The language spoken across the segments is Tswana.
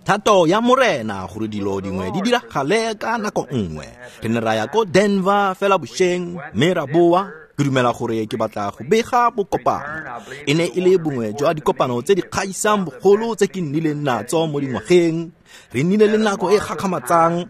Thato ya Morena gore dilo dingwe di diragale ka nako nngwe. Re ne ra ya ko Denver fela bošeng mme ra boa. Ke dumela gore ke batla go bega bokopano. E ne e le bongwe jwa dikopano tse di kgaisang bogolo tse ke nnileng natso mo dingwageng. Re nnile le nako e gakgamatsang.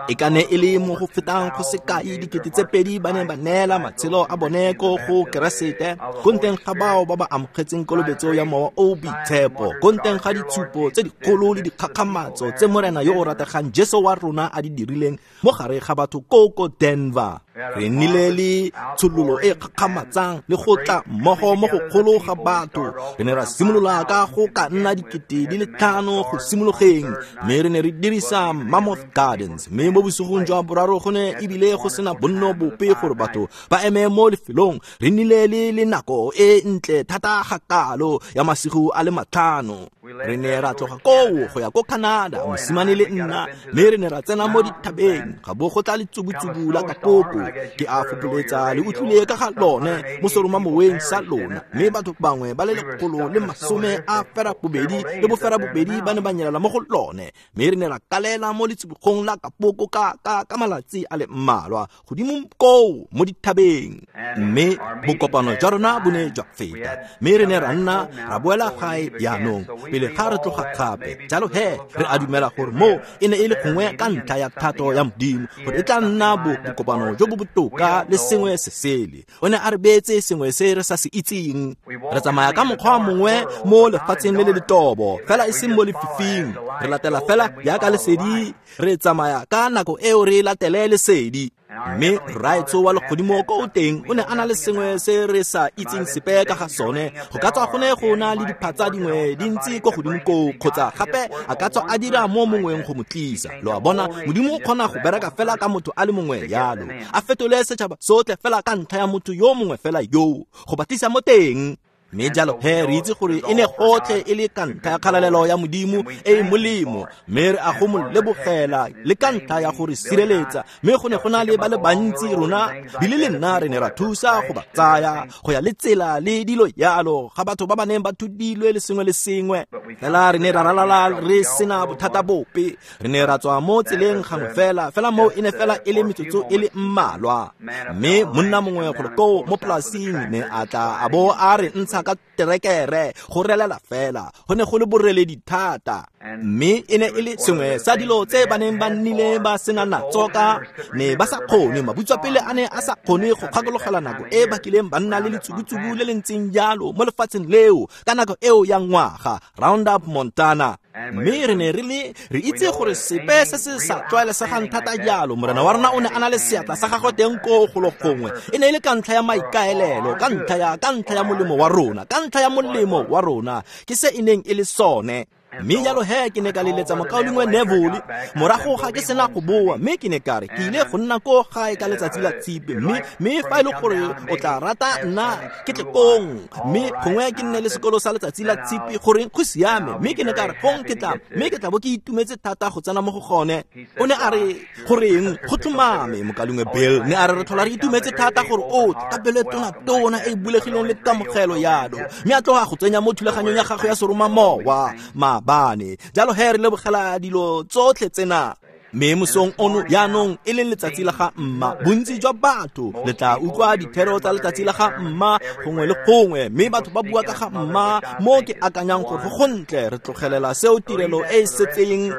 E ka ne e le mo go fetang go sekai 2000 ba ne ba neela matshelo a bone ko go Keresete, ko nteng ga bao ba ba amogetseng kolobetso ya Mowa o o Boitshepo, ko nteng ga ditshupo tse dikgolo le dikgakgamatso tse Morena yo o rategang Jesu wa rona a di dirileng mo gare ga batho ko ko Denver. Re nnile le tshololo e kgakgamatsang le go tla mmogo mo go kgolo ga batho. Re ne ra simolola ka go ka nna 5,000 go simologeng, mme re ne re dirisa Mammoth Gardens, mme mo bosigong jwa boraro go ne ebile go sena bonno bope gore batho ba eme mo lefelong. Re nnile le nako e ntle thata ga kalo ya masigo a le 5. Re ne ra tloga koo go ya ko Canada, mosimane le nna, mme re ne ra tsena mo dithabeng, ga bo go tla letsubutsubu la kapoko. Ke a fopholetsa le utlwile ka ga lone mo seromamoweng sa lona, mme batho bangwe ba le 182 ba ne ba nyelela mo go lone, mme re ne ra kalela mo letsubugong la kapoko ka malatsi a le mmalwa godimo koo mo dithabeng. Mme bokopano jwa rona bo ne jwa feta, mme re ne ra nna ra boela gae jaanong pele ga re tloga gape. Jalo he re a dumela gore mo e ne e le gongwe ka ntlha ya thato ya Modimo gore e tla nna bokopano jo bo botoka le sengwe se sele. O ne a re beetse sengwe se re sa se itseng. Re tsamaya ka mokgwa mongwe mo lefatsheng le le letobo, fela e seng mo lefifing. Re latela fela jaaka lesedi, re tsamaya ka nako eo re latele lesedi. Mme Rraetsho wa legodimo ko o teng o ne a na le sengwe se re sa itseng sepe ka ga sone. Go ka tswa go ne go na le diphatsa dingwe di ntse ko godimo koo, kgotsa gape a ka tswa a dira mo mongweng go mo tlisa. Lo a bona, Modimo o kgona go bereka fela ka motho a le mongwe yalo, a fetole setšhaba sotlhe fela ka ntlha ya motho yo mongwe fela yoo, go ba tlisa mo teng. Mme jalo he re itse gore e ne gotlhe e le ka ntlha ya kgalalelo ya Modimo e e molemo, mme re a go mo lebogela le ka ntlha ya gore sireletsa. Mme go ne go na le ba le bantsi rona bile le nna re ne ra thusa go ba tsaya go ya le tsela le dilo yalo ga batho ba ba neng ba thudilwe le sengwe le sengwe. Fela re ne ra ralala re sena bothata bope. Re ne ra tswa mo tseleng gangwe fela, fela moo e ne fela e le metsotso e le mmalwa. Mme monna mongwe golo koo mo polasing ne a tla a bo a re ntsha ka terekere go relela fela. Go ne go le boreledi thata, mme e ne e le sengwe sa dilo tse ba neng ba nnile ba sena natso ka ne ba sa kgone. Mabutswapele a ne a sa kgone go kgakologela nako e ba kileng ba nna le letsubutsubu le le ntseng jalo mo lefatsheng leo ka nako eo ya ngwaga, Roundup Montana. Mme re ne re itse gore sepe se se sa tlwaelesegang thata jalo, Morena wa rona o ne a na le seatla sa gagwe teng koo golo gongwe. E ne e le ka ntlha ya maikaelelo, ka ntlha ya molemo wa rona, ka ntlha ya molemo wa rona, ke se e neng e le sone. Mme jalo he ke ne ka leletsa mokaulengwe Neville morago ga ke sena go boa, mme ke ne ka re ke ile go nna ko gae ka letsatsi la Tshipi, mme fa e le gore o tla rata nna ke tle kong, mme gongwe ke nne le sekolo sa letsatsi la Tshipi, goreng go siame. Mme ke ne ka re gong ke tla, mme ke tla bo ke itumetse thata go tsena mo go gone. O ne a re goreng go tlhomame mokaulengwe Bill, ne a re re tlhola re itumetse thata gore o ka pelo e tona-tona e bulegileng le kamogelo yalo, mme a tloga go tsenya mo thulaganyong ya gagwe ya seromamowa maabane. Jalo he re lebogela dilo tsotlhe tsena. Mme mosong ono jaanong e leng letsatsi la ga mma, bontsi jwa batho le tla utlwa dithero tsa letsatsi la ga mma gongwe le gongwe, mme batho ba bua ka ga mma mo ke akanyang gore go gontle re tlogelela seo tirelo e e setseng.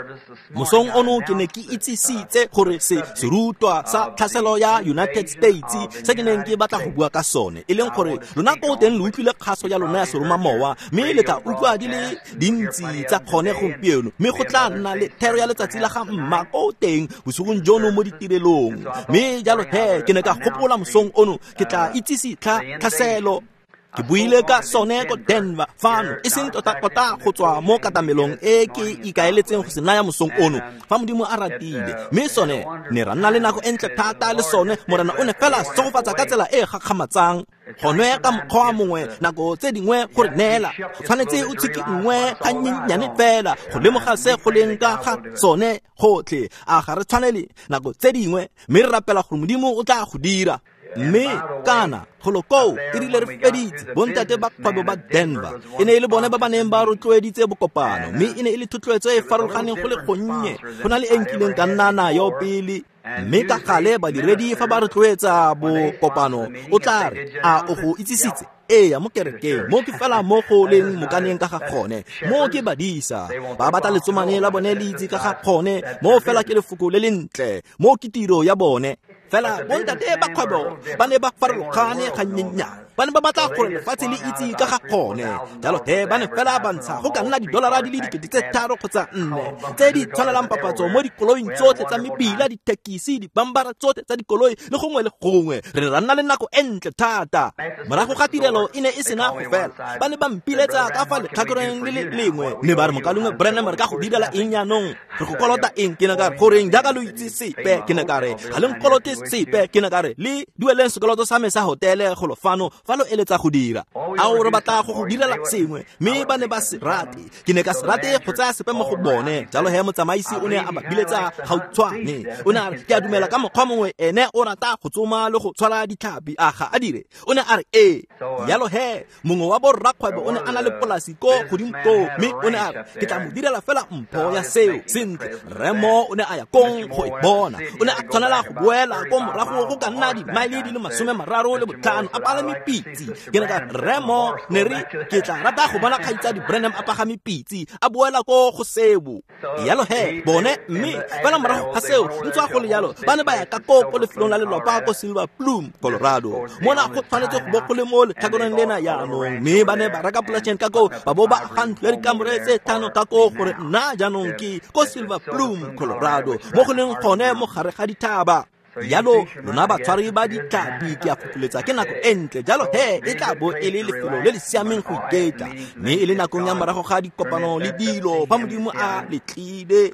Mosong ono ke ne ke itsisitse gore se serutwa sa tlhaselo ya United States se ke neng ke batla go bua ka sone, e leng gore lona ko teng lo utlwile kgaso ya lona ya seromamowa, mme le tla utlwa di le dintsi tsa kgone gompieno, mme go tla nna le thero ya letsatsi la ga mma ko teng bosigong jono mo ditirelong. Mme jalo he ke ne ka gopola mosong ono ke tla itsise tlhaselo. Ke buile ka sone ko Denver fano, e seng tota-tota go tswa mo katamelong e ke ikaeletseng go se naya mosong ono, fa Modimo a ratile. Mme sone ne ra nna le nako e ntle thata le sone. Morena o ne fela segofatsa ka tsela e gakgamatsang. Gone ka mokgwa mongwe nako tse dingwe go re neela, go tshwanetse o tshiki nngwe ga nyenyane fela go lemoga se go leng ka ga sone gotlhe. A ga re tshwanele nako tse dingwe, mme re rapela gore Modimo o tla go dira. Mme kana golo koo e rile re feditse bontate ba kgwebo ba Denver e ne e le bone ba ba neng ba rotloeditse bokopano, mme e ne e le thotloetso e e farologaneng go le gonnye go na le e nkileng ka nna nayo pele. Mme ka gale badiredi fa ba rotloetsa bokopano o tla re, a o go itsisitse? Ee, mo kerekeng mo ke fela mo go leng mokaneng ka ga gone, mo ke badisa ba batla letsomane la bone le itse ka ga gone, mo fela ke lefoko le lentle, mo ke tiro ya bone. Fela bontate ba kgwebo ba ne ba farologane gannyennyane, ba ne ba batla gore lefatshe le itse ka ga gone. Jalo he ba ne fela ba ntsha go ka nna didolara di le 3,000 kgotsa 4 tse di tshwanelang papatso mo dikoloing tsotlhe tsa mebila, dithekisi, dibambara tsotlhe tsa dikoloi le gongwe le gongwe. Re ne ra nna le nako e ntle thata. Morago ga tirelo e ne e sena go fela, ba ne ba mpiletsa ka fa letlhakoreng le le lengwe, mme ba re, mokalengwe Branham, re ka go direla eng jaanong? Re go kolota eng? Ke ne ka re, goreng jaaka lo itse sepe? Ke ne ka re, ga le nkolote sepe. Ke ne ka re, le dueleng sekoloto sa me sa hotele golo fano fa lo eletsa go dira. Ao, re batla go go direla sengwe. Mme ba ne ba se rate. Ke ne ka se rate go tsaya sepe mo go bone. Jalo he motsamaisi o ne a ba biletsa gautshwane. O ne a re, ke a dumela ka mokgwa mongwe ene o rata go tsoma le go tshwara ditlhapi, a ga a dire? O ne a re, ee. Jalo he mongwe wa borrakgwebo o ne a na le polasi ko godimo koo, mme o ne a re, ke tla mo direla fela mpho ya seo. Sentle, Remo o ne a ya kong go e bona. O ne a tshwanela go boela ko morago go ka nna dimaele di le 35 a palame pitse. Ke ne ka Remo ne re, ke tla rata go bona kgaitsadi Branham a pagame pitse a boela ko go seo. Yalo he bone, mme fela morago ga seo ntswa go le yalo ba ne ba ya ka ko ko lefelong la lelwapa ko Silver Plume, Colorado. Mona go tshwanetse go bo go le mo letlhakoreng lena jaanong, mme ba ne ba reka polaseng ka koo, ba bo ba aga ntlo ya dikamore tse 5 ka koo, gore nna jaanong ke ko Silver Plume, Colorado, mo go leng gone mo gare ga dithaba. Jalo lona batshwari ba ditlhapi, ke a fopholetsa ke nako e ntle. Jalo he e tla bo e le lefelo le le siameng go iketla, mme e le nakong ya morago ga dikopano le dilo fa Modimo a letlile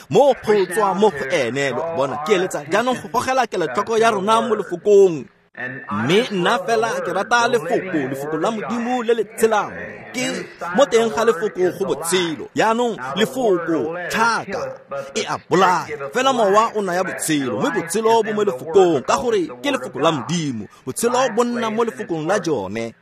mo go tswa mo go ene. Lo bona, ke eletsa jaanong go gogela kelotlhoko ya rona mo lefokong. Mme nna fela ke rata lefoko, lefoko la Modimo le le tshelang. Ke mo teng ga lefoko go botshelo. Jaanong lefoko tlhaka e a bolaya, fela mowa o naya botshelo, mme botshelo bo mo lefokong, ka gore ke lefoko la Modimo. Botshelo bo nna mo lefokong la jone.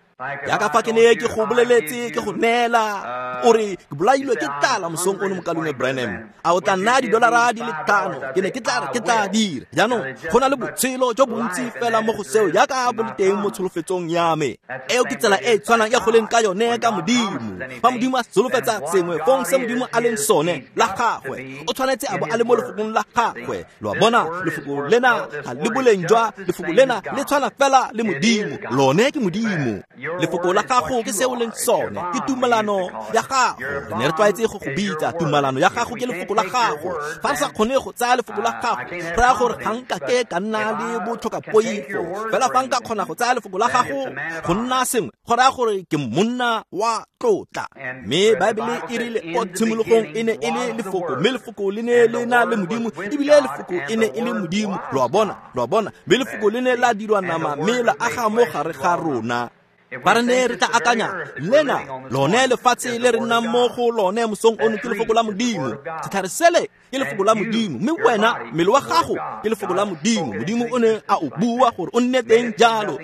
Jaaka fa ke ne ke go boleletse, ke go neela, o re ke bolailwe ke tlala mosong ono, mokalengwe Branham, a o tla nna didolara di le 5? Ke ne ke tla re ke tla dira. Jaanong go na le botshelo jo bontsi fela mo go seo jaaka bo le teng mo tsholofetsong ya me. Eo ke tsela e e tshwanang ya go leng ka yone ka Modimo. Fa Modimo a solofetsa sengwe, fong se Modimo a leng sone la gagwe, o tshwanetse a bo a le mo lefokong la gagwe. Lo a bona, lefoko lena ga le boleng jwa lefoko lena le tshwana fela le Modimo. Lone ke Modimo. Lefoko la gago ke se o leng sone, ke tumalano ya gago. Re ne re tlwaetse go go bitsa tumalano ya gago ke lefoko la gago. Fa re sa kgone go tsaya lefoko la gago, re raya gore ga nka ke ka nna le botlhokapoifo. Fela fa nka kgona go tsaya lefoko la gago go nna sengwe, go raya gore ke monna wa tlotla. Mme Baebele e rile ko tshimologong e ne e le lefoko, mme lefoko le ne le na le Modimo, ebile lefoko e ne e le Modimo. Lo a bona, lo a bona, mme lefoko le ne la dirwa nama mme la aga mo gare ga rona. Ba re ne re tla akanya lena lone lefatshe le re nnang mo go lone mosong ono ke lefoko la Modimo. Setlhare sele ke lefoko la Modimo, mme wena mmele wa gago ke lefoko la Modimo. Modimo o ne a o bua gore o nne teng jalo,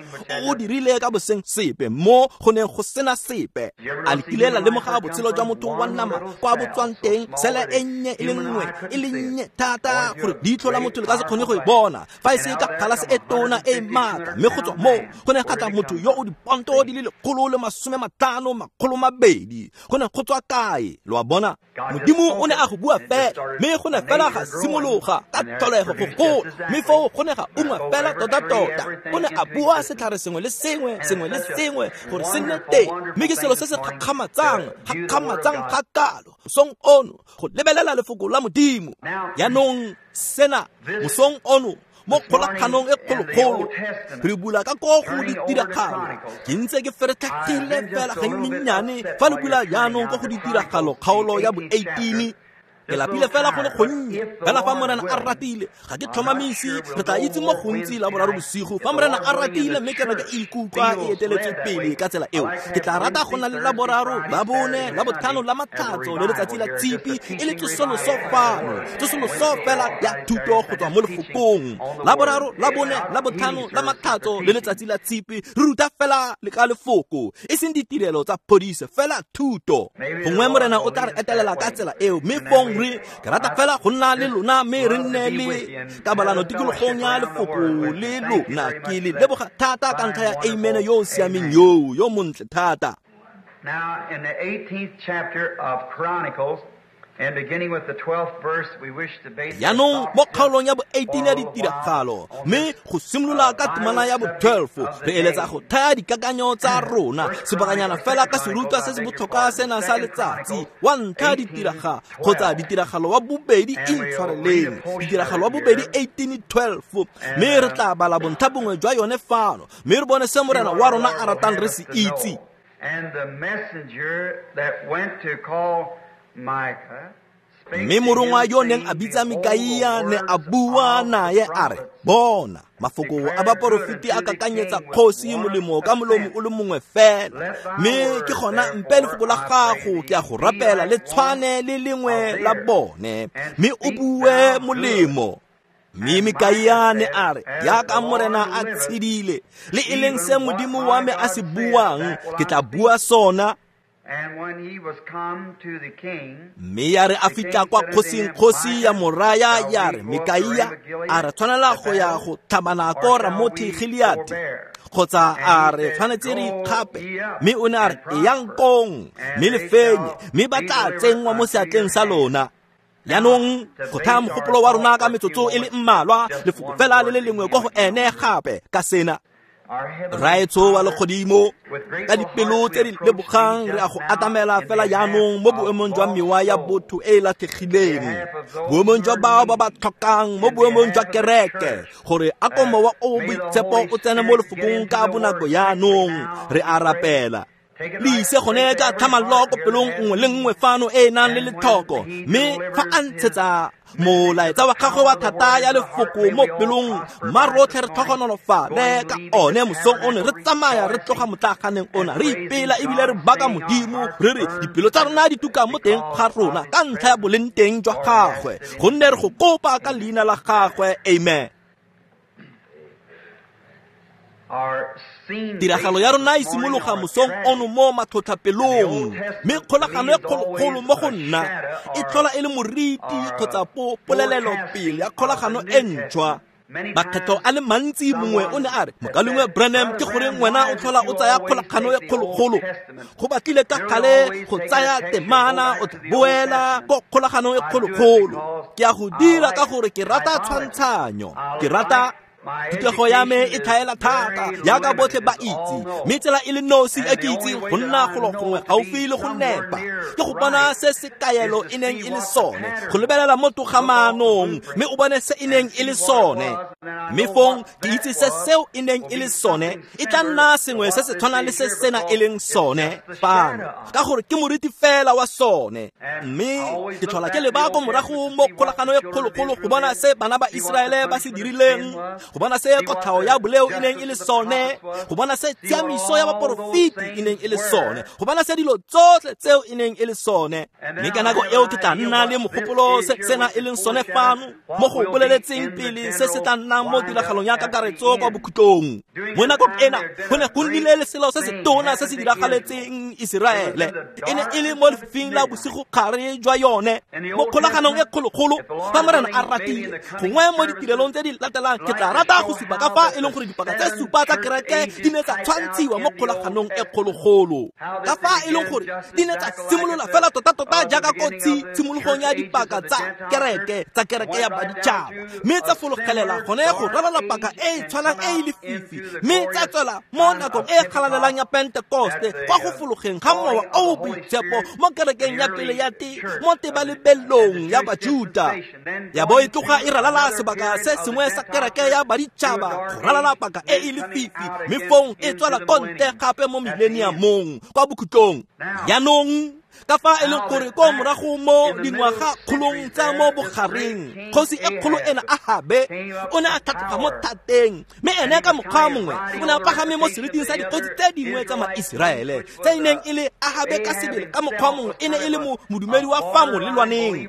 o dirile ka boseng sepe mo go neng go sena sepe. A le kile la lemoga botshelo jwa motho wa nama kwa bo tswang teng, sele e nnye e le nngwe e le nnye thata gore leitlho la motho le ka se kgone go e bona fa e se ka galase e tona e maatla, mme go tswa moo go ne ga tla motho yo o diponto di le 150 200. Go ne go tswa kae? Lo a bona, Modimo o ne a go bua fela, mme go ne fela ga simologa ka tlholego go gola, mme foo go ne ga ungwa fela tota-tota. O ne a bua setlhare sengwe le sengwe, sengwe le sengwe gore se nne teng, mme ke selo se se gakgamatsang, gakgamatsang ga kalo mosong ono go lebelela lefoko la Modimo. Jaanong sena mosong ono mo kgolaganong e kgolokgolo re bula ka ko go ditiragalo. Ke ntse ke feretlhegile fela gannyenyane fa le bula jaanong ko go ditiragalo kgaolo ya bo 18. Ke lapile fela go le gonnye, fela fa Morena a ratile, ga ke tlhomamise, re tla itse mo gontsi la boraro bosigo. Fa Morena a ratile mme kereke e ikutlwa e eteletswe pele ka tsela eo, ke tla rata go na le la boraro, la bone, la botlhano, la matlhatso le letsatsi la tshipi e le tsosoloso fano, tsosoloso fela ya thuto go tswa mo lefokong. La boraro, la bone, la botlhano, la matlhatso le letsatsi la tshipi re ruta fela le ka lefoko, e seng ditirelo tsa phodiso, fela thuto. Gongwe Morena o tla re etelela ka tsela eo, mme fong re ke rata fela go nna le lona mme re nne le kabalano tikologong ya lefoko le lona. Ke le leboga thata ka ntlha ya amen yo o siameng yoo, yo montle thata. Now in the 18th chapter of Chronicles, and beginning with the 12th verse, we wish to base Yaanong mo kgaolong ya bo 18 ya ditiragalo, mme go simolola ka temana ya bo 12, re eletsa go thaya dikakanyo tsa rona sebakanyana fela ka serutwa se se botlhokwa sena sa letsatsi wa ntlha ditiraga kgotsa ditiragalo wa bobedi intshwareleng, ditiragalo wa bobedi 18:12, mme re tla bala bontlha bongwe jwa yone fano, mme re bone se Morena wa rona a ratang re se itse. And the messenger that went to call Micah Mme morongwa yo neng a bitsa Mikaia ne a bua naye a re, bona, mafoko a baporofeti a kakanyetsa kgosi molemo ka molomo o le mongwe fela, mme ke gona mpe lefoko la gago ke a go rapela le tshwane le lengwe la bone, mme o bue molemo. Mme Mikaia ne a re, jaaka Morena a tshedile, le e leng se Modimo wa me a se buang, ke tla bua sona. Mme ya re a fitlha kwa kgosing, kgosi ya moraya ya re, Mikaia, a re tshwanela go ya go tlhabana ko Ramothi Gileate, kgotsa a re tshwanetse re ikgape? Mme o ne a re, eyang kong, mme le fenye, mme ba tla tsenngwa mo seatleng sa lona. Yaanong go thaya mogopolo wa rona ka metsotso e le mmalwa, lefoko fela le le lengwe kwa go ene gape ka sena. Raetsho wa legodimo, ka dipelo tse di lebogang re a go atamela fela jaanong mo boemong jwa mewa ya botho e e latlhegileng, boemong jwa bao ba ba tlhokang, mo boemong jwa kereke, gore a ko mowa o boitshepo o tsene mo lefokong ka bonako jaanong. Re a rapela le ise gone ka tlhamallo ko pelong nngwe le nngwe fano e e nang le letlhoko, mme fa a ntshetsa molaetsa wa gagwe wa thata ya lefoko mo pelong, mma rotlhe re tlhogonolofale ka one mosong ono, re tsamaya re tloga motlaganeng ona, re ipela ebile re baka Modimo, re re dipelo tsa rona di tuka mo teng ga rona ka ntlha ya boleng teng jwa gagwe, gonne re go kopa ka leina la gagwe, amen. Tiragalo ya rona e simologa mosong ono mo matlhotlhapelong, mme kgolagano e kgolokgolo mo go nna e tlhola e le moriti kgotsa polelelo pele ya kgolagano e ntšhwa. Makgetho a le mantsi mongwe o ne a re, Mokaulengwe Branham, ke goreng wena o tlhola o tsaya kgolagano e kgolokgolo? Go batlile ka gale go tsaya temana o tla boela ko kgolaganong e kgolokgolo. Ke a go dira ka gore ke rata tshwantshanyo, ke rata thutego ya me e tlhaela thata jaaka botlhe ba itse, mme tsela e le nosi e ke itseng go nna golo gongwe gaufi le go nepa ke go bona se se kaelo e neng e le sone, go lebelela mo togamaanong mme o bone se e neng e le sone. Mme fong ke itse se seo e neng e le sone e tla nna sengwe se se tshwanang le se sena e leng sone fano, ka gore ke moriti fela wa sone. Mme ke tlhola ke leba ko morago mo kgolagano e kgolokgolo go bona se bana ba Iseraele ba se dirileng, go bona se kotlhao ya boleo e neng e le sone, go bona se tshiamiso ya baporofeti e neng e le sone, go bona se dilo tsotlhe tseo e neng e le sone. Mme ka nako eo ke tla nna le mogopolo se sena e leng sone fano mo go boleletseng pele se se tla nnang mo tiragalong ya kakaretso kwa bokhutlong. Mo nakong ena go ne go nnile le selo se se tona se se diragaletseng Iseraele, e ne e le mo lefifing la bosigogare jwa yone, mo kgolaganong e kgolokgolo. Fa Morena a ratile, gongwe mo ditirelong tse di latelang ke tla rata go supa ka fa e leng gore dipaka tse supa tsa kereke di ne tsa tshwantshiwa mo kgolaganong e kgologolo, ka fa e leng gore di ne tsa simolola fela tota-tota jaaka ko tshimologong ya dipaka tsa kereke ya baditšhaba, mme tsa fologelela gone go ralala paka e e tshwanang e e lefifi, mme tsa tswela mo nakong e e galalelang ya Pentekoste kwa go fologeng ga mowa o o boitshepo mo kerekeng ya pele ya mo tebalebelong ya Bajuta. Ya bo e tloga e ralala sebaka se sengwe sa kereke ya baditšhaba go ralala paka e e lefifi, mme fong e tswela ko ntle gape mo millenniumong kwa bokhutlong. Jaanong Ka fa e leng gore ko morago mo dingwaga kgolong tsa mo bogareng, kgosi e kgolo ena Ahabe o ne a tlhatloga mo thateng, mme ene ka mokgwa mongwe o ne a pagame mo seriting sa dikgosi tse dingwe tsa Maiseraele tse e neng e le Ahabe ka sebele. Ka mokgwa mongwe e ne e le modumedi wa fa molelwaneng.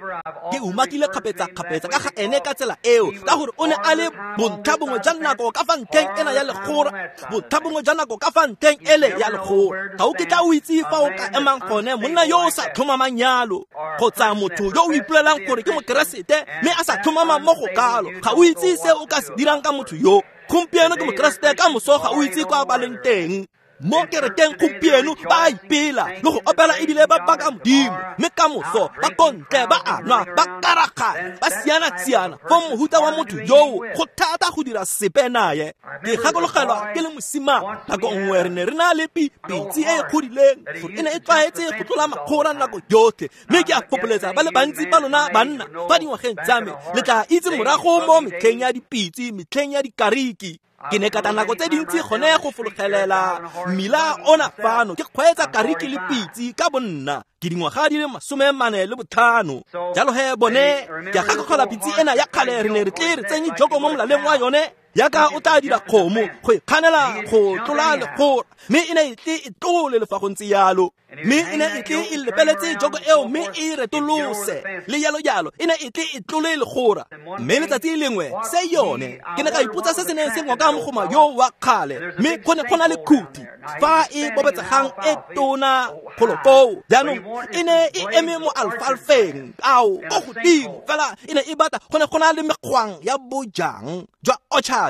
Ke umakile kgapetsa-kgapetsa ka ga ene ka tsela eo, ka gore o ne a le bontlha bongwe jwa nako ka fa ntlheng ena ya legora, bontlha bongwe jwa nako ka fa ntlheng ele ya legora. Ga o kitla o itse fa o ka emang gone monna yo o sa tlhomamang yalo, kgotsa motho yo o ipolelang gore ke mokeresete mme a sa tlhomama mo go kalo. Ga o itse se o ka se dirang ka motho yo. Gompieno ke mokeresete, ka moso ga o itse kwa ba leng teng. Mo kerekeng gompieno ba a ipela le go opela ebile ba baka Modimo, mme ka moso ba kontle ba a nwa, ba karagana, ba siana-siana. Fo mohuta wa motho yoo go thata go dira sepe naye. Ke gakologelwa ke le mosimane, nako nngwe re ne re na le pitse e e kgodileng gore e ne e tlwaetse go tlola makgora nako yotlhe, mme ke a fopoletsa ba le bantsi ba lona banna fa dingwageng tsa me le tla itse morago mo metlheng ya dipitse, metlheng ya dikariki. Ke ne ka tla nako tse dintsi gone go fologelela mmila ona fano ke kgweetsa kariki le pitse ka bonna, ke dingwaga di le 45. Jalo he bone ke a gakologelwa pitse ena ya kgale re ne re tle re tsenye joko mo molaleng wa yone yaka o tla dira kgomo go ikganela go tlola legora, mme e ne e tle e tlole le fa go ntse yalo, mme e ne e tle e lepeletse joko eo mme e retolose le yalo yalo, e ne e tle e tlole legora. Mme letsatsi lengwe se yone ke ne ka ipotsa se se neng se ngoka mogoma yo wa kgale, mme go ne go na le khuti fa e bobetsegang e tona golo koo. Jaanong e ne e eme mo alfalfeng ao ko godimo fela, e ne e batla go ne go na le mekgwang ya bojang jwa orchard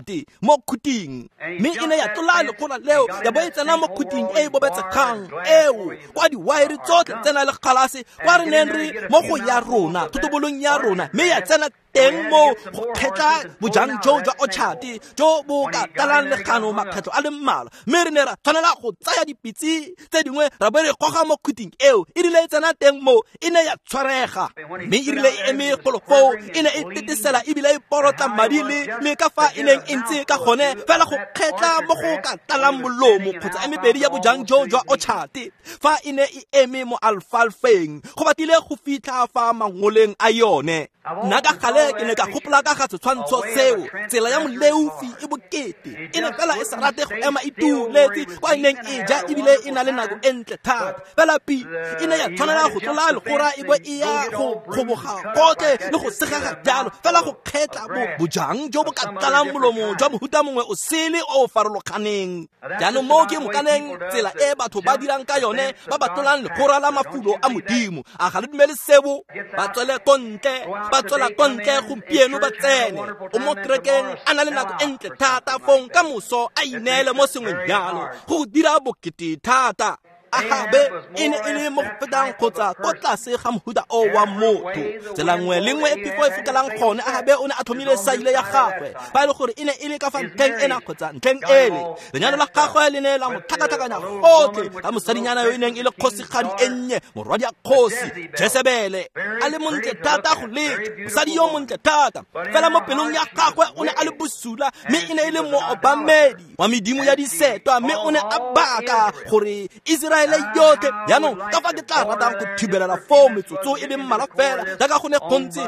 mo khuting, mme e ne ya tlola legora leo ya bo e tsena mo khuting e e bobetsegang eo kwa diwaere tsotlhe tsena le kgalase kwa re neng re mo go ya rona thotobolong ya rona, mme ya tsena teng mo go kgetla bojang jo jwa orchard jo bo ka tlalang legano makgetlho a le mmalwa. Mme re ne ra tshwanela go tsaya dipitse tse dingwe ra bo re goga mo khuting eo. E rile e tsena teng mo e ne ya tshwarega, mme e rile e eme golo foo e ne e tetesela ebile e porotla madi le ka fa e neng e ntse ka gone fela go kgetla mo go ka tlalang molomo kgotsa e mebedi ya bojang jo jwa orchard fa e ne e eme mo alfalfeng go batlile go fitlha fa mangoleng a yone. Nna ka gale ke ne ka gopola ka ga setshwantsho seo, tsela ya moleufi e bokete, e ne fela e sa rate go ema e tuletse kwa e neng e ja ebile e na le nako e ntle thata. Fela pi e ne ya tshwanela go tlola legora e bo e ya go kgoboga gotlhe le go segega jalo fela go kgetla bojang jo bo ka tlalang molomo jwa mohuta mongwe o sele o o farologaneng. Jaanong mo ke mokaneng tsela e batho ba dirang ka yone ba ba tlolang legora la mafulo a Modimo. A ga le dumele seo? Ba tswele ko ntle, ba tswela ko ntle gompieno ba tsene o mo kerekeng a na le nako e ntle thata, fong ka moso a ineele mo sengweng jalo go dira bokete thata. Ahabe e ne e le mo go fetang kgotsa ko tlase ga mohuta o wa motho. Tsela nngwe le nngwe e phefo e fokelang gone, Ahabe o ne a tlhomile saile ya gagwe fa e le gore e ne e le ka fa ntlheng ena kgotsa ntlheng ele. Lenyalo la gagwe le ne la mo tlhakatlhakanya gotlhe ka mosadinyana yo e neng e le kgosigadi e nnye, morwadi ya kgosi Jesebele, a le montle thata go letša, mosadi yo montle thata. Fela mo pelong ya gagwe o ne a le bosula, mme e ne e le moobamedi wa medimo ya disetwa, mme o ne a baka gore Israele yotlhe. Jaanong ka fa ke tla ratang go thibelela foo metsotso e le mmalwa fela jaaka go ne go ntse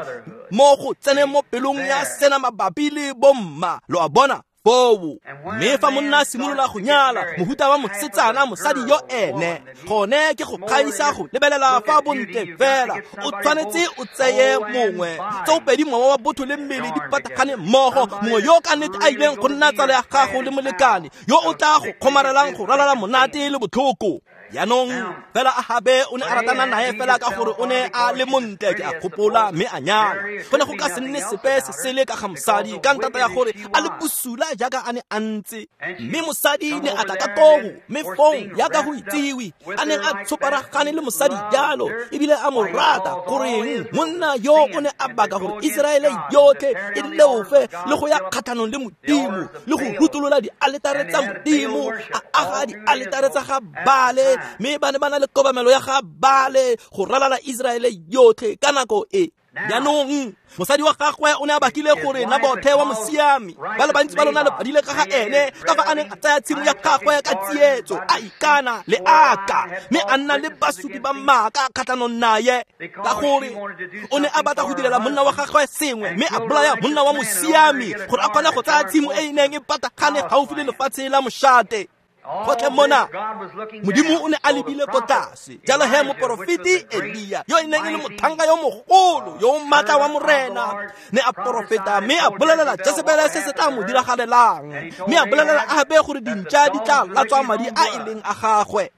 mo go tseneng mo pelong ya sena mabapi le bomma, lo a bona foo. Mme fa monna a simolola go nyala mohuta wa mosetsana mosadi yo ene gone ke go kgaisa go lebelela fa bontle fela, o tshwanetse o tseye mongwe tsoopedi mowa wa botho le mmele di patagane mmogo, mongwe yo ka nnete a ileng go nna tsala ya gago le molekane yo o tla go kgomarelang go ralala monate le botlhoko. Jaanong fela Ahabe o ne a ratana nae fela ka gore o ne a le montle, ke a gopola, mme a nyala. Go ne go ka se nne sepe se sele ka ga mosadi ka ntata ya gore a le bosula jaaka a ne a ntse. Mme mosadi ne a tla ka koo, mme fong yaka go itsiwe a neng a tshoparagane le mosadi jalo ebile a mo rata, goreng monna yo o ne a baka gore Iseraele yotlhe e leofe le go ya kgatlhanong le Modimo le go rutolola dialetare tsa Modimo, a aga dialetare tsa ga Baale, mme ba ne ba na le kobamelo ya ga Baale go ralala Iseraele yotlhe ka nako e. Jaanong mosadi wa gagwe o ne a bakile gore Nabothe wa mosiami, ba le bantsi ba lona le badile ka ga ene, ka fa a neng a tsaya tshimo ya gagwe ka tsietso, a ikana le aka, mme a nna le basupi ba maaka kgatlhanong naye, ka gore o ne a batla go direla monna wa gagwe sengwe, mme a bolaya monna wa mosiami gore a kgone go tsaya tshimo e e neng e patagane gaufi le lefatshe la mošate. Gotlhe mona Modimo o ne a lebile ko tlase. Jalo he moporofeti Elia, yo e neng e le motlhanka yo mogolo yo o maatla wa Morena, ne a porofeta mme a bolelela Jesebele se se tla mo diragalelang, mme a bolelela Ahabe gore dintša di tla latswa madi a e leng a gagwe.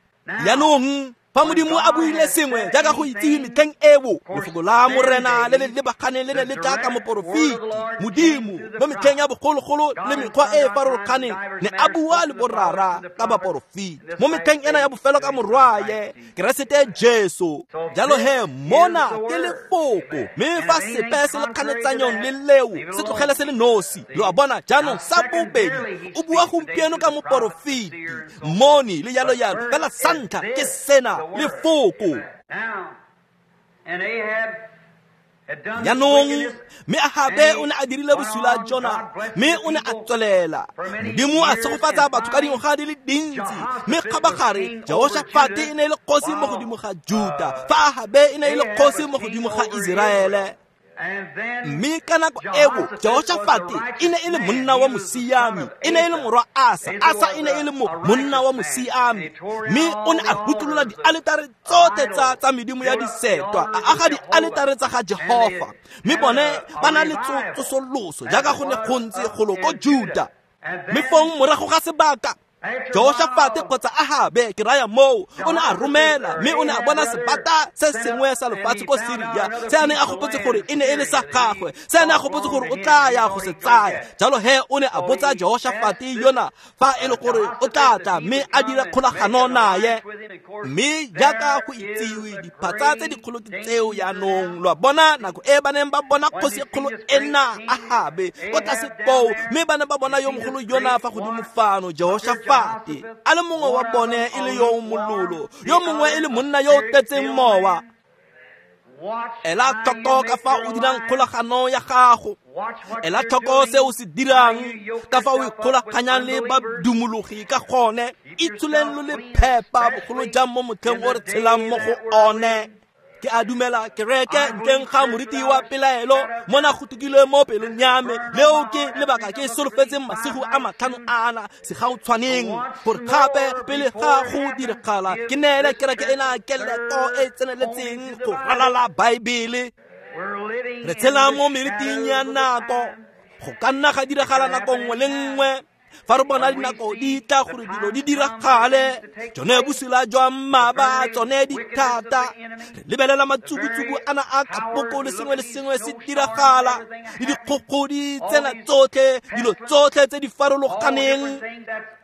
Jaanong fa Modimo a buile sengwe jaaka go itse metlheng eo, lefoko la Morena le le lebaganeng le ne le tla ka moporofeti. Modimo mo metlheng ya bogologolo le mekgwa e e farologaneng ne a bua le borara ka baporofeti, mo metlheng ena ya bofelo ka morwaye Keresete Jesu. Jalo he mona ke lefoko, mme fa sepe se le kganetsanyong le leo, se tlogele se le nosi. Lo a bona? Jaanong sa bobedi o bua gompieno ka moporofeti, mmoni le jalo jalo, fela sa ntlha ke sena, lefoko. Jaanong mme Ahabe o ne a dirile bosula jona, mme o ne a tswelela. Modimo a segofatsa batho ka dingwaga di le dintsi, mme kgabagare Jehoshafate e ne e le kgosi mo godimo ga Juta, fa Ahabe e ne e le kgosi mo godimo ga Iseraele. Mme ka nako eo Jehoshafate e ne e le monna wa mosiami, e ne e le morwa Asa. Asa e ne e le monna wa mosiami, mme o ne a rutolola dialetare tsotlhe tsa medimo ya disetwa, a aga dialetare tsa ga Jehofa. Mme bone ba na le tsosoloso jaaka go ne go ntse golo ko Juta. Mme fong morago ga sebaka, Jehoshafate kgotsa Ahabe, ke raya moo, o ne a romela, mme o ne a bona sebata se sengwe sa lefatshe ko Siria, se a neng a gopotse gore e ne e le sa gagwe, se a neng a gopotse gore o tla ya go se tsaya. Jalo he o ne a botsa Jehoshafate yona fa e le gore o tla tla mme a dira kgolagano naye. Mme jaaka go itsiwe, diphatsa tse dikgolo ke tseo jaanong. Lo a bona, nako e ba neng ba bona kgosi e kgolo ena Ahabe ko tlase koo, mme ba ne ba bona yo mogolo yona fa godimo fano, Jehoshafate, a le mongwe wa bone e le yo mololo, yo mongwe e le monna yo o tletseng mowa. Ela tlhoko ka fa o dirang kgolagano ya gago, ela tlhoko se o se dirang, ka fa o ikgolaganyang le badumologi ka gone. Itsholeng lo le phepa, bogolo jang mo motlheng o re tshelang mo go one. Ke a dumela kereke ntleng ga moriti wa pelaelo, mona go tukilwe mo pelong ya me. Leo ke lebaka ke solofetseng masigo a 5 ana segautshwaneng, gore gape pele ga go diragala ke neele kereke ena keleto e tseneletseng go ralala Baebele. Re tshela mo meriting ya nako, go ka nna ga diragala nako nngwe le nngwe. Fa re bona dinako di tla gore dilo di diragale, tsone bosula jwa mmaba, tsone dithata. Re lebelela matsubutsubu ana a kapoko le sengwe le sengwe se diragala, le dikgogodi tsena tsotlhe, dilo tsotlhe tse di farologaneng,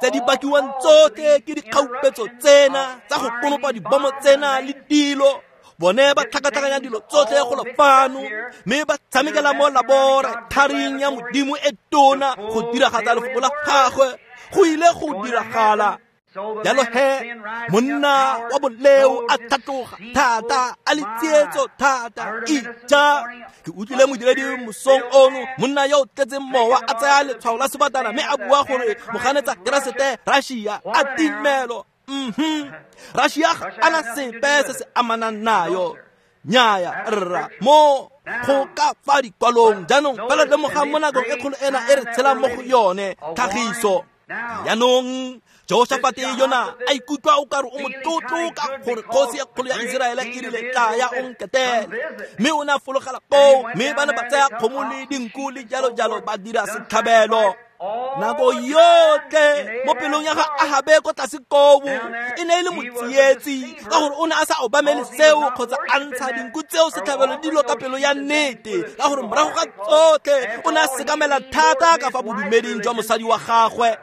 tse di bakiwang tsotlhe ke dikgaupetso tsena tsa go konopa dibomo tsena le dilo. Bone ba tlhakatlhakanya dilo tsotlhe go lo fano, mme ba tshamekela mo laboratoring ya Modimo e tona go diragatsa lefoko la gagwe. Go ile go diragala. Jalo he monna wa boleo a tlhatloga thata, a le tsietso thata. Ija, ke utlwile modiredi mosong ono, monna yo o tletseng mowa a tsaya letshwao la sebatana mme a bua gore moganetsa Keresete Russia a timelo. Russia ga ana sepe se se amanang nayo. Nnyaya rra, mo go ka fa dikwalong. Jaanong fela lemogang mo nakong e kgolo ena e re tshelang mo go yone, tlhagiso. Jaanong Jehoshafate yona a ikutlwa o kare o motlotlo ka gore kgosi e kgolo ya Iseraele e rile tla ya o nketele, mme o ne a fologela koo, mme ba ne ba tsaya kgomo le dinku le jalo jalo ba dira setlhabelo. Nako yotlhe mo pelong ya ga Ahabe ko tlase koo e ne e le motsietsi, ka gore o ne a sa obamele seo kgotsa a ntsha dinku tseo setlhabelo dilo ka pelo ya nnete, ka gore morago ga tsotlhe o ne a sekamela thata ka fa bodumeding jwa mosadi wa gagwe.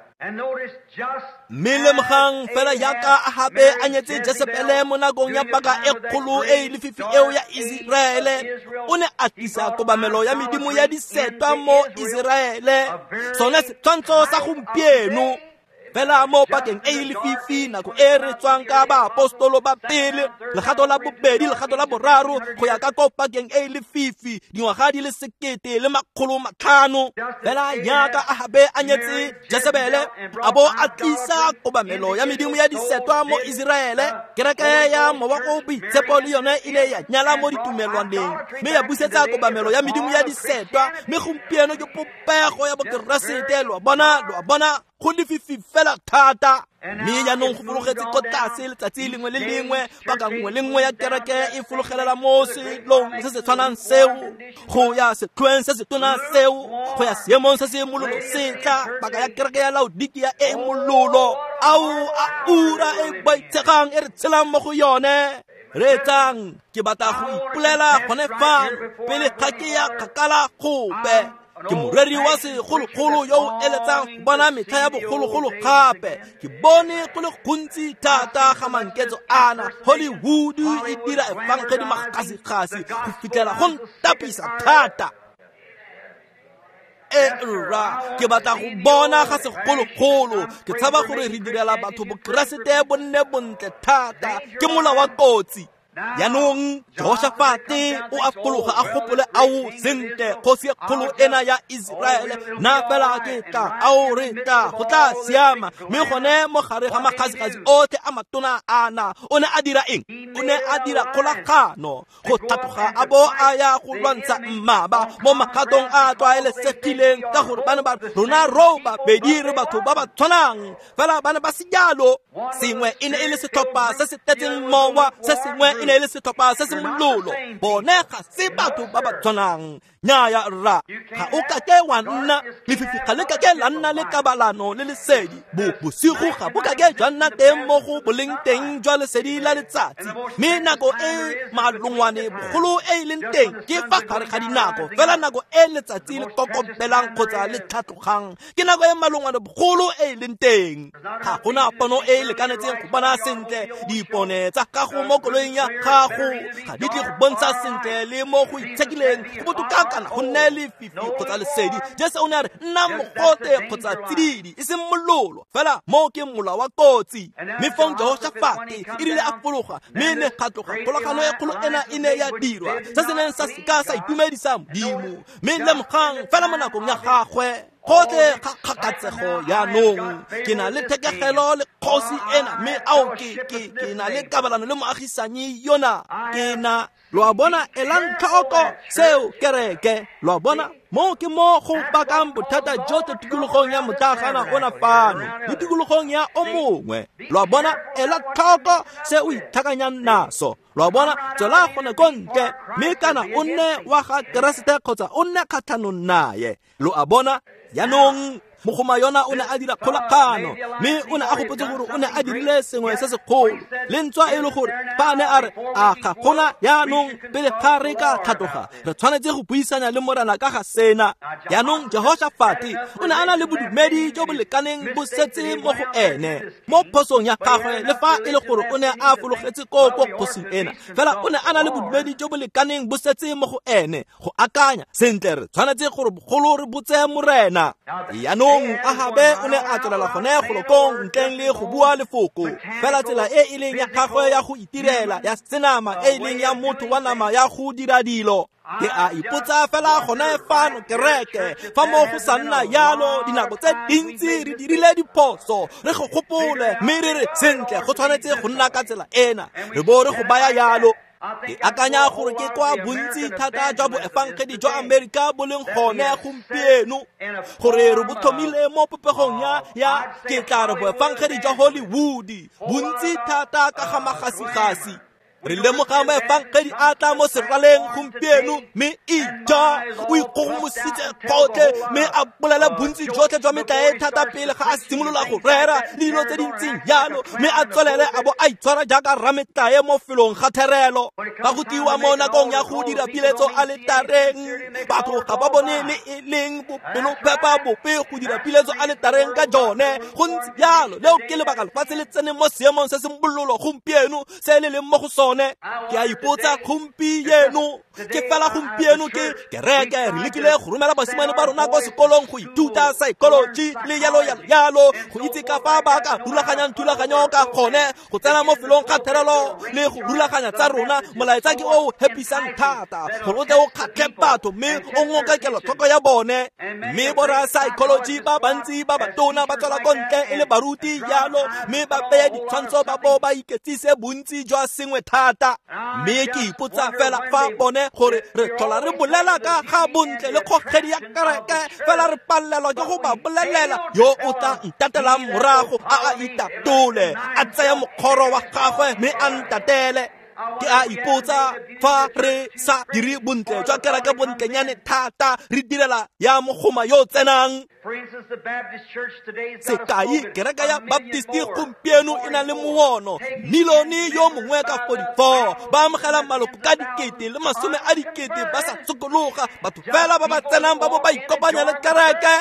Mme lemogang fela jaaka Ahabe a nyetse Jesebele mo nakong ya paka e kgolo e e lefifi eo ya Iseraele, o ne a tlisa kobamelo ya medimo ya disetwa mo Iseraele, sone setshwantsho sa gompieno. Fela mo pakeng e e lefifi nako e re tswang ka baapostolo ba pele, legato la bobedi, legato la boraro, go ya ka ko pakeng e e lefifi, dingwaga di le 1500. Fela jaaka Ahabe a nyetse Jesebele, a bo a tlisa kobamelo ya medimo ya disetwa mo Iseraele, kereke ya Mowa o Boitshepo le yone e ile ya nyala mo ditumelwaneng mme ya busetsa kobamelo ya medimo ya disetwa. Mme gompieno ke popego ya bokeresete. Lo a bona, lo a bona, go lefifi fela thata. Mme jaanong go fologetse ko tlase letsatsi lengwe le lengwe, paka nngwe le nngwe ya kereke e fologelela mo selong se se tshwanang seo, go ya setlhoeng se se tona seo, go ya seemong se se mololo se tla, paka ya kereke ya Laodikia e e mololo. Ao a ura e boitshegang e re tshelang mo go yone. Reetsang, ke batla go ipolela gone fano pele ga ke ya kgakala gope. Ke moreri wa segologolo yo o eletsang go bona metlha ya bogologolo gape. Ke bone go le gontsi thata ga manketso ana. Hollywood e dira efangedi magasigasi go fitlhela go ntapisa thata. E rra, ke batla go bona ga segologolo. Ke tshaba gore re direla batho bokeresete bo nne bontle thata. Ke mola wa kotsi. Jaanong Jehoshafate o a fologa a gopole ao sentle, kgosi e kgolo ena ya Iseraele, nna fela ke tla ao re tla go tla siama. Mme gone mo gare ga magasigasi otlhe a matona ana, o ne a dira eng? O ne a dira kgolagano go tlhatloga a bo a ya go lwantsha mmaba mo magatong a a tlwaelesegileng, ka gore ba ne ba rona ro babedi re batho ba ba tshwanang, fela ba ne ba se jalo. Sengwe e ne e le setlhopha se se tletseng mowa, se sengwe e ne e le setlhopha se se mololo. Bone ga se batho ba ba tshwanang. Nnyaya rra, ga o kake wa nna lefifi, ga le kake la nna le kabalano le lesedi. Bosigo ga bo kake jwa nna teng mo go boleng teng jwa lesedi la letsatsi. Mme nako e malongwane bogolo e e leng teng ke fa gare ga dinako, fela nako e letsatsi le kokobelang kgotsa le tlhatlogang ke nako e malongwane bogolo e e leng teng. Ga gona pono e e lekanetseng go bona sentle. Dipone tsa gago mo koloing ya gago ga di tle go bontsha sentle le mo go itshekileng go botoka kana go nne lefifi kgotsa lesedi. Jesu o ne a re nna mogote kgotsa tsididi, e seng mololo, fela mo ke mola wa kotsi. Mme fong Jehoshafate e rile a fologa, mme ne ga tloga kgolagano e kgolo ena e ne ya dirwa, se se neng sa seka sa itumedisa Modimo. Mme lemogang fela mo nakong ya gagwe gotlhe ga kgakatsego jaanong, ke na le thekegelo le kgosi ena, mme ao ke na le kabalano le moagisanyi yona. Ke na, lo a bona, elang tlhoko seo kereke. Lo a bona, mo ke mo go bakang bothata jotlhe tikologong ya motlagana ona fano le tikologong ya o mongwe. Lo a bona, ela tlhoko se o itlhakanyang naso. Lo a bona, tswela gone ko ntle, mme kana o nne wa ga Keresete kgotsa o nne kgatlhanong naye. Lo a bona, jaanong mogoma yona o ne a dira kgolagano, mme o ne a gopotse gore o ne a dirile sengwe se segolo. Le ntswa e le gore fa a ne a re a ga gona jaanong pele ga re ka tlhatloga, re tshwanetse go buisanya le Morena ka ga sena. Jaanong Jehoshafate o ne a na le bodumedi jo bo lekaneng bo setse mo go ene mo phosong ya gagwe, le fa e le gore o ne a fologetse ko ko kgosing ena, fela o ne a na le bodumedi jo bo lekaneng bo setse mo go ene go akanya sentle re tshwanetse gore bogolo re botse Morena. Jaanong Ahabe o ne a tswelela gone golokong ntleng le go bua lefoko, fela tsela e e leng ya gagwe ya go itirela ya senama e e leng ya motho wa nama ya go dira dilo. Ke a ipotsa fela gone fano kereke, fa mo go sa nna jalo dinako tse dintsi re dirile diphoso, re go gopole mme re re sentle go tshwanetse go nna ka tsela ena, re bo re go baya jalo. Ke akanya gore ke kwa bontsi thata jwa boefangedi jwa Amerika bo leng gone gompieno, gore re bo tlhomile mo popegong ya ke tla re boefangedi jwa Hollywood, bontsi thata ka ga magasigasi. Re lemoga moefangedi a tla mo seraleng gompieno, mme ija o ikgogomositse gotlhe, mme a bolela bontsi jotlhe jwa metlae thata pele ga a simolola go rera le dilo tse di ntseng jalo, mme a tswelele a bo a itshwara jaaka rametlae mo felong ga therelo. Fa go tliwa mo nakong ya go dira piletso aletareng, batho ga ba bone le e leng bopelophepa bope go dira piletso aletareng ka jone. Go ntse jalo, leo ke lebaka lefatshe le tseneng mo seemong se se mololo gompieno se le leng mo go sone. lone. Ke a ipotsa gompieno, ke fela gompieno ke kereke re lekile go romela basimane ba rona kwa sekolong go ithuta psychology le yalo yalo yalo, go itse ka fa ba ka rulaganyang thulaganyo ka gone, go tsena mo felong ga therelo le go rulaganya tsa rona. Molaetsa ke o hepisang thata gore o tle o kgatlhe batho mme o ngoka kelotlhoko ya bone. Mme borra psychology ba bantsi ba batona ba tswela ko ntle e le baruti yalo, mme ba beye ditshwantsho ba bo ba iketsise bontsi jwa sengwe thata. Mme ke ipotsa fela fa bone gore re tlhola re bolela ka ga bontle le kgogedi ya kereke, fela re palelwa ke go ba bolelela yo o tla ntatelang morago a a itatole, a tsaya mokgoro wa gagwe mme a ntatele. Ke a ipotsa fa re sa dire bontle jwa kereke bontlenyane thata, re direla ya mogoma yo tsenang. Sekai, kereke ya Baptist gompieno e na le moono milione yo mongwe ka 44, ba amogela maloko ka 1,000 le 10,000 ba sa sokologa, batho fela ba ba tsenang ba bo ba ikopanya le kereke.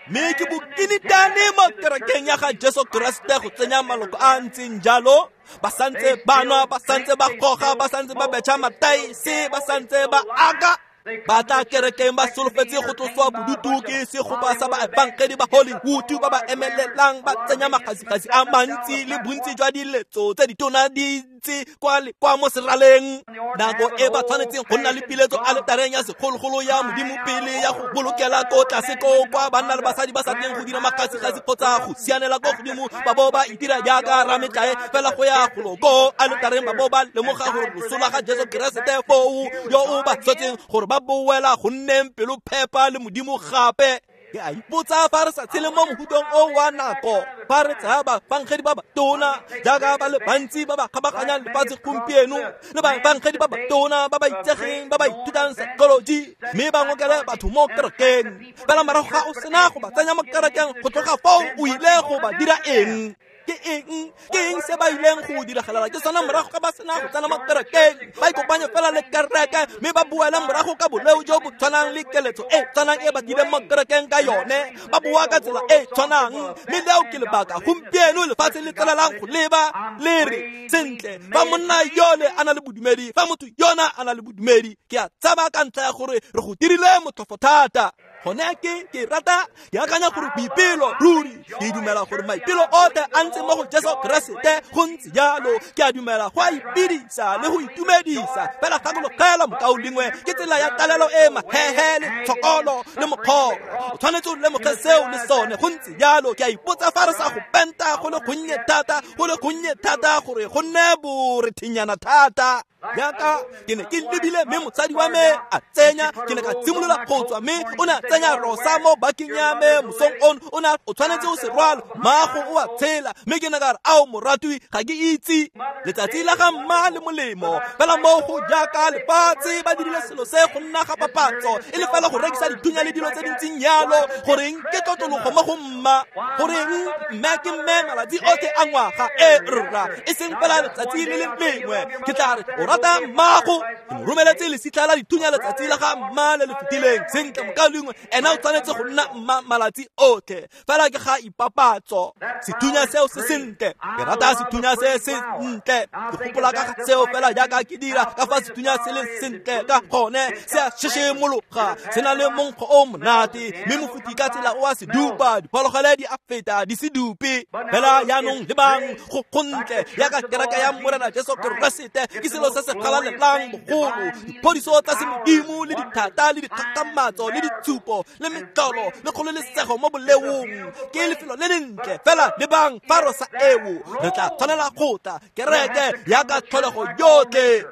Mme ke bokinitane mo kerekeng ya ga Jesu Keresete go tsenya maloko a ntseng jalo. Ba santse ba nwa, ba santse ba goga, ba santse ba betšha mataese, ba santse ba aka. Ba tla kerekeng ba solofetse go tloswa bodutu ke segopa sa baefangedi ba Hollywood ba ba emelelang, ba tsenya magasigasi a mantsi le bontsi jwa diletso tse ditona di ntse kwa le kwa mo seraleng. Nako e ba tshwanetseng go nna le piletso aletareng ya segologolo ya Modimo pele ya go bolokela ko tlase ko kwa banna le basadi ba sa tleng go dira magasigasi kgotsa go sianela ko godimo, ba bo ba itira jaaka rametlae fela go ya golo ko aletareng, ba bo ba lemoga gore loso la ga Jesu Keresete foo yo o ba tshwetseng gore ba boela go nneng pelo phepa le Modimo gape. Ke a ipotsa fa re sa tshele mo mohutong o wa nako, fa re tsaya baefangedi ba batona jaaka ba le bantsi ba ba kgabaganyang lefatshe gompieno, le baefangedi ba batona ba ba itsegeng ba ba ithutang psychology, mme ba ngokele batho mo kerekeng. Fela morago ga o sena go ba tsenya mo kerekeng, go tloga foo o ile go ba dira eng? Ke eng se ba ileng go diragalela ke sona morago ga ba sena go tsena mo kerekeng? Ba ikopanye fela le kereke mme ba boela morago ka boleo jo bo tshwanang le keletso e tshwanang e ba tlileng mo kerekeng ka yone, ba boa ka tsela e tshwanang. Mme leo ke lebaka gompieno lefatshe le tswelelang go leba le re, sentle, fa monna yole a na le bodumedi, fa motho yona a na le bodumedi, ke a tshaba ka ntlha ya gore re go dirile motlhofo thata. Gone ke rata ke akanya gore boipelo ruri, ke dumela gore maipelo otlhe a ntse mo go Jesu Keresete, go ntse jalo. Ke a dumela go a ipedisa le go itumedisa, fela gakologela mokaulengwe ke tsela ya talelo e mahehe le tshokolo le mokgoro. O tshwanetse o lemoge seo le sone, go ntse jalo. Ke a ipotsa fa re sa go penta go le gonnye thata, go le gonnye thata gore go nne borethinyana thata. Jaaka ke ne ke lebile mme mosadi wa me a tsenya, ke ne ka simolola go tswa mme o ne a tsenya rosa mo bakeng ya me mosong ono, o ne o tshwanetse o se rwala, maago o a tshela. Mme ke ne ka re, ao moratwi, ga ke itse letsatsi la ga mma le molemo, fela mo go jaaka lefatshe ba dirile selo se go nna ga papatso, e le fela go rekisa dithunya le dilo tse dintseng yalo. Goreng ke tlotlologo mo go mma? Goreng mme ke mme malatsi otlhe a ngwaga? E rra, e seng fela letsatsi le le lengwe. Ke tla re o rata mmago, ke mo romeletse lesitlha la dithunya letsatsi la ga mma le le fetileng. Sentle mokaulengwe, ena o tshwanetse go nna mma malatsi otlhe, fela ke ga ipapatso. Sethunya seo se sentle, ke rata sethunya se se ntle. Ke gopola ka ga seo fela jaaka ke dira ka fa sethunya se le sentle ka gone, se a sheshemologa, se na le monkgo o monate, mme mofuti ka tsela o a se dupa, diphologolo di a feta di se dupe. Fela jaanong lebang go gontle jaaka kereke ya Morena Jesu Keresete ke selo se se galalelang bogolo, diphodiso tsa semodimo le dithata le dikgakgamatso le ditshupo le metlolo le kgololesego mo boleong. Ke lefelo le lentle, fela lebang fa rosa eo re tla tshwanela go tla kereke jaaka tlholego yotlhe.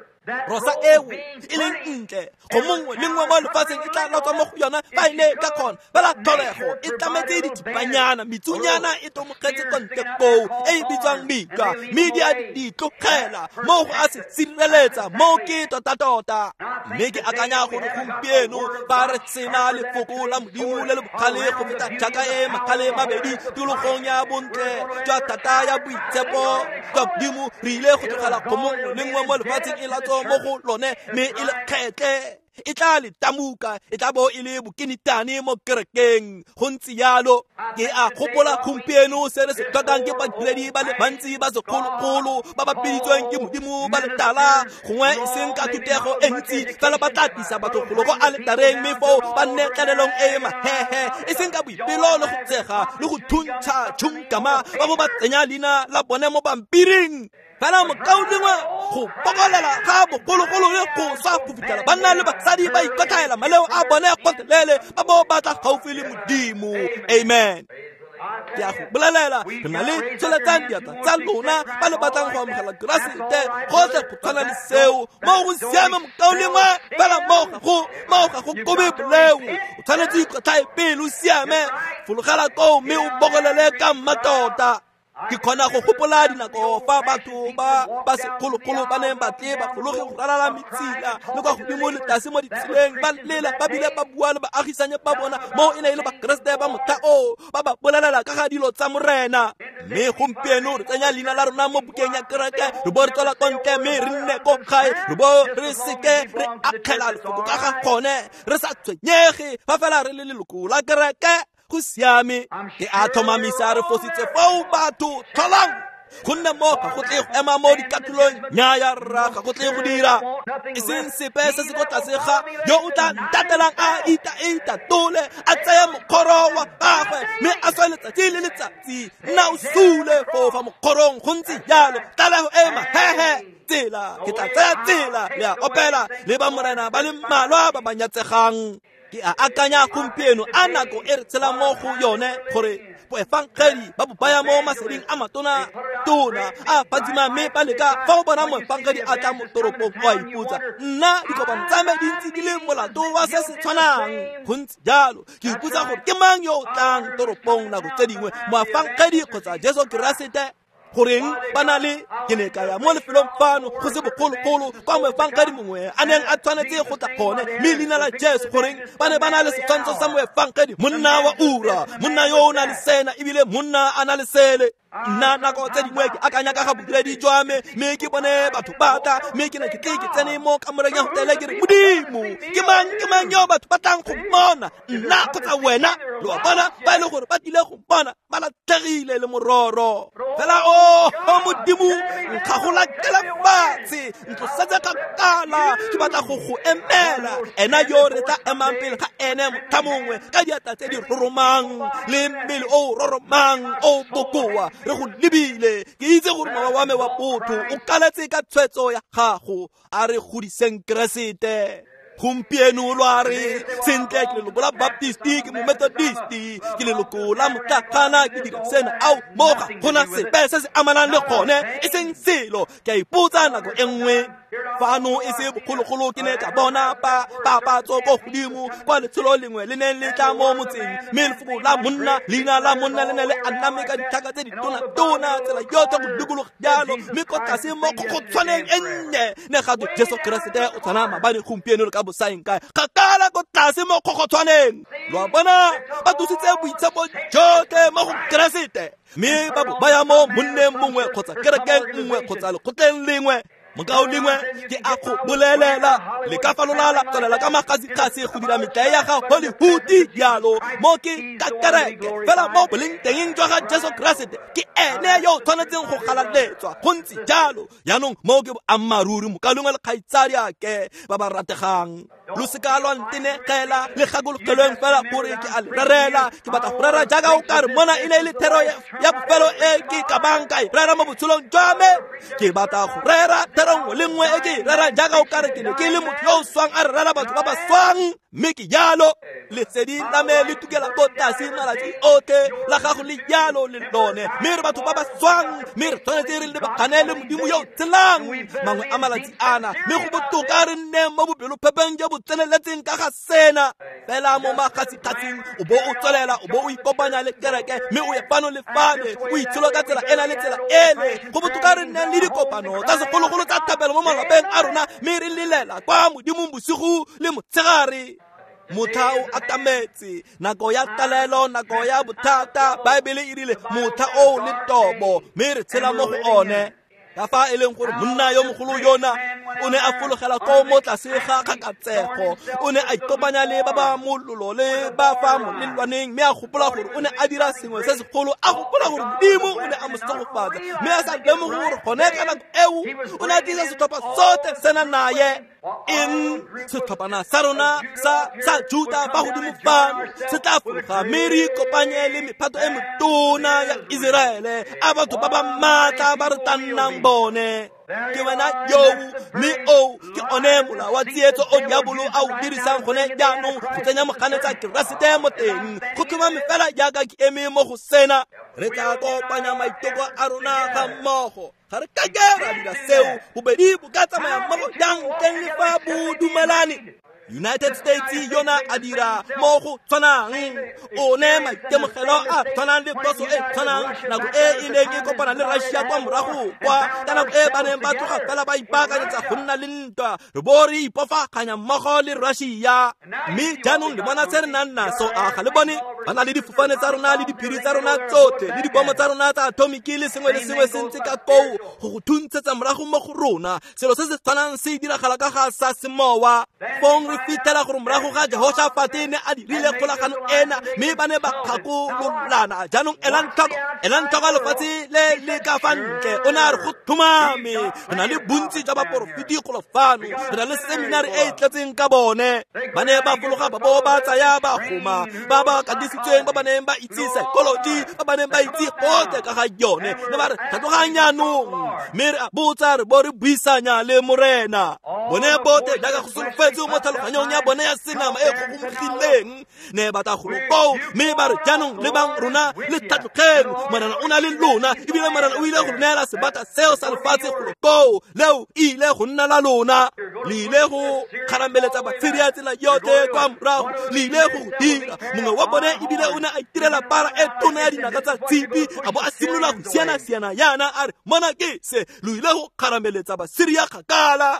Rosa eo e leng ntle go mongwe le nngwe mo lefatsheng e tla latswa mo go yona fa e ne ka kgona, fela tlholego e tlametse dithipanyana, metsunyana e tomogetse ko ntle koo e e bitswang metlwa, mme di a di tlogela mo go a se sireletsa mo ke tota-tota. Mme ke akanya gore gompieno fa re sena lefoko la Modimo le le bogale go feta jaaka e magale mabedi tikologong ya bontle jwa thata ya boitshepo jwa Modimo, re ile go tlogela go mongwe le nngwe mo lefatsheng e latswa mo go lone mme e le kgetle. E tla le tamuka, e tla bo e le bokenitane mo kerekeng. Go ntse jalo. Ke a gopola gompieno se re se tlhokang ke badiredi ba le bantsi ba segologolo ba ba biditsweng ke Modimo ba letala, gongwe e seng ka thutego e ntsi, fela ba tla tlisa batho golo ko aletareng, mme foo ba nne tlalelong e e mahehe, e seng ka boipelo le go tsega le go thuntsha tšhunkama, ba bo ba tsenya leina la bone mo pampiring. Fela mokaulengwe, go bokolela ga bogologolo le go swa go fitlhela banna le basadi ba ikotlhaela maleo a bone gotlhelele, ba bo ba tla gaufi le Modimo. Amen. Ke a go bolelela, re na le tsholetsang diatla tsa lona ba le batlang go amogela Keresete, gotlhe go tshwana le seo. Mo go siame mokaulengwe, fela mo ga go kobe boleo. O tshwanetse o ikotlhae pele o siame, fologela koo mme o bokolele ka mmatota. Ke kgona go gopola dinako fa batho ba ba segologolo ba neng ba tle ba fologe go ralala metsila le kwa godimo le tlase mo ditseleng, ba lela ba bile ba bua le baagisanye ba bona, mo e ne e le Bakeresete ba motlha oo, ba ba bolelela ka ga dilo tsa Morena. Mme gompieno re tsenya leina la rona mo bukeng ya kereke, re bo re tswela ko ntle mme re nne ko gae, re bo re seke re akgela lefoko ka ga gone, re sa tshwenyege fa fela re le leloko la kereke. Go siame. Ke a tlhomamisa re fositse foo batho. Tlholang, gonne mo ga go tle go ema mo dikatolong. Nnyaya rra, ga go tle go dira. E seng sepe se se ko tlase ga yo o tla ntatelang a ita-itatole, a tseye mokgoro wa gagwe mme a swe letsatsi le letsatsi. Nna o sule foo fa mokgorong, go ntse jalo. Tlalego e mahehe, tsela ke tla tsaya tsela, le a opela le ba Morena ba le mmalwa ba ba nyatsegang. Ke a akanya gompieno a nako e re tshelang mo go yone, gore boefangedi ba bo baya mo maseding a matona tona a phatsima, mme ba leka fa o bona moefangedi a tla mo toropong, o a ipotsa, nna dikopano tsa me di ntse di le molato wa se se tshwanang. Go ntse jalo. Ke ipotsa gore ke mang yo o tlang toropong nako tse dingwe, moefangedi kgotsa Jesu Keresete. Goreng ba na le, ke ne ka ya mo lefelong fano go se bogologolo kwa moefangedi mongwe a neng a tshwanetse go tla gone, mme leina la Jesu, goreng ba ne ba na le setshwantsho sa moefangedi, monna wa ura, monna yo o na le sena ebile monna a na le sele. Nna nako tse dingwe ke akanya ka ga bodiredi jwa me, mme ke bone batho ba tla, mme ke ne ke tle ke tsene mo kamoreng ya hotele, ke re, Modimo, ke mang yo batho ba tlang go mmona, nna kgotsa wena? Lo a bona, ba e le gore ba tlile go mpona, ba latlhegile le mororo. Fela o Modimo, nkgagolakela fatshe, ntlosetse kgakala, ke batla go go emela. Ena yo re tla emang pele ga ene motlha mongwe, ka diatla tse di roromang le mmele o roromang o bokoa, re go lebile. Ke itse gore mowa wa me wa botho o kaletse ka tshwetso ya gago. A re godiseng Keresete. Gompieno lo a re, sentle ke leloko la Baptisti, ke Momethodisti, ke leloko la motlakgana, ke dira sena. Ao, mo ga gona sepe se se amanang le gone, e seng selo. Ke a ipotsa nako e nngwe fano e se bogologolo, ke ne ka bona papatso ko godimo kwa letsholo lengwe le neng le tla mo motseng, mme lefoko la monna, leina la monna le ne le aname ka ditlhaka tse ditona-tona tsela yotlhe go dikologa jalo, mme ko tlase mo kgokgotshwaneng e nnye ne ga twe Jesu Keresete o tshwana maabane, gompieno le ka bosaeng kae. Kgakala ko tlase mo kgokgotshwaneng. Lo a bona, ba tlositse boitshepo jotlhe mo go Keresete, mme ba bo baya mo monneng mongwe kgotsa kerekeng nngwe kgotsa lekgotleng lengwe. Mokaulengwe, ke a go bolelela, le ka falola la tswelela ka magasigasi go dira metlae ya ga Hollywood jalo, mo ke ka kereke fela mo boleng teng jwa ga Jesu Keresete, ke ene yo o tshwanetseng go galaletswa. Go ntse jalo. Jaanong mo ke boammaaruri, mokaulengwe le kgaitsadiake ba ba rategang, lo seka lwa ntenegela, le gakologelweng fela gore ke a le rerela. Ke batla go rera jaaka o ka re mona e ne e le thero ya bofelo e ke ka bang ka e rera mo botshelong jwa me. Ke batla go rera thero nngwe le nngwe e ke e rerang jaaka o ka re ke ne ke le motho yo o swang a rera batho ba ba swang, mme ke jalo. Lesedi la me le tukela ko tlase malatsi otlhe, la gago le jalo le lone, mme re batho ba ba swang, mme re tshwanetse re lebagane le Modimo yo o tshelang mangwe a malatsi ana, mme go botoka re nne mo bopelophepeng jo bo tseneletseng ka ga sena. Fela mo magasiggasing o bo o tswelela, o bo o ikopanya le kereke, mme o ye fano le fale, o itsholo ka tsela ena le tsela ele. Go botoka re nneng le dikopano tsa segologolo tsa thapelo mo malapeng a rona, mme re lelela kwa Modimong bosigo le motshegare. Motlha o atametse, nako ya talelo, nako ya bothata. Baebele e rile motlha o le tobo, mme re tshela mo go one. Ka fa e leng gore monna yo mogolo yona o ne a fologela ko mo tlase ga kgakatsego, o ne a ikopanya le ba ba mololo le ba fa molelwaneng, mme a gopola gore o ne a dira sengwe se segolo, a gopola gore Modimo o ne a mo segofatsa, mme a sa lemoge gore gone ka nako eo o ne a tlisa setlhopha sotlhe sena naye. Eng setlhophana sa rona sa Juta fa godimo fano se tla fologa mme re ikopanye le mephato e metona ya Iseraele, a batho ba ba maatla ba re tla nnang bone. Ke wena yo, mme o ke one mola wa tsietso o diabolo a o dirisang gone jaanong go tsenya moganetsa Keresete mo teng. Go tlhomame fela jaaka ke eme mo go sena, re tla kopanya maiteko a rona ga mmogo. Ga re kake ra dira seo, bobedi bo ka tsamaya mmogo jang ntleng le fa bo dumelane? United States yona a dira mo go tshwanang, o ne maitemogelo a tshwanang le phoso e tshwanang nako e e neng e kopana le Russia kwa morago kwa, ka nako e ba neng ba tloga fela ba ipaakanyetsa go nna le ntwa, re bo re ipofaganya mmogo le Russia. Mme jaanong le bona se re nang naso, a ga le bone? Ba na le difofane tsa rona le diphiri tsa rona tsotlhe le dibomo tsa rona tsa atomiki le sengwe le sengwe se ntse ka koo go go thuntshetsa morago mo go rona. Selo se se tshwanang se diragala ka ga sa semowa. Fong re fitlhela gore morago ga Jehoshafate ne a dirile kgolagano ena, mme ba ne ba kgakololana. Jaanong elang tlhoko lefatshe le le ka fa ntle. O ne a re go tlhomame, re na le bontsi jwa baporofeti golo fano, re na le seminari e e tletseng ka bone. Ba ne ba fologa ba bo ba tsaya bagoma ba ba katisitsweng, ba ba neng ba itse psychology, ba ba neng ba itse gotlhe ka ga yone, ne ba re tlhatloganya jaanong, mme re a botsa re bo re buisanya le Morena. Bone botlhe jaaka go solofetswe mo tlhaloganyong ya bone ya senama e kgogomogileng, ne ba tla golo koo mme ba re jaanong lebang rona le tlhatlogeng, Morena o na le lona, ebile Morena o ile go neela sebata seo sa lefatshe golo koo, leo e ile go nna la lona. Le ile go kgarameletsa Batsiria tsela yotlhe kwa morago, le ile go dira. Mongwe wa bone ebile o ne a itirela para e tona ya dinaka tsa tshipi, a bo a simolola go siana-siana yana a re mona ke se, lo ile go kgarameletsa Basiria kgakala.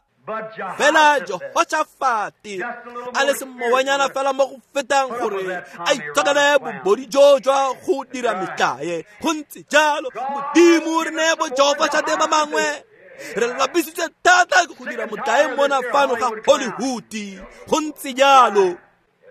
Fela Jehoshafate a le semowanyana fela mo go fetang gore a itshokele bobodi jo jwa go dira metlae. Go ntse jalo, Modimo re neye bo Jehoshafate ba bangwe. Re lapisitswe thata ke go dira motlae mona fano ga Hollywood. Go ntse jalo,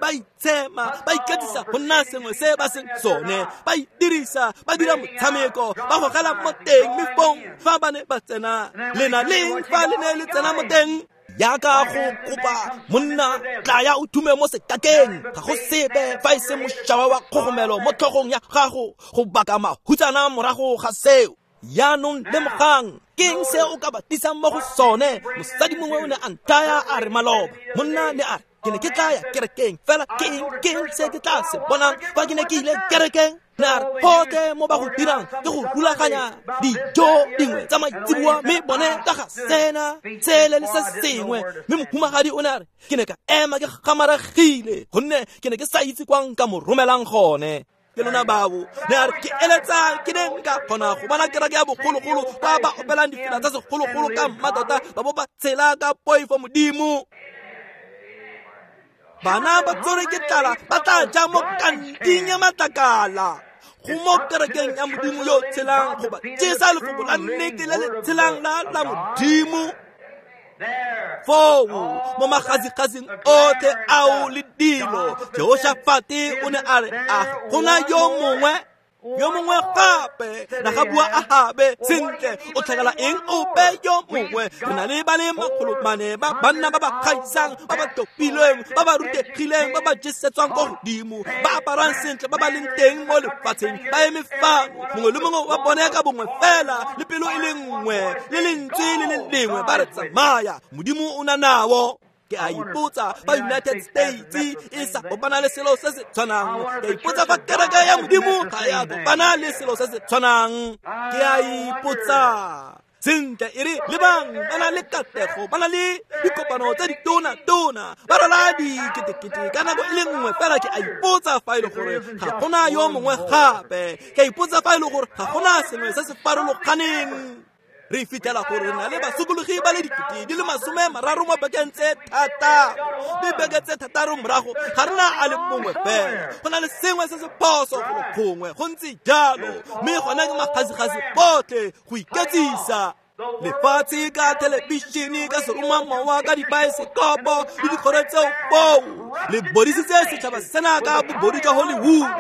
ba itshema, ba iketsisa go nna sengwe se ba seng sone, ba itirisa, ba dira motshameko, ba gogela mo teng, mme fong fa ba ne ba tsena, lena leng fa le ne le tsena mo teng, jaaka go kopa monna tlaya o thume mo sekakeng, ga go sepe fa e se mošawa wa kgogomelo mo tlhogong ya gago go baka mahutsana morago ga seo. Jaanong lemogang, ke eng se o ka ba tlisang mo go sone? Mosadi mongwe o ne a nthaya a re maloba, monna ne a re ke ne ke tla ya kerekeng, fela ke eng se ke tla se bonang fa ke ne ke ile kerekeng? Ne a re gotlhe mo ba go dirang ke go rulaganya dijo dingwe tsa maitseboa, mme bone ka ga sena sele le se sengwe. Mme mohumagadi o ne a re ke ne ka ema ke gamaregile, gonne ke ne ke sa itse kwa nka mo romelang gone. Ke lona bao, ne a re ke eletsa ke ne nka kgona go bona kereke ya bogologolo kwa ba opelang difela tsa segologolo ka mmatota, ba bo ba tshela ka poifo Modimo. Bana ba tsore ke tlala ba tla ja mo kanting ya matlakala. Go mo kerekeng ya Modimo yo tshelang go ba jesa lefoko la nnete le le tshelang la Modimo. Foo mo magazigasing otlhe ao le dilo, Jehoshafate o ne a re a gona yo mongwe gape, na ga bua Ahabe sentle, o tlhakela eng ope yo mongwe? Re na le ba le 400 ba banna ba ba gaisang, ba ba topilweng, ba ba rutegileng, ba ba jesetswang kwa godimo, ba aparang sentle, ba ba leng teng mo lefatsheng, ba eme fano, mongwe le mongwe wa bone ka bongwe fela, le pelo e le nngwe, le lentswe le le lengwe, ba re tsamaya, Modimo o na nao. Ke a ipotsa fa United States e sa kopana le selo se se tshwanang. Ke a ipotsa fa kereke ya Modimo ga ya kopana le selo se se tshwanang. Ke a ipotsa sentle e re lebang ba na le katlego, ba na le dikopano tse ditona-tona, ba rwala diketekete ka nako e le nngwe fela. Ke a ipotsa fa e le gore ga gona yo mongwe gape. Ke a ipotsa fa e le gore ga gona sengwe se se farologaneng. Re fitlhela gore re na le basokologi ba le 30,000 mo bekeng tse 6, mme beke tse 6 morago ga re na a le mongwe fela. Go na le sengwe se se phoso golo gongwe, go ntse jalo, mme gone ke magasigasi botlhe go iketsisa. Lefatshe ka thelebišene, ka seromamowa, ka dibaesekopo le dikgoro tseo foo. Le bodisitse setšhaba sena ka bobodu jwa Hollywood.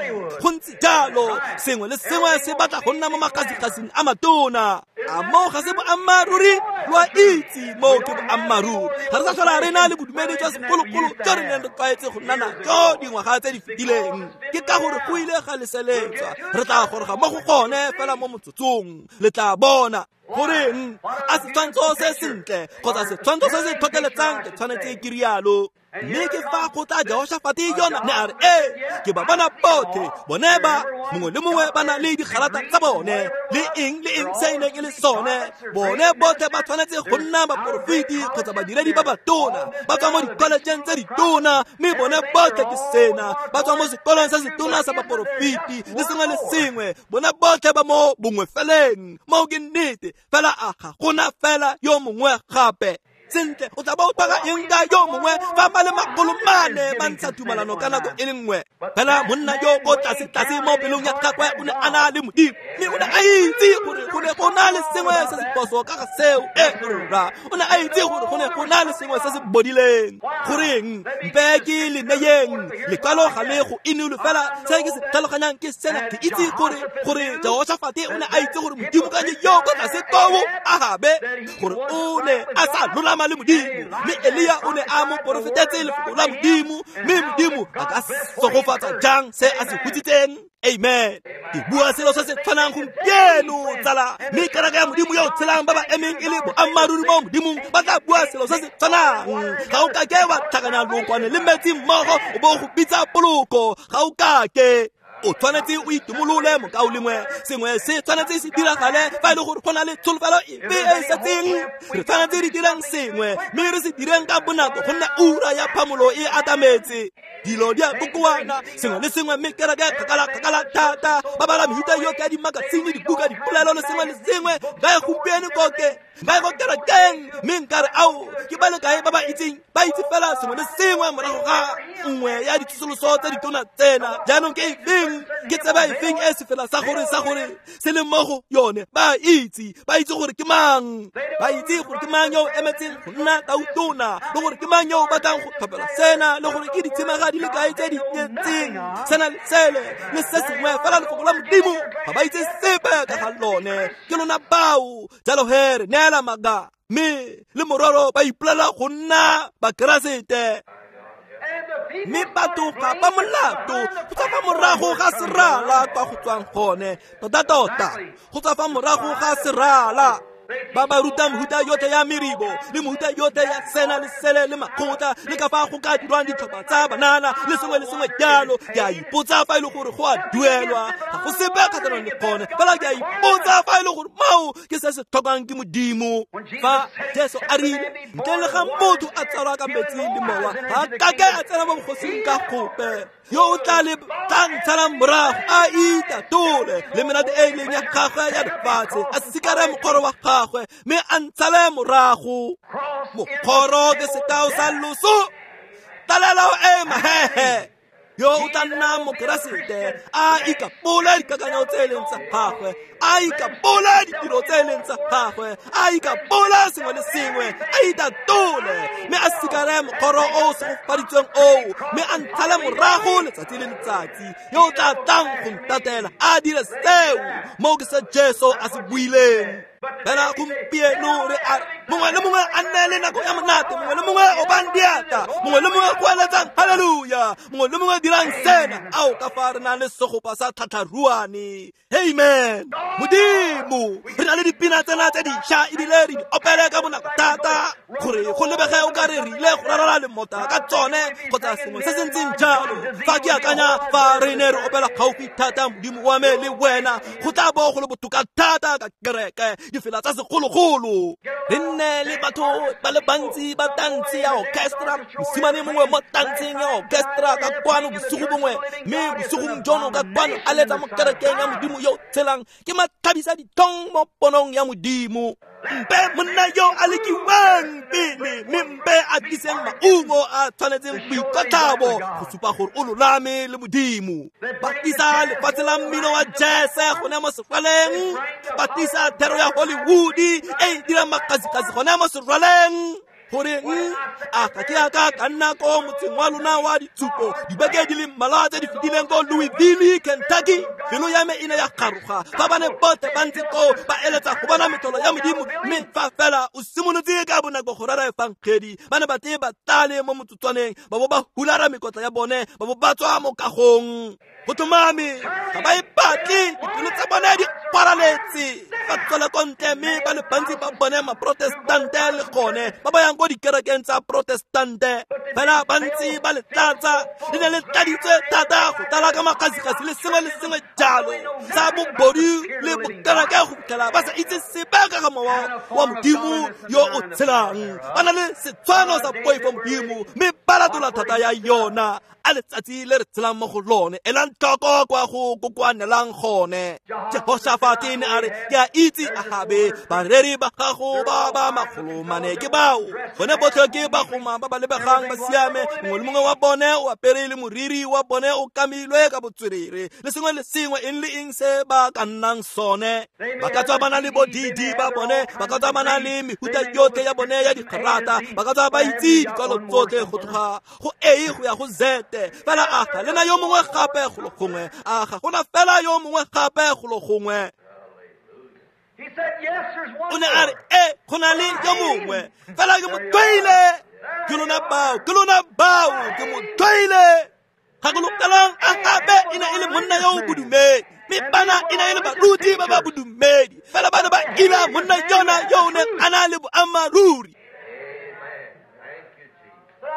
Go ntse jalo, sengwe le sengwe se batla go nna mo makgasikgasing a matona. A moo ga se boammaaruri? Lo a itse moo ke boammaaruri. Ga re sa tlhola re na le bodumedi jwa segologolo jo re neng re tlwaetse go nna najo dingwaga tse di fetileng. Ke ka gore go ile ga leseletswa. Re tla goroga mo go gone fela mo motsotsong. Le tla bona. Goreng a setshwantsho se sentle kgotsa setshwantsho se se tlhotlheletsang ke tshwanetse ke rialo. Mme ke fa go tla Jehoshafate yona ne a re, ee, ke ba bona botlhe, bone ba mongwe le mongwe ba na le digalata tsa bone le eng le eng se e neng e le sone. Bone botlhe ba tshwanetse go nna baporofeti kgotsa badiredi ba batona, ba tswa mo dikholejeng tse ditona, mme bone botlhe ke sena, ba tswa mo sekolong se setona sa baporofeti le sengwe le sengwe. Bone botlhe ba mo bongwe feleng. Moo ke nnete, fela a ga gona fela yo mongwe gape. Sentle, o tla ba o tlhoka eng ka yo mongwe fa ba le 400 ba ntsha tumalano ka nako e le nngwe? Fela monna yo ko tlase-tlase mo pelong ya gagwe o ne a na le Modimo, mme o ne a itse gore go ne go na le sengwe se se phoso ka ga seo. E rra, o ne a itse gore go ne go na le sengwe se se bodileng. Goreng mpe ke le neyeng lekwalo ga le go inolo, fela se ke se tlhaloganyang ke sena. Ke itse gore Jehoshafate o ne a itse gore Modimo ka yo ko tlase koo Ahabe, gore o ne a sa lolama le Modimo, mme Elia o ne a mo porofetetse lefoko la Modimo, mme Modimo a ka sogofatsa jang se a se hutsitseng? Amen. Ke bua selo se se tshwanang gompieno, tsala. Mme kereke ya Modimo yo o tshelang ba ba emeng e le boammaaruri mo Modimong ba tla bua selo se se tshwanang. Ga o kake wa tlhakanya lookwane le metsi mmogo o bo go bitsa poloko. Ga o kake. O tshwanetse o itumolole mokaulengwe. Sengwe se tshwanetse se diragale fa e le gore go na le tsholofelo efe e e setseng. Re tshwanetse re dirang sengwe, mme re se direng ka bonako gonne ura ya phamolo e atametse. Dilo di a kokoana, sengwe le sengwe, mme kereke kgakala-kgakala thata. Ba bala mehuta yotlhe ya dimakasine, dibuka, dipolelo le sengwe le sengwe. Nka e gompieno koke, nka e go kerekeng, mme nka re ao ke ba le kae ba ba itseng, ba itse fela sengwe le sengwe morago ga nngwe ya ditsosoloso tse ditona tsena. Jaanong ke efeng, ke tseba efeng e sefela sa gore se le mo go yone? Ba itse, ba itse gore ke mang, ba itse gore ke mang yo o emetseng go nna tautona, le gore ke mang yo o batlang go tlhophela sena, le gore ke ditshimega di le kae tse di nyetseng sena le sele le se sengwe. Fela lefoko la Modimo ga ba itse sepe ka ga lone. Ke lona bao. Jalo he re neela maaka, mme le mororo ba ipolela go nna Bakeresete. Mme batho ga ba molato go tswa fa morago ga serala kwa go tswang gone. Tota-tota, go tswa fa morago ga serala. Ba ba ruta mehuta yotlhe ya meribo le mehuta yotlhe ya sena le sele le makgotla le ka fa go ka dirwang ditlhopha tsa banana le sengwe le sengwe jalo. Ke a ipotsa fa e le gore go a duelwa. Ga go sepe kgatlhanong le gone, fela ke a ipotsa fa e le gore moo ke se se tlhokang ke Modimo. Fa Jesu a rile, ntle le ga motho a tsalwa ka metsi le mowa, ga a kake a tsena mo bogosing ka gope. Yo o tla ntshalang morago a itatole le menate e e leng ya gagwe ya lefatshe, a sikare mokgoro wa gagwe mme a ntshale morago. Mokgoro ke sekao sa loso, talelo e mahehe. Yo o tla nna Mokeresete a ikapole dikakanyo tse e leng tsa gagwe, a ikapole ditiro tse e leng tsa gagwe, a ikapole sengwe le sengwe, a itatole mme a sikare mokgoro o o segofaditsweng oo, mme a ntshale morago letsatsi le letsatsi. Yo o tla tlang go ntatela a dire seo. Moo ke se Jesu a se buileng. Fela gompieno re a mongwe le mongwe a nne le nako ya monate, mongwe le mongwe o bang diatla, mongwe le mongwe go eletsang haleluya, mongwe le mongwe dirang sena. Ao ka fa re na le segopa sa tlhatlharuane. Amen. Modimo, re na le dipina tsena tse dišwa ebile re di opele ka bonako thata gore go lebege o ka re re ile go rarala lemota ka tsone kgotsa sengwe se se ntseng jalo. Fa ke akanya fa re ne re opela gaufi thata Modimo wa me le wena, go tla bo go le botoka thata ka kereke difela tsa segologolo. Re nne le batho ba le bantsi ba tantse ya orchestra, mosimane mongwe mo tantseng ya orchestra ka kwano bosigo bongwe, mme bosigong jono ka kwano a letsa mo kerekeng ya Modimo yo o tshelang. Ke matlhabisa ditlhong mo ponong ya Modimo. Mpe monna yo a lekiwang pele, mme mpe a tliseng maungo a tshwanetseng boikotlhabo go supa gore o lolame le Modimo. Ba tlisa lefatshe la mmino wa jazz gone mo serwaleng, ba tlisa thero ya Hollywood e e dirang makgasikgasi gone mo serwaleng. Goreng a ga ke a ka nna ko motseng wa lona wa ditshupo dibeke di le mmalwa tse di fetileng ko Louisville, Kentucky? Pelo ya me e ne ya garoga fa ba ne botlhe ba ntse koo ba eletsa go bona metlholo ya Modimo, mme fa fela o simolotse ka bonako go rera efangedi, ba ne ba tle ba tlale mo motsotswaneng, ba bo ba hulara mekotla ya bone, ba bo ba tswa mo kagong. Go tlhomame ga ba e batle, dipelo tsa bone di kwaraletse, ba tswela ko ntle, mme ba le bantsi ba bone maprotestante le gone ba ba yang ko dikerekeng tsa protestante, fela bantsi ba le tlatsa, le ne le tladitswe thata go tlala ka makgasikgasi le sengwe le sengwe jalo sa bobodu le bokereke go fitlhela ba sa itse sepe ka ga mowa wa Modimo yo o tshelang. Ba na le setshwano sa poifo Modimo, mme ba latola thata ya yona. A letsatsi le re tshelang mo go lone, elang tlhoko kwa go kokoanelang gone. Jehoshafate ne a re, ke a itse Ahabe, bareri ba gago ba ba 400 ke bao, gone botlhe ke bagoma ba ba lebegang ba siame, mongwe le mongwe wa bone o apere le moriri wa bone o kamilwe ka botswerere, le sengwe le sengwe eng le eng se ba ka nnang sone. Ba ka tswa ba na le bo DD ba bone, ba ka tswa ba na le mehuta yotlhe ya bone ya digrata, ba ka tswa ba itse dikwalo tsotlhe go tloga go A go ya go Z. Fela a ga lena yo mongwe gape golo gongwe, a ga gona fela yo mongwe gape golo gongwe. O ne a re, e go na le yo mongwe, fela ke mo tlhoile. Ke lona bao, ke lona bao, ke mo tlhoile. Gakologelang Ahabe e ne e le monna yo o bodumedi, mme bana e ne e le baruti ba ba bodumedi, fela ba ne ba ila monna yona yo o neng a na le boammaaruri.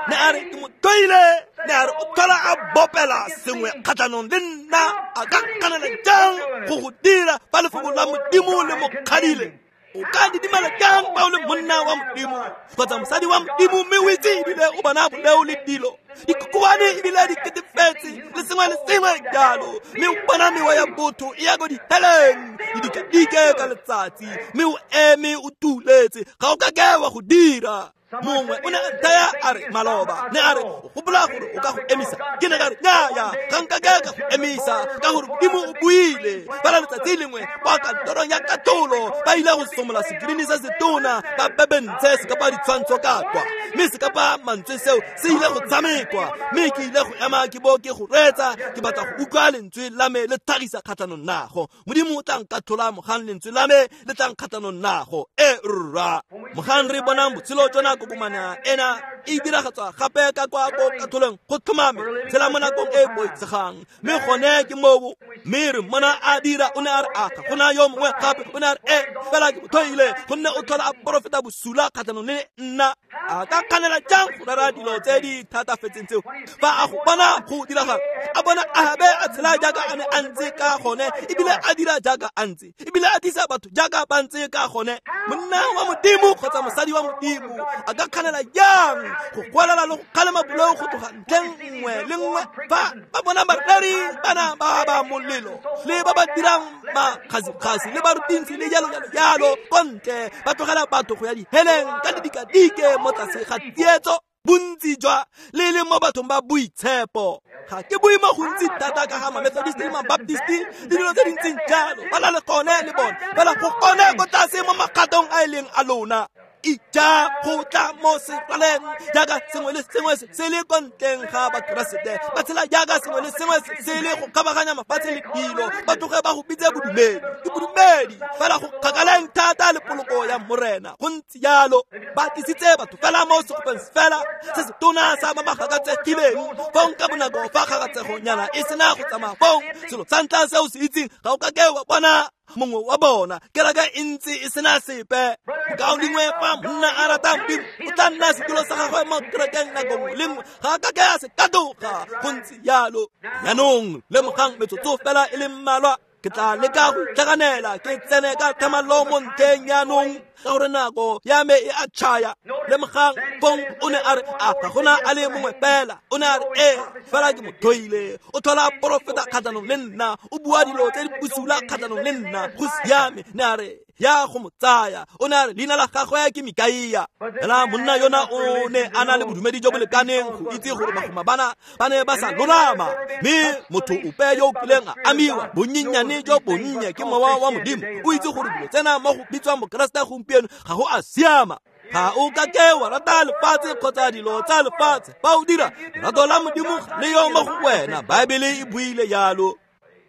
Ne a re ke mo tlhoile, ne a re o tlhola a bopela sengwe kgatlhanong le nna, a ka kganela jang go go dira fa lefoko la Modimo le mo kgadile? O ka didimala jang fa o le monna wa Modimo kgotsa mosadi wa Modimo, mme o itse ebile o bona boleo le dilo dikokoane ebile di ketefetse le sengwe le sengwe jalo, mme o bona mewa ya botho e ya ko diheleng le dikadike ka letsatsi, mme o eme o tuletse, ga o ka ke wa go dira. Mongwe o ne a thaya a re maloba, ne a re o gopola gore o ka go emisa? Ke ne ka re nnyaya, ga nka ke ka go emisa, ka gore Modimo o buile. Fela letsatsi lengwe kwa kantorong ya katlholo ba ile go somola sekirini se setona, ba bebentshe se kapa ditshwantsho ka kwa, mme se kapa mantswe seo se ile go tshamekwa, mme ke ile go ema ke bo ke go reetsa, ke batla go utlwa lentswe la me le tlhagisa kgatlhanong nago. Modimo o tla nkathola mogang lentswe la me le tla nkgatlhanong nago. E rra, mogang re bonang botshelo jona kokomana ena e diragatswa gape ka kwa ko katholong go tlhomame tshela mo nakong e boitshegang, mme gone ke moo. Mme re mmona a dira, o ne a re a ga gona yo mongwe gape, o ne a re e fela ke mo tlhoile, gonne o tlhola a porofeta bosula kgatlhanong le nna. A ka kganela jang go rera dilo tse di thatafetseng tseo fa a go bona go diragala? A bona Ahabe a tshela jaaka a ne a ntse ka gone, ebile a dira jaaka a ntse, ebile a tlisa batho jaaka ba ntse ka gone. Monna wa Modimo kgotsa mosadi wa Modimo a ka kganela jang go goelela le go kgalema boleo go tloga ntlheng nngwe le nngwe fa ba bona bareri bana ba ba molelo le ba ba dirang makgasikgasi le barutintshi le jalo jalo jalo ko ntle, ba tlogela batho go ya diheleng ka didikadike mo tlase ga tsietso bontsi jwa le le mo bathong ba boitshepo. Ga ke bue mo gontsi thata ka ga ma-Methodist le ma-Baptist le dilo tse dintseng jalo, ba na le gone le bone, fela go gone ko tlase mo magatong a e leng a lona. Ija go tla mo seraleng jaaka sengwe le sengwe se le ko ntleng ga Bakeresete, ba tshela jaaka sengwe le sengwe se le go kgabaganya mafatshe le dilo, ba tloge ba go bitse bodumedi. Ke bodumedi fela go kgakaleng thata le poloko ya Morena. Go ntse jalo, ba tlisitse batho fela mo segopeng fela se se tona sa ba ba gakatsegileng. Fong ka bonako fa kgakatsegonyana e sena go tsamaya, fong selo sa ntlha se o se itseng, ga o ka ke wa bona mongwe wa bona. Kereke e ntse e sena sepe. Mokaulengwe, fa monna a rata Modimo, o tla nna setulo sa gagwe mo kerekeng nako nngwe le nngwe, ga a ka ke a se katoga. Go ntse jalo. Jaanong lemogang metsotso fela e le mmalwa, ke tla leka go itlhaganela ke tsene ka tlhamallo mo ntlheng jaanong. ka gore nako ya me e a tšhaya. Lemogang fong o ne a re a ga gona a le mongwe fela. O ne a re ee, fela ke mo tlhoile, o tlhola porofeta kgatlhanong le nna, o bua dilo tse di bosula kgatlhanong le nna. Go siame. Ne a re ya go mo tsaya. O ne a re leina la gagwe ke Mikaia. Fela monna yona o ne a na le bodumedi jo bo lekaneng go itse gore bagoma bana ba ne ba sa lolama, mme motho ope yo o kileng a amiwa bonyenyane jo bonnye ke mowa wa Modimo o itse gore dilo tsena mo go bitswang Bokeresete gompieno ga go a siama. Ga o ka ke wa rata lefatshe kgotsa dilo tsa lefatshe. Fa o dira, lerato la Modimo ga le yo mo go wena. Baebele e buile jalo.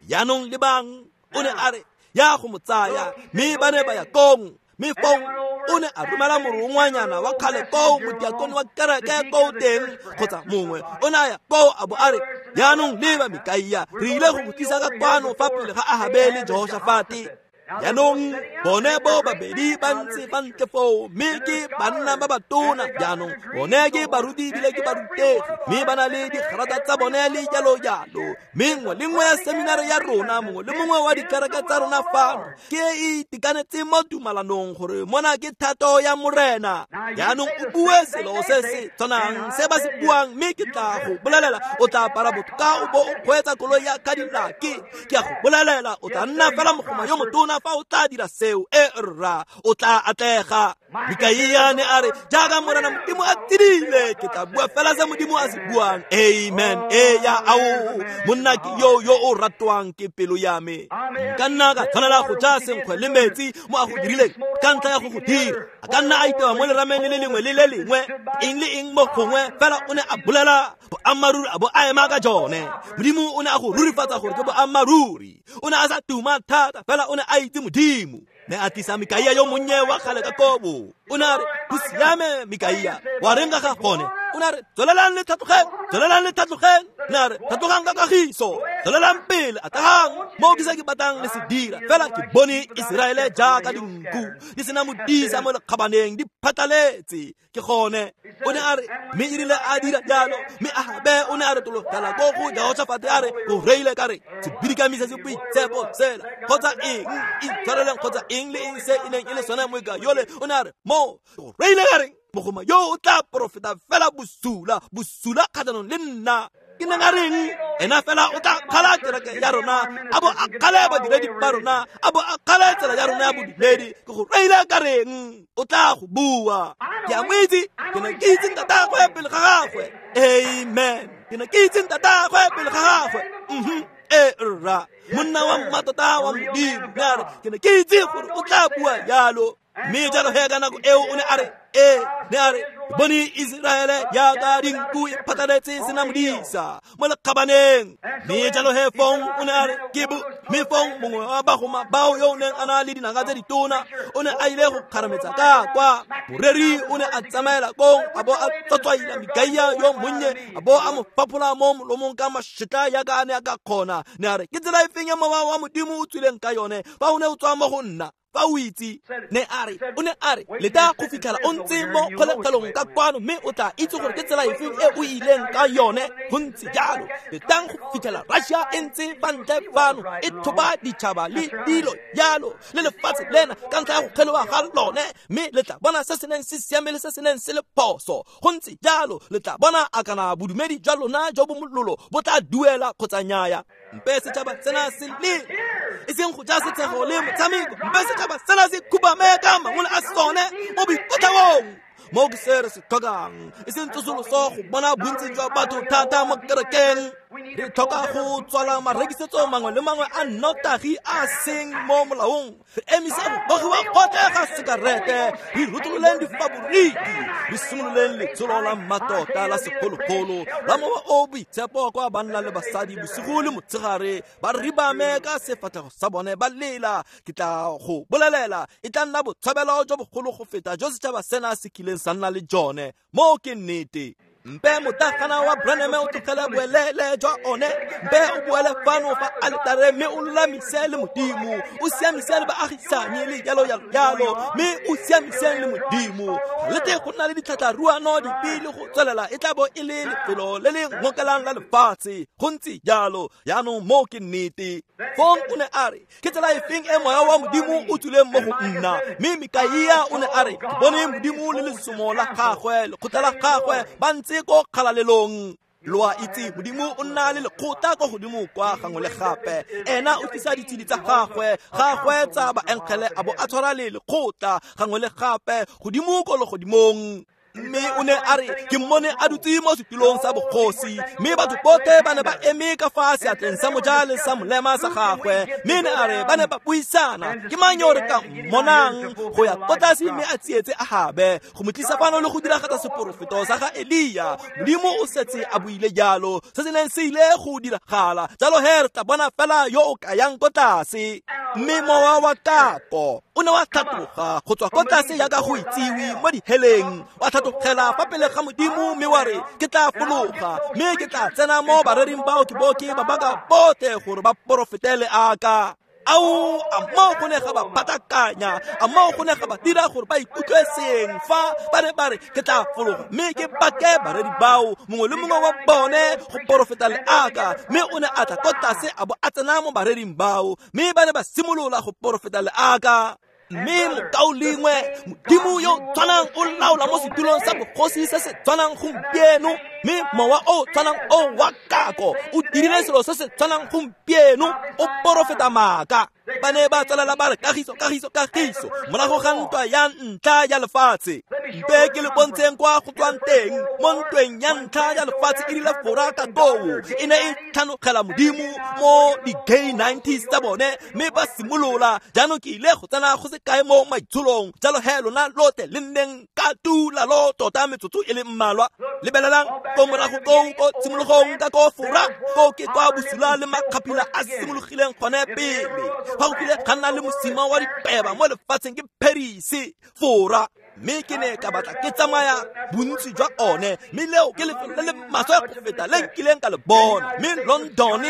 Jaanong lebang, o ne a re ya go mo tsaya, mme ba ne ba ya kong. Mme fong o ne a romela morongwanyana wa kgale koo, modiakone wa kereke koo teng kgotsa mongwe. O ne a ya koo a bo a re, jaanong leba Mikaia, re ile go go tlisa ka kwano fa pele ga Ahabe le Jehoshafate. Jaanong bone bo babedi ba ntse ba ntle foo, mme ke banna ba batona. Jaanong bone ke baruti ebile ke barutegi, mme ba na le digrata tsa bone le jalo jalo. Mme nngwe le nngwe ya seminare ya rona, mongwe le mongwe wa dikereke tsa rona fano ke e itekanetse mo tumalanong gore mona ke thato ya Morena. Jaanong o bue selo se se tshwanang se ba se buang, mme ke tla go bolelela o tla apara botoka o bo o kgweetsa koloi ya Cadillac. Ke a go bolelela o tla nna fela mogoma yo motona fa o tla dira seo. E rra, o tla atlega. Mikaia ne a re jaaka Morena Modimo a tsidile, ke tla bua fela se Modimo a se buang. Amen. E ya ao, monna ke yo yo o ratwang ke pelo ya me. Nka nna ka tshwanela go ja senkgwe le metsi mo a go dirileng ka ntlha ya go go dira. A ka nna a itewa mo lerameng le le lengwe le le lengwe, eng le eng mo gongwe, fela o ne a bolela boammaaruri a bo a ema ka jone. Modimo o ne a go rurifatsa gore ke boammaaruri. O ne a sa tuma thata, fela o ne a itse Modimo. Ne a tlisa Mikaia yo monnye wa kgale ka kobo. O ne a re, go siame Mikaia, wa reng ka ga gone? O ne a re, tswelelang le tlhatlogeng, tswelelang le tlhatlogeng. Ne a re, tlhatlogang ka kagiso, tswelelang pele, atlegang mo ke se ke batlang le se dira. Fela ke bone Iseraele jaaka dinku di sena modisa mo lekgabaneng, di phatlaletse. Ke gone. O ne a re, mme e rile a dira jalo, mme Ahabe o ne a retologela ko go Jehoshafate a re, o reile ka re sebidikami se se boitshepo sela kgotsa eng, itshwareleng kgotsa eng le eng se e neng e le sone moeka yole. O ne a re, mo o reile ka reng, mogoma yo o tla porofeta fela bosula, bosula kgatlhanong le nna. Ke neng a reng ena fela o tla kgala kereke ya rona, a bo a kgale badiredi ba rona, a bo a kgale tsela ya rona ya bodumedi. Ke go reile ka reng, o tla go bua. Ke a mo itse, ke ne ke itse ntatagwe pele ga gagwe. Amen. Ke ne ke itse ntatagwe pele ga gagwe. E rra, monna wa mmatota wa Modimo. Ne a re, ke ne ke itse gore o tla bua jalo. Mme jalo he ka nako eo o ne a re, ee, ne a re, bone Iseraele jaaka dinku e phatlaletse sena modisa mo lekgabaneng. Mme jalo he fong o ne a re, ke bo. Mme fong mongwe wa bagoma bao yo o neng a na le dinaka tse ditona o ne a ile go kgarametsa ka kwa. Moreri o ne a tsamaela kong a bo a tsotswaila Mikaia yo monnye, a bo a mo faphola mo molomong ka mašetla jaaka a ne a ka kgona. Ne a re, ke tsela efeng ya mowa wa Modimo o tswileng ka yone fa o ne o tswa mo go nna? Fa o itse. Ne a re, o ne a re, leta go fitlhela o ntse mo kgolegelong ka kwano, mme o tla itse gore ke tsela efeng e o ileng ka yone. Go ntse jalo. Letang go fitlhela Russia e ntse fa ntle fano e thoba ditšhaba le dilo jalo le lefatshe lena ka ntlha ya go kgeloga ga lone, mme le tla bona se se neng se siame le se se neng se le phoso. Go ntse jalo. Le tla bona a kana bodumedi jwa lona jo bo mololo bo tla duela kgotsa nnyaya. Mpe setšhaba sena se lele, e seng go ja setshego le motshameko. Mpe setšhaba sena se khubame ka mangole a sone mo boikotlhaong. Mo ke se re se tlhokang, e seng tsosoloso go bona bontsi jwa batho thata mo kerekeng. Re tlhoka go tswala marekisetso mangwe le mangwe a nnotagi a seng mo molaong. Re emisa go gogiwa gotlhe ga sekarete, re rotololeng difaboriki, re simololeng letsholo la mmatota la segologolo la mowa o boitshepo kwa banna le basadi bosigo le motshegare ba ribame ka sefatlhego sa bone ba lela. Ke tla go bolelela, e tla nna botshabelo jo bogolo go feta jo setšhaba sena se kileng sa nna le jone. Mo ke nnete. Mpe motlagana wa Branham o tlogele boelele jwa one, mpe o boele fano fa aletare mme o lolamise le Modimo, o siamise le baagisani le jalo jalo jalo, mme o siamise le Modimo. Le te go nna le ditlhatlharuano dipe le go tswelela, e tla bo e le lefelo le le ngokelang la lefatshe. Go ntse jalo. Jaanong mo ke nnete. Fong o ne a re, ke tsela efeng e moya wa Modimo o tswileng mo go nna? Mme Mikaia o ne a re, ke bone Modimo le lesomo la gagwe, lekgotla la gagwe, ba ntse ko kgalalelong. Lo a itse, Modimo o nna le lekgotla ko godimo kwa gangwe le gape. Ena o tlisa ditshedi tsa gagwe, gagwe tsa baengele, a bo a tshwara le lekgotla gangwe le gape godimo ko legodimong. Mme o ne a re, ke mmone a dutse mo setulong sa bogosi, mme batho botlhe ba ne ba eme ka fa seatleng sa moja le sa molema sa gagwe. Mme ne a re ba ne ba buisana, ke mang yo re ka mmonang go ya ko tlase mme a tsietse Ahabe go mo tlisa fano le go diragatsa seporofeto sa ga Elia. Modimo o setse a buile jalo, se se neng se ile go diragala. Jalo he re tla bona fela yo o ka yang ko tlase. Mme mowa wa kako o ne wa tlhatloga go tswa ko tlase jaaka go itsiwe mo diheleng, wa tlhatlogela fa pele ga Modimo mme wa re, ke tla fologa mme ke tla tsena mo barering bao ke bo ke ba baka botlhe gore ba porofetele aka. Ao, a moo go ne ga ba patakanya, a moo go ne ga ba dira gore ba ikutlwe seng fa ba ne ba re, ke tla fologa mme ke bake bareri bao, mongwe le mongwe wa bone go porofeta le aka. Mme o ne a tla ko tlase a bo a tsena mo barering bao, mme ba ne ba simolola go porofeta le aka. Mme mokaulengwe, Modimo yo tshwanang o laola mo setulong sa bogosi se se tshwanang gompieno, mme mowa o tshwanang o wa kako o dirile selo se se tshwanang gompieno, o porofeta maaka. Ba ne ba tswelela ba re kagiso, kagiso, kagiso morago ga ntwa ya ntlha ya lefatshe. Mpe ke le bontsheng kwa go tswang teng mo ntweng ya ntlha ya lefatshe. E rile Fora ka koo e ne e tlhanogela Modimo mo di-gay 90s tsa bone, mme ba simolola. Jaanong ke ile go tsena go se kae mo maitsholong, jalo he lona lotlhe le nneng ka tuulalo tota metsotso e le mmalwa. Lebelelang ko morago koo ko tshimologong ka ko Fora, ko ke kwa bosula le makgaphila a simologileng gone pele. Fa go kile ga nna le mosima wa dipeba mo lefatsheng ke Paris, Fora. Mme ke ne ka batla ke tsamaya bontsi jwa one, mme leo ke lefelo le le maswe go feta le nkileng ka le bona. Mme London,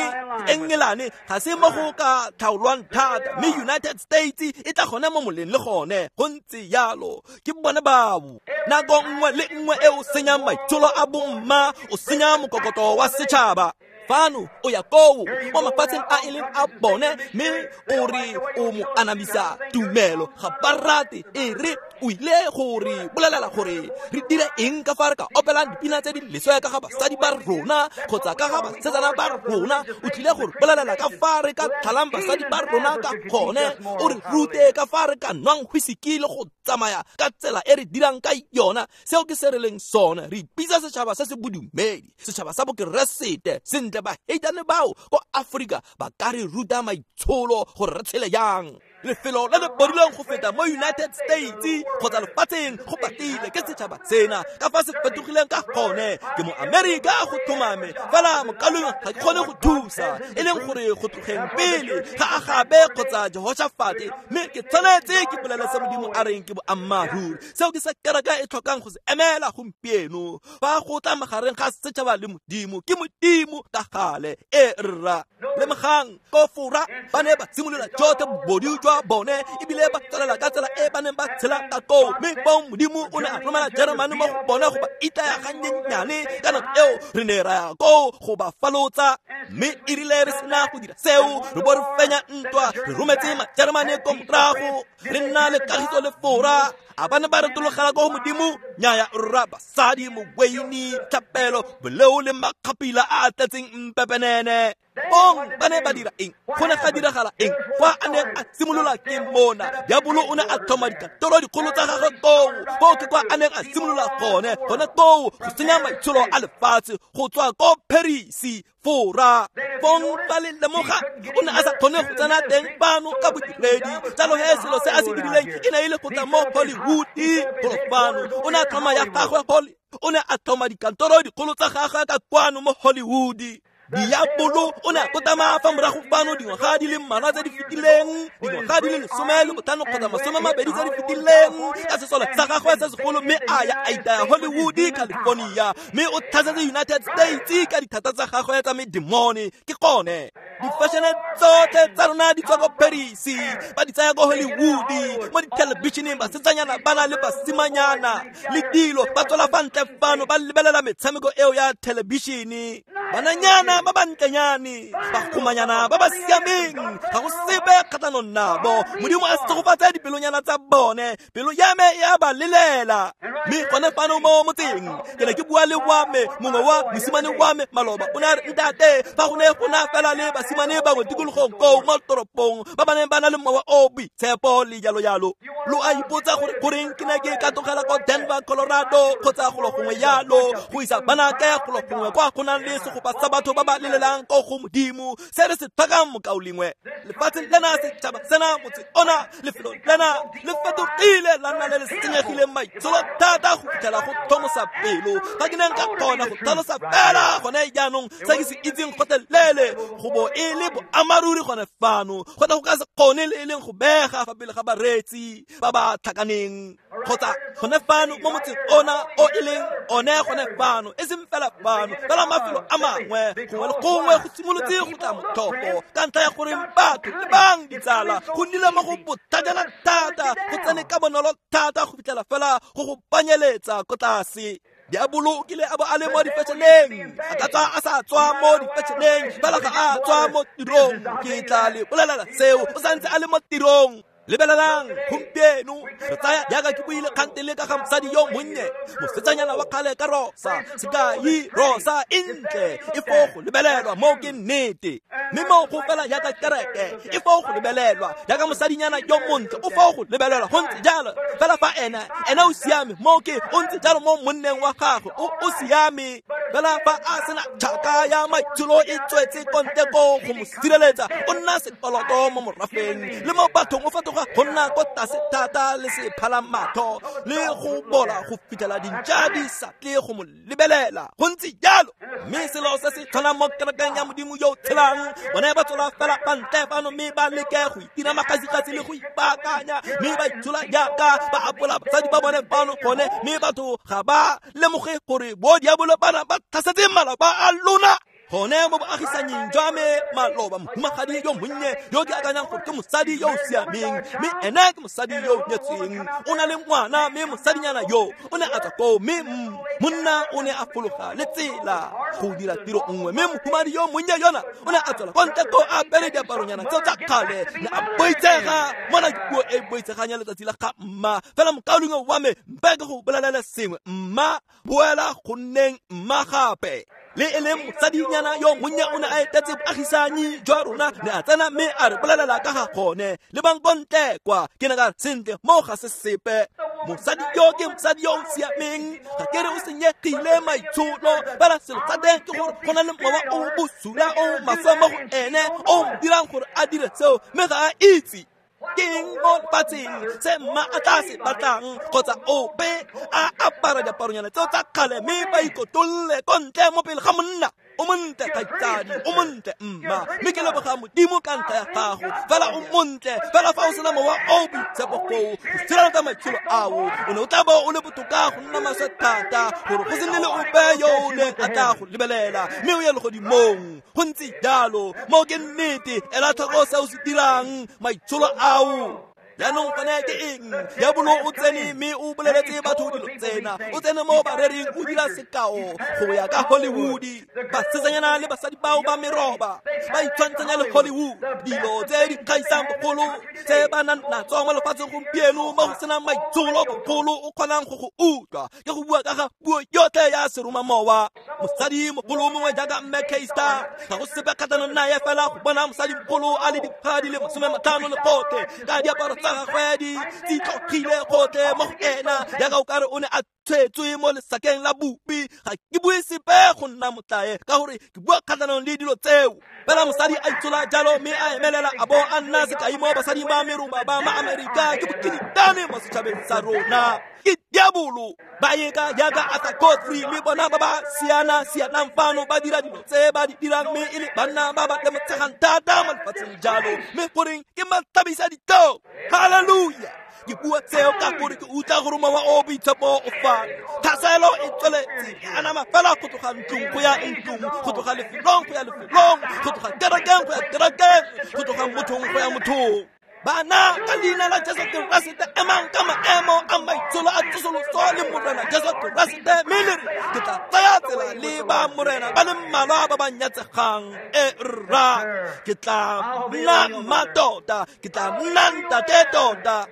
Engelane, ga se mo go ka tlhaolwang thata, mme United States e tla gone mo moleng le gone. Go ntse jalo, ke bone bao. Nako nngwe le nngwe e o senyang maitsholo a bomma, o senya mokokoto wa setšhaba. Fano o ya koo mo mafatsheng a e leng a bone, mme o re o mo anamisa tumelo. Ga ba rate, e re o ile go re bolelela gore re dire eng ka fa re ka opelang dipina tse di leswe ka ga basadi ba rona kgotsa ka ga basetsana ba rona. O tlile go re bolelela ka fa re ka tlhalang basadi ba rona ka gone, o re rute ka fa re ka nwang whisky le go tsamaya ka tsela e re dirang ka yona. Seo ke se re leng sone. Re ipitsa setšhaba se se bodumedi, setšhaba sa bokeresete. Sentle, baheitane bao ko Afrika ba ka re ruta maitsholo gore re tshele jang. Lefelo le le bodileng go feta mo United States kgotsa lefatsheng go patile ke setšhaba sena, ka fa se fetogileng ka gone. Ke mo Amerika go tlhomame, fela mokalong ga ke kgone go thusa, e leng gore go tlogeng pele ga Agabe kgotsa Jehoshafate, mme ke tshwanetse ke bolele se Modimo a reng ke boammaaruri. Seo ke se kereke e tlhokang go se emela gompieno. Fa go tla magareng ga setšhaba le Modimo, ke Modimo ka gale. E rra, lemogang ko Fora ba ne ba simolola jotlhe bobodu jwa bone, ebile ba tswelela ka tsela e ba neng ba tshela ka koo. Mme fong Modimo o ne a romela Jeremane mo go bone go ba itaya gannyennyane. Ka nako eo re ne ra ya koo go ba falotsa, mme e rile re sena go dira seo, re bo re fenya ntwa, re rometse Majeremane ko morago, re nna le kagiso le Fora. A ba ne ba retologela ko go Modimo? Nnyaya rra, basadi, moweini, tlhapelo, boleo le makgapila a a tletseng mpepenene. Bong ba ne ba dira eng? Go ne ga diragala eng? Fa a neng a simolola ke mona, diabolo o ne a tlhoma dikantoro dikgolo tsa gagwe koo. Koo ke kwa a neng a simolola gone, gone koo go senya maitsholo a lefatshe go tswa ko Paris, Fora. Fong ba le lemoga, o ne a sa kgone go tsena teng fano ka bodiredi. Jalo he selo se a se dirileng e ne e le go tla mo Hollywood golo fano. O ne a tlhoma ya gagwe o ne a tlhoma dikantoro dikgolo tsa gagwe ka kwano mo Hollywood. Diabolo o ne a kotama fa morago fano dingwaga di le mmalwa tse di fetileng, dingwaga di le 15 kgotsa 20 tse di fetileng, ka sesole sa gagwe se segolo, mme a ya a itaya Hollywood, California, mme o tlhasetse United States ka dithata tsa gagwe tsa medemone. Ke gone difashene tsotlhe tsa rona di tswa ko Paris, ba di tsaya ko Hollywood, mo dithelebišeneng basetsanyana ba na le basimanyana le dilo ba tswela fa ntle fano ba lebelela metshameko eo ya thelebišene. Bananyana ba bantlenyane, bagomanyana ba ba siameng, ga go sepe kgatlhanong nabo. Modimo a segofatse dipelonyana tsa bone, pelo ya me e a ba lelela. Mme gone fano mo motseng ke ne ke bua le wa me mongwe wa mosimane wa me maloba, o ne a re, ntate, fa go ne go na fela le basimane bangwe tikologong koo mo toropong ba ba neng ba na le mowa o boitshepo le jalo jalo. Lo a ipotsa gore goreng ke ne ke ka tlogela ko Denver, Colorado kgotsa golo gongwe yalo go isa banake golo gongwe kwa go nang le segopa sa batho ba ba lelelang ko go Modimo. Se re se tlhokang, mokaulengwe, lefatshe lena, setšhaba sena, motse ona, lefelo lena le fetogile la nna le le senyegileng maitsholo thata go fitlhela go tlhomosa pelo. Ga ke neng ka kgona go tlhalosa fela gone jaanong se ke se itseng gotlhelele, go bo e le boammaaruri gone fano, go tla go ka se kgone le e leng go bega fa pele ga bareetsi ba ba tlhakaneng kgotsa gone fano mo motseng ona o e leng one gone fano, e seng fela fano, fela mafelo a mangwe gongwe le gongwe go simolotse go tla motlhofo ka ntlha ya gore batho le bang ditsala go nnile mo go bothajana thata, go tsene ka bonolo thata go fitlhela fela go go panyeletsa ko tlase. Diabolo o kile a bo a le mo difešeneng, a ka tswa a sa tswa mo difešeneng, fela ga a tswa mo tirong. Ke tla le bolelela seo, o santse a le mo tirong. Lebelelang gompieno re tsaya jaaka ke buile kgante le ka ga mosadi yo monnye, mosetsanyana wa kgale ka rosa, sekai rosa e ntle, e fo go lebelelwa mo ke nnete, mme mo go fela jaaka kereke e fo go lebelelwa, jaaka mosadinyana yo montle o fo go lebelelwa, go ntse jalo fela fa ena o siame mo ke o ntse jalo mo monneng wa gagwe o siame, fela fa a sena tšhaka ya maitsholo e tswetse kontle ko go mo sireletsa, o nna sekoloto mo morafeng le mo bathong, o fetoga go nna ko tlase thata le sephala matho le go bola go fitlhela dintša di sa tle go mo lebelela. Go ntse jalo, mme selo se se tshwanang mo kerekeng ya Modimo yo o tshelang, bone ba tswela fela fa ntle fano mme ba leke go itira magasigasi le go ipaakanya, mme ba itshola jaaka ba apola basadi ba bone fano gone, mme batho ga ba lemoge gore bo diabolo bana ba tlhasetse malapa a lona. Gone mo boagisanyeng jwa me maloba, mohumagadi yo monnye yo ke akanyang gore ke mosadi yo o siameng, mme ene ke mosadi yo o nyetsweng, o na le ngwana, mme mosadinyana yo o ne a tswa koo, mme monna o ne a fologa le tsela go dira tiro nngwe, mme mohumadi yo monnye yona o ne a tswela kwa ntle koo a apere diaparonyana tseo tsa kgale, ne a boitsega. Mona ke puo e boitsegang ya letsatsi la ga mma. Fela mokaulengwe wa me, mpe ke go bolelele sengwe, mma boela go nneng mma gape. Le e leng mosadinyana yo monnye o ne a etetse boagisanyi jwa rona, ne a tsena mme a re bolelela ka ga gone, le bang ko ntle kwa. Ke ne ka re, sentle, mo ga se sepe. Mosadi yo ke mosadi yo o siameng, ga ke re o senyegile maitsholo, fela selo sa teng ke gore go na le mowa o bosula o maswe mo go ene o mo dirang gore a dire seo, mme ga a itse ke eng mo lefatsheng se mma a tla se batlang kgotsa ope a apara diaparonyana tseo tsa kgale mme ba ikotolle ko ntle mo pele ga monna. O montle kgaitsadi, o montle mma, mme ke leboga Modimo ka ntlha ya gago, fela o montle fela fa o sena mowa o boitshepo foo go sireletsa maitsholo ao, o ne o tla bo o le botoka go nna maswe thata gore go se nne le ope yo o neng a tla go lebelela, mme o ye legodimong. Go ntse jalo, mo ke nnete, ela tlhoko se o se dirang, maitsholo ao. Jaanong gone ke eng? Diabolo o tsene mme o boleletse batho dilo tsena, o tsene mo barering o dira sekao go ya ka Hollywood. Basetsanyana le basadi bao ba meroba ba itshwantshanya le Hollywood, dilo tse di kgaisang bogolo tse ba nang natso mo lefatsheng gompieno, mo go senang maitsholo bogolo o kgonang go go utlwa. Ke go bua ka ga puo yotlhe ya seromamowa. Mosadi mogolo mongwe jaaka Mme Keister, ga go sepe kgatlhanong naye, fela go bona mosadi mogolo a le dikgwa di le 50 le gotlhe ka diaparo tsa gagwe di tlogile gotlhe mo go ena, jaaka o kare o ne a tshwetswe mo lesakeng la bupi. Ga ke bue sepe go nna motlae ka gore ke bua kgatlhanong le dilo tseo. Fela mosadi a itshola jalo mme a emelela a bo a nna sekai mo basading ba meroba ba ma-Amerika. Ke bokinitane mo setšhabeng sa rona. Ke diabolo. Ba eka jaaka Arthur Godfrey le bona ba ba siana-sianang fano ba dira dilo tse ba di dirang, mme e le banna ba ba lemotshegang thata mo lefatsheng jalo, mme goreng ke matlhabisa ditlhong. Hallelujah. Ke bua tseo ka gore ke utlwa gore mowa o boitshepo o fano. Tlhaselo e tsweletse e anama fela go tloga ntlong go ya ntlong, go tloga lefelong go ya lefelong, go tloga kerekeng go ya kerekeng, go tloga mothong go ya mothong. Bana ka leina la Jesu Keresete emang ka maemo a maitsholo a tsosoloso le Morena Jesu Keresete, mme le re ke tla tsaya tsela le ba Morena ba le mmalwa ba ba nyatsegang. E rra, ke tla nna mma tota, ke tla nna ntate tota.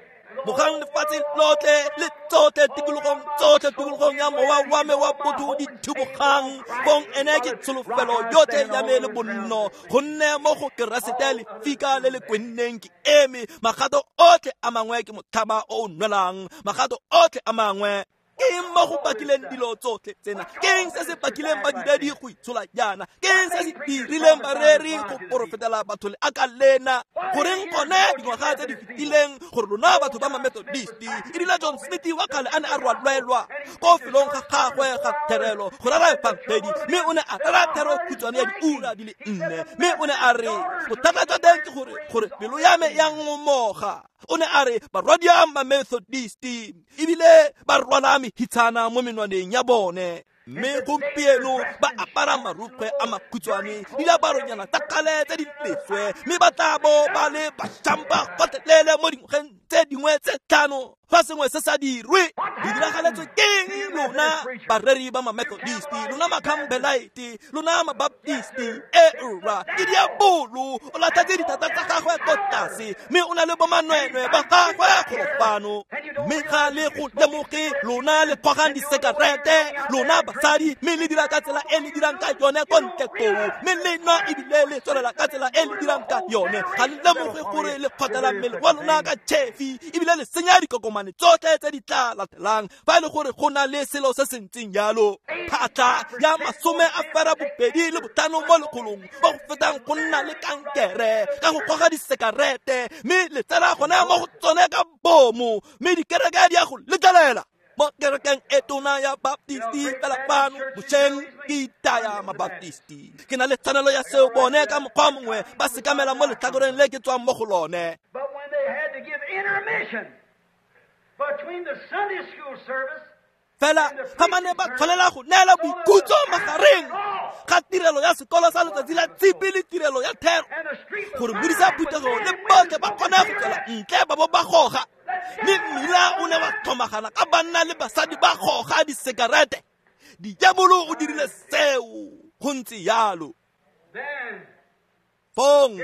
Mogang lefatshe lotlhe le tsotlhe tikologong tsotlhe tikologong ya mowa wa me wa botho di thubogang, bong ene ke tsholofelo yotlhe ya me le bonno, gonne mo go Keresete lefika le le kwenneng ke eme. Magato otlhe a mangwe ke motlhaba o o nwelang, magato otlhe a mangwe. Ke eng mo go bakileng dilo tsotlhe tsena? Ke eng se se bakileng badiredi go itshola jaana? Ke eng se se dirileng bareri go porofetela batho le aka lena? Goreng gone dingwaga tse di fetileng gore lona batho ba ma-Methodisti, erile John Smith wa kgale a ne a rwalwelwa ko felong ga gagwe ga therelo go rera efangedi, mme o ne a rera thero khutshwane ya diura di le 4, mme o ne a re bothata jwa teng ke gore pelo ya me ya ngomoga. O ne a re barwadia ma-Methodisti ebile ba rwala mehitshana mo menwaneng ya bone, mme gompieno ba apara marukgwe a makhutshwane le diaparonyana tsa kgale tse di leswe, mme ba tla bo ba le bašampa gotlhelele mo dingwageng tse dingwe tse 5 fa sengwe se sa dirwe. Di diragaletswe keng lona bareri ba ma-Methodisti, lona ma-Campbellite, lona ma-Baptisti? E rra, ke diabolo o latlhetse dithata tsa gagwe ko tlase, mme o na le bomanwenwe ba gagwe golo fano, mme ga le go lemoge. Lona le kgogang disekerete, lona basadi, mme le dira ka tsela e le dirang ka yone ko ntle koo, mme le nwa ebile le tswelela ka tsela e le dirang ka yone. Ga le lemoge gore le kgotlela mmele wa lona ka tšhefi, ebile le senya dikokomane tsotlhe tse di tla latelang fa e le gore go na le selo se se ntseng jalo. Phatlha ya 25 mo lekgolong ba go fetang go nna le kankere ka go goga disekerete, mme le tsena gone mo go tsone ka bomo, mme dikereke di a go letlelela. Mo kerekeng e tona ya Baptisti fela fano bošeng ke itaya ma-Baptisti, ke na le tshwanelo ya seo bone ka mokgwa mongwe ba sekamela mo letlhakoreng le ke tswang mo go lone. But when they had to give intermission between the Sunday school service fela ga ba ne ba tshwanela go neela boikhutso magareng ga tirelo ya sekolo sa letsatsi la tshipi le tirelo ya thero, gore modisa phuthego le botlhe ba kgone go tswela ntle ba bo ba goga, mme mmila o ne wa tlhomagana ka banna le basadi ba goga disekerete. Diabolo o dirile seo go ntse jalo. Fong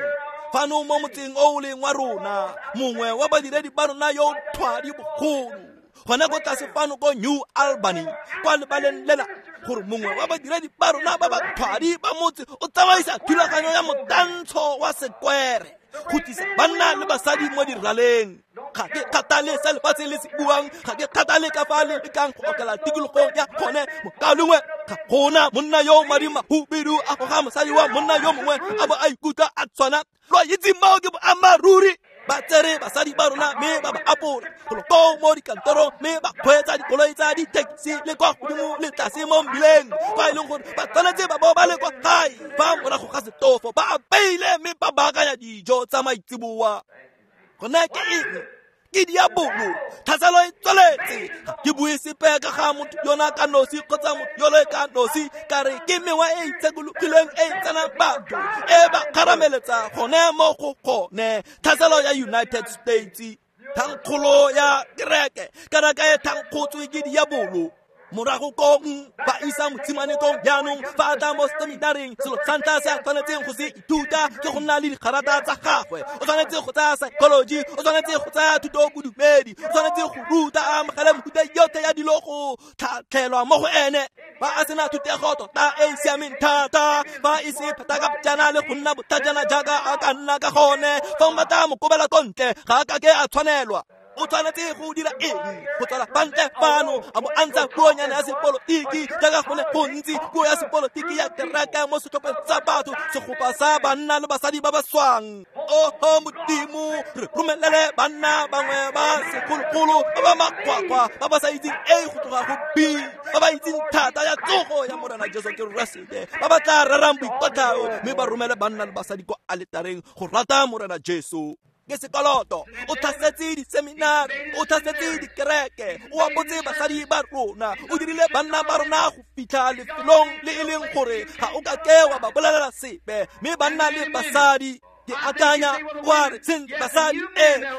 fano mo motseng o o leng wa rona, mongwe wa badiredi ba rona yo thwadi bogolo gone ko tlase fano ko New Albany kwa lebaleng lela, gore mongwe wa badiredi ba rona ba ba thwadi ba motse o tsamaisa thulaganyo ya motantsho wa sekwere go tlisa banna le basadi mo diraleng. Ga ke kgathale se lefatshe le se buang, ga ke kgathale ka fa le lekang go okela tikologong ya gone. Mokalengwe ga gona monna yo madi mahubedu a goga mosadi wa monna yo mongwe a bo a ikutlwa a tshwana. Lo a itse moo ke boammaaruri. Ba tsere basadi ba rona mme ba ba apola golo koo mo dikantorong, mme ba kgweetsa dikoloi tsa di-taxi le kwa godimo le tlase mo mmileng, fa e leng gore ba tshwanetse ba bo ba le kwa gae fa morago ga setofo ba apeile mme ba baakanya dijo tsa maitseboa. Gone ke eng? Ke diabolo. Tlhaselo e tsweletse. Ga ke bue sepe ka ga motho yona ka nosi kgotsa motho yole ka nosi, ka re ke mewa e itshekologileng e tsenang batho e ba kgarameletsa gone mo go gone. Tlhaselo ya United States, thankgolo ya kereke, kereke e thankgotswe ke diabolo. Morago kong ba isa motshimane kong jaanong fa a tla mo seminareng, selo sa ntlha se a tshwanetseng go se ithuta ke go nna le digarata tsa gagwe. O tshwanetse go tsaya psychology, o tshwanetse go tsaya thuto bodumedi, o tshwanetse go ruta a amogele mefuta yotlhe ya dilo go tlhatlhelwa mo go ene. Ba a sena thutego tota e e siameng thata, fa e se pheta ka bojana le go nna botlhajana jaaka a ka nna ka gone. Fa o batla mo kobela ko ntle, ga a kake a tshwanelwa. O tshwanetse go dira eng? Go tswela fa ntle fano a bo a ntsha puonyana ya sepolotiki, jaaka go le gontsi puo ya sepolotiki ya kereke mo setlhopheng sa batho. segopa sa banna le basadi ba ba swang. Oho Modimo, re romelele banna bangwe ba segologolo ba ba makgwakgwa, ba ba sa itseng A go tloga go B, ba ba itseng thata ya tsogo ya Morena Jesu Keresete, ba ba tla rerang boikotlhao mme ba romele banna le basadi kwa aletareng go rata Morena Jesu. Ke sekoloto, o tlhasetse diseminari, o tlhasetse dikereke, o apotse basadi ba rona, o dirile banna ba rona go fitlha lefelong le e leng gore ga o ka ke wa ba bolelela sepe. Mme banna le basadi, ke akanya wa re sentle basadi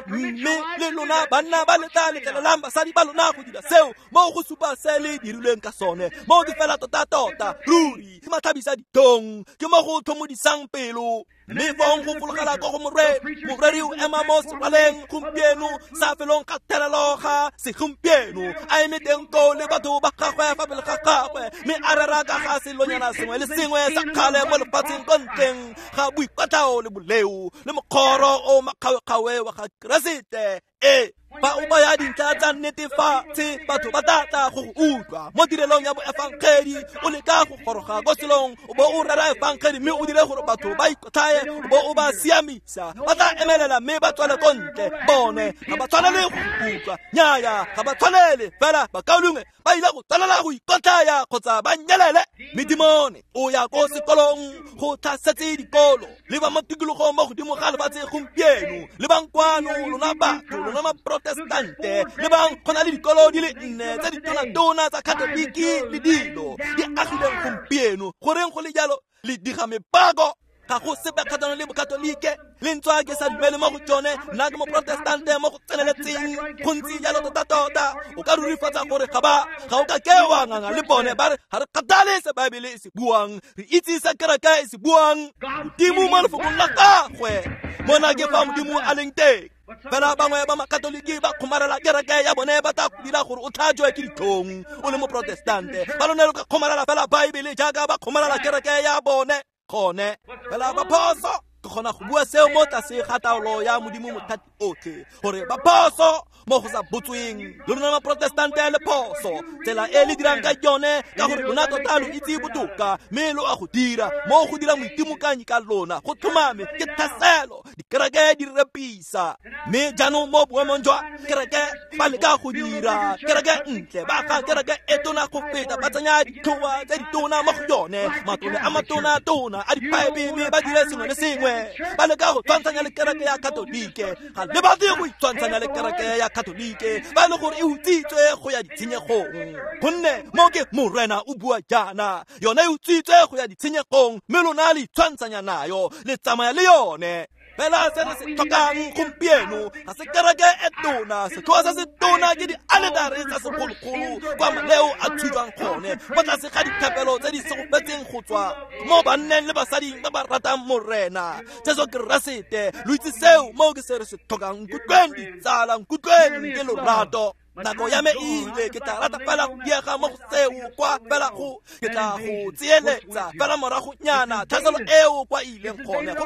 mme le lona banna ba le tla letlelelang basadi ba lona go dira seo, mo go supa se le dirilweng ka sone, mo ke fela tota-tota ruri ke matlhabisa ditong, ke mo go tlhomodisang pelo. Mme fong go fologela ko go moreri, moreri o ema mo seraleng gompieno sa felong ga therelo ga segompieno, a eme teng koo le batho ba gagwe fa pele ga gagwe, mme a rera ka ga selonyana sengwe le sengwe sa kgale mo lefatsheng ko ntleng ga boikotlhao le boleo le mokgoro o makgawekgawe wa ga Keresete. Fa o baya dintlha tsa netefatse, batho ba tla tla go go utlwa mo tirelong ya boefangedi. O leka go goroga ko selong, o bo o rera efangedi mme o dire gore batho ba ikotlhaye, o bo o ba siamisa. Ba tla emelela mme ba tswele ko ntle. Bone ga ba tshwanele go utlwa, nnyaya ga ba tshwanele, fela bakaulengwe ba ile go tswelela go ikotlhaya kgotsa ba nyelele. Medimone o ya ko sekolong go tlhasetse dikolo, le ba mo tikologong mo godimo ga lefatshe gompieno, le bang kwano lona batho, lona maprotestante, le bang go na le dikolo di le nne tse ditona-tona tsa Katoliki le dilo di agileng gompieno. Goreng go le jalo? Le diga mepako. Ga go sepe kgatlhanong le bokatolike, le ntswa ke sa dumele mo go tsone, nna ke moprotestante mo go tseneletseng. Go ntse jalo tota-tota. O ka rurifatsa gore ga o ka ke wa nganga le bone ba re ga re kgathale se Baebele e se buang, re itse se kereke e se buang. Modimo mo lefokong la gagwe, mona ke fa Modimo a leng teng. Fela bangwe ba makatoliki ba kgomarela kereke ya bone, ba tla go dira gore o tlhajwe ke ditlhong o le moprotestante. Ba lone lo ka kgomarela fela Baebele jaaka ba kgomarela kereke ya bone. Gone fela ba phoso. Ke kgona go bua seo mo tlase ga taolo ya Modimo mothati otlhe, gore ba phoso mo go sa botsweng. Le lona maprotestante le phoso tsela e le dirang ka yone, ka gore lona tota lo itse botoka mme lo a go dira mo go dira moitimokanyi ka lona. Go tlhomame ke tlhaselo, dikereke di repisa. Mme jaanong mo boemong jwa kereke ba leka go dira kereke ntle, ba ga kereke e tona go feta, ba tsenya ditlhoa tse ditona mo go yone, matlole a matona-tona a diphaepe, mme ba dire sengwe le sengwe. Ba leka go tshwantshanya le kereke ya Katolike. Ga le batle go itshwantshanya le kereke ya Katolike, ba le gore e utswitswe go ya ditshenyegong. Gonne mo ke Morena o bua jaana, yone e utswitswe go ya ditshenyegong, mme lona le itshwantshanya nayo, le tsamaya le yone. Fela se re se tlhokang gompieno ga se kereke e tona, setlhoa se se tona ke dialetare tsa segologolo kwa maleo a thujwang gone, mo tlase ga dithapelo tse di segofetseng go tswa mo banneng le basading ba ba ratang Morena Jesu Keresete. Lo itse seo, mo ke se re se tlhokang. Nkutlweng ditsala, nkutlweng ke lorato. Nako ya me e ile, ke tla rata fela go diega mo go seo kwa fela go ke tla go tseeletsa fela moragonyana tlhaselo eo kwa ileng gone. Go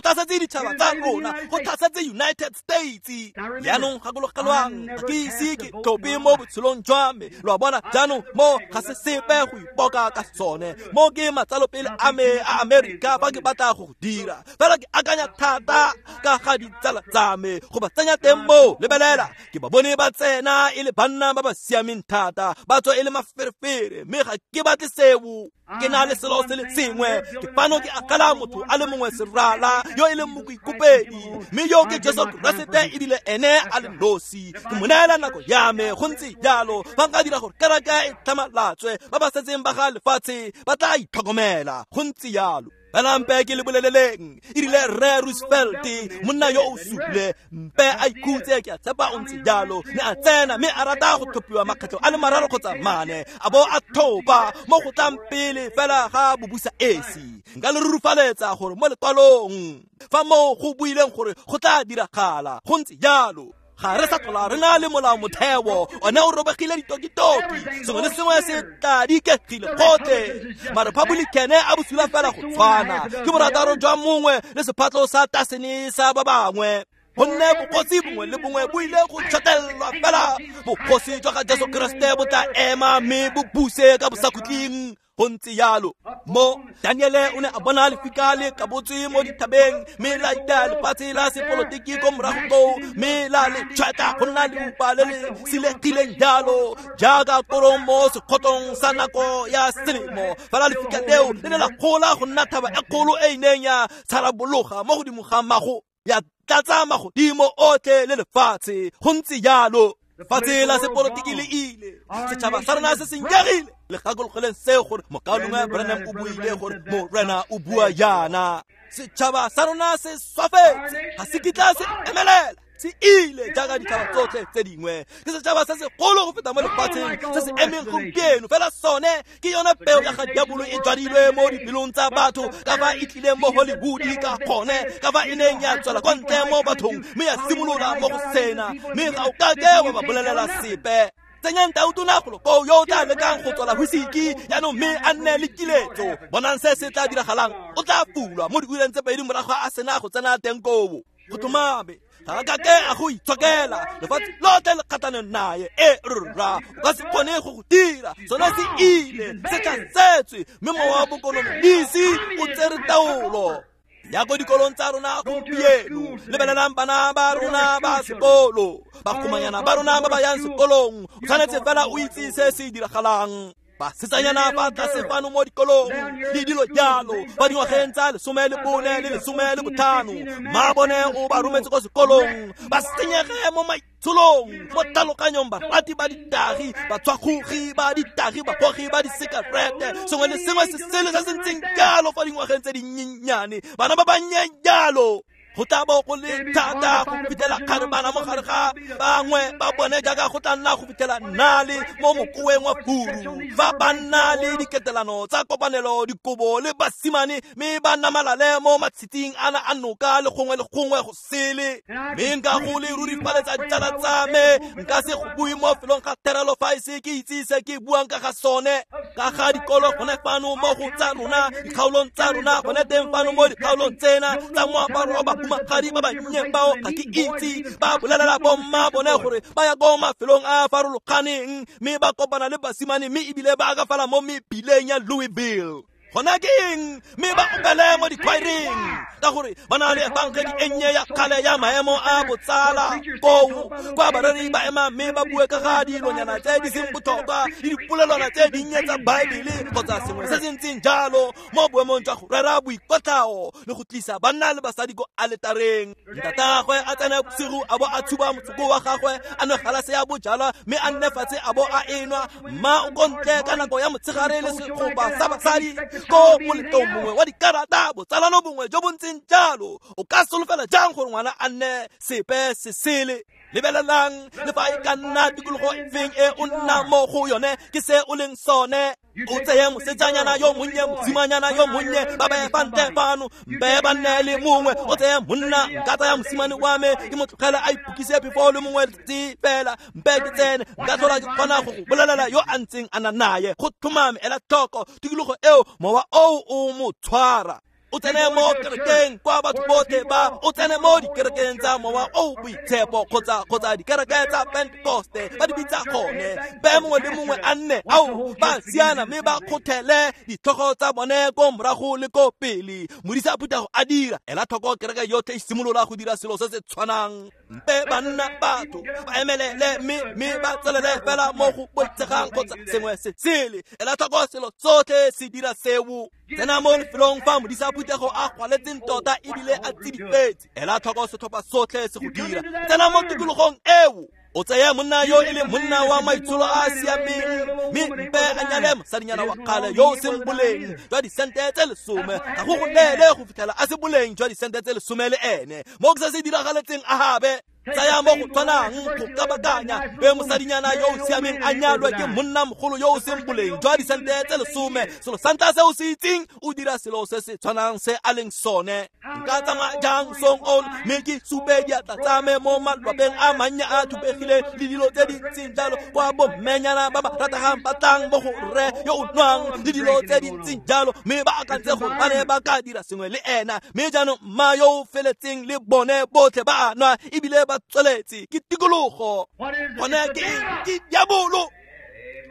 tlhasetse ditšhaba tsa rona, go tlhasetse United States. Jaanong gakologelwang, ga ke ise ke tlhope mo botshelong jwa me. Lo a bona jaanong, mo ga se sepe go ipoka ka sone. Mo ke matsalopele a me a Amerika fa ke batla go dira. Fela ke akanya thata ka ga ditsala tsa me, go ba tsenya teng mo. Lebelela, ke ba bone ba tsena e le banna ba ba siameng thata, ba tswa e le maferefere, mme ga ke batle seo. Ke na le selo se le sengwe, ke fano ke akala motho a le mongwe serala yo e leng moikopedi, mme yo ke Jesu Keresete, ebile ene a le nosi. Ke mo neela nako ya me. Go ntse jalo, fa nka dira gore kereke e tlhamalatswe, ba ba setseng ba ga lefatshe ba tla itlhokomela. Go ntse jalo. Fela mpe ke le boleleleng, e rile Rre Roosevelt, monna yo o sule, mpe a ikhutse, ke a tshepa o ntse jalo, ne a tsena mme a rata go tlhophiwa makgetlho a le mararo kgotsa mane, a bo a thopa mo go tlang pele fela ga bobusa esi. Nka le rurufaletsa gore mo lekwalong fa mo go buileng gore go tla diragala, go ntse jalo. Ga re sa tlhola re na le molao motheo, one o robegile ditokitoki, sengwe le sengwe se tla dikegile gotlhe. Marepublicane a bosula fela go tshwana, ke borataro jwa mongwe le sephatlo sa tasene sa ba bangwe. Gonne bogosi bongwe le bongwe bo ile go tšhotellwa fela bogosi jwa ga Jesu Keresete bo tla ema mme bo buse ka bosakhutleng. Go ntse jalo mo Daniele o ne a bona lefika le kabotswe mo dithabeng mme la itaya lefatshe la sepolotiki ko morago koo mme la le tšhwetla go nna leupa le le silegileng jalo jaaka korong mo sekgotong sa nako ya selemo. Fela lefika leo le ne la gola go nna thaba e kgolo e e neng ya tsharabologa mo godimo ga mago ya tlatsa magodimo otlhe le lefatshe. Go ntse jalo lefatshe la sepolotiki le ile, setšhaba sa rona se senyegile. Le gakologeleng seo gore mokaulengwe Branham o buile gore Morena o bua jaana. Setšhaba sa rona se swafetse, ga se kitla se emelela, se ile jaaka ditšhaba tsotlhe tse dingwe. Ke setšhaba se segolo go feta mo lefatsheng se se emeng gompieno, fela sone ke yone peo ya ga diabolo e jwadilwe mo dipelong tsa batho ka fa e tlileng mo Hollywood ka gone, ka fa e neng ya tswela kwa ntle mo bathong mme ya simolola mo go sena, mme ga o kake wa ba bolelela sepe. Tsenyang tautona golo koo yo o tla lekang go tswala whisiki jaanong mme a nne le kiletso. Bonang se se tla diragalang, o tla fulwa mo diureng tse pedi morago a sena go tsena teng koo. Go tlhomame ga a kake a go itshokela, lefatshe lotlhe le kgatlhanong naye. E rra, o ka se kgone go go dira, sone se ile, se tlatsetswe mme mowa wa bokonomisi o tsere taolo. Ya ko dikolong tsa rona gompieno, lebelelang bana ba rona ba sekolo, bakgomanyana ba rona ba ba yang sekolong. O tshwanetse fela o itse se se diragalang. Basetsanyana ba tlase fano mo dikolong le dilo jalo ba dingwageng tsa 14 le 15, mma bone o ba rometse ko sekolong, ba senyege mo maitsholong, mo tlhaloganyong, barati ba ditagi, batshwakgogi ba ditagi, bagogi ba disekarete, sengwe le sengwe se sele se se ntseng jalo fa dingwageng tse dinyenyane, bana ba bannye jalo. Go tla bo go le thata go fitlhela kgarebana mo gare ga bangwe ba bone jaaka go tla nna go fitlhela nnale mo mokoweng wa furu, fa ba nna le diketelano tsa kopanelo dikobo le basimane mme ba namalale mo matshitsing ana a noka le gongwe le gongwe go sele. Mme nka go le rurifaletsa ditsala tsa me, nka se go bue mo felong ga therelo fa e se ke itse se ke buang ka ga sone, ka ga dikolo gone fano mo go tsa rona, dikgaolong tsa rona gone teng fano mo dikgaolong tsena tsa moaparo wa bahumagadi ba bannye bao ga ke itse, ba bolelela bomma bone gore ba ya ko mafelong a a farologaneng mme ba kopana le basimane mme ebile ba akafala mo mebileng ya Louisville. Gona ke eng? Mme ba opele mo dikhwaereng ka gore ba na le efangedi e nnye ya kgale ya maemo a botsala koo kwa bareri ba ema mme ba bue ka ga dilonyana tse di seng botlhokwa le dipolelwana tse dinnye tsa Baebele kgotsa sengwe se se ntseng jalo mo boemong jwa go rera boikotlhao le go tlisa banna le basadi ko aletareng. Ntatagwe a tsena bosigo a bo a tshuba motsoko wa gagwe, a nwe galase ya bojalwa mme a nne fatshe a bo a enwa. Mma o ko ntle ka nako ya motshegare le segopa sa basadi ko moletlong mongwe wa dikarata, botsalano bongwe jo bo ntseng jalo. O ka solofela jang gore ngwana a nne sepe se sele? Lebelelang le fa e ka nna tikologo efeng e o nnang mo go yone, ke se o leng sone. O tseye mosetsanyana yo monnye, mosimanyana yo monnye, ba baye fa ntle fano, mpe ba nne le mongwe. O tseye monna, nka tsaya mosimane wa me, ke mo tlogele a ipukise phefo le mongwe letsatsi fela, mpe ke tsene, nka tlhola ke kgona go go bolelela yo a ntseng a na naye. Go tlhomame, ela tlhoko tikologo eo, mowa oo o mo tshwara. O tsene mo kerekeng kwa batho botlhe ba, o tsene mo dikerekeng tsa mowa o boitshepo kgotsa dikereke tsa Pentekoste ba di bitsa gone, be mongwe le mongwe a nne ao ba siana mme ba kgothele ditlhogo tsa bone ko morago le ko pele. Modisa phuthego a dira, ela tlhoko kereke yotlhe e simolola go dira selo se se tshwanang. Mpe banna batho ba emelele mme ba tselele fela mo go boitshegang kgotsa sengwe se sele. Ela tlhoko selo tsotlhe se dira seo. Tsena mo lefelong fa modisa phuthego a gwaletseng tota ebile a tsidifetse, ela tlhoko setlhopha sotlhe se go dira. Tsena mo tikologong eo, o tseye monna yo e leng monna wa maitsholo a a siameng mme mpe a nyale mosadinyana wa kgale yo o seng boleng jwa disente tse 10, ga go go neele go fitlhela a se boleng jwa disente tse 10 le ene. Mo ke se se diragaletseng Ahabe. Tsaya mo go tshwanang go kabakanya be mosadinyana yo o siameng a nyalwe ke monna mogolo yo o seng boleng jwa disente tse 10. Selo sa ntlha se o se itseng, o dira selo se se tshwanang se a leng sone. Nka tsamaya jang song ono mme ke supe diatla tsa me mo malwapeng a mannye a thubegileng le dilo tse di ntseng jalo, kwa bommenyana ba ba rategang ba tlang mo go rre yo o nwang le dilo tse di ntseng jalo, mme ba akantse gore ba ne ba ka dira sengwe le ena. Mme jaanong mma yo o feletseng le bone botlhe ba a nwa ebile ba tsweletse. Ke tikologo. Gone ke eng? Ke diabolo.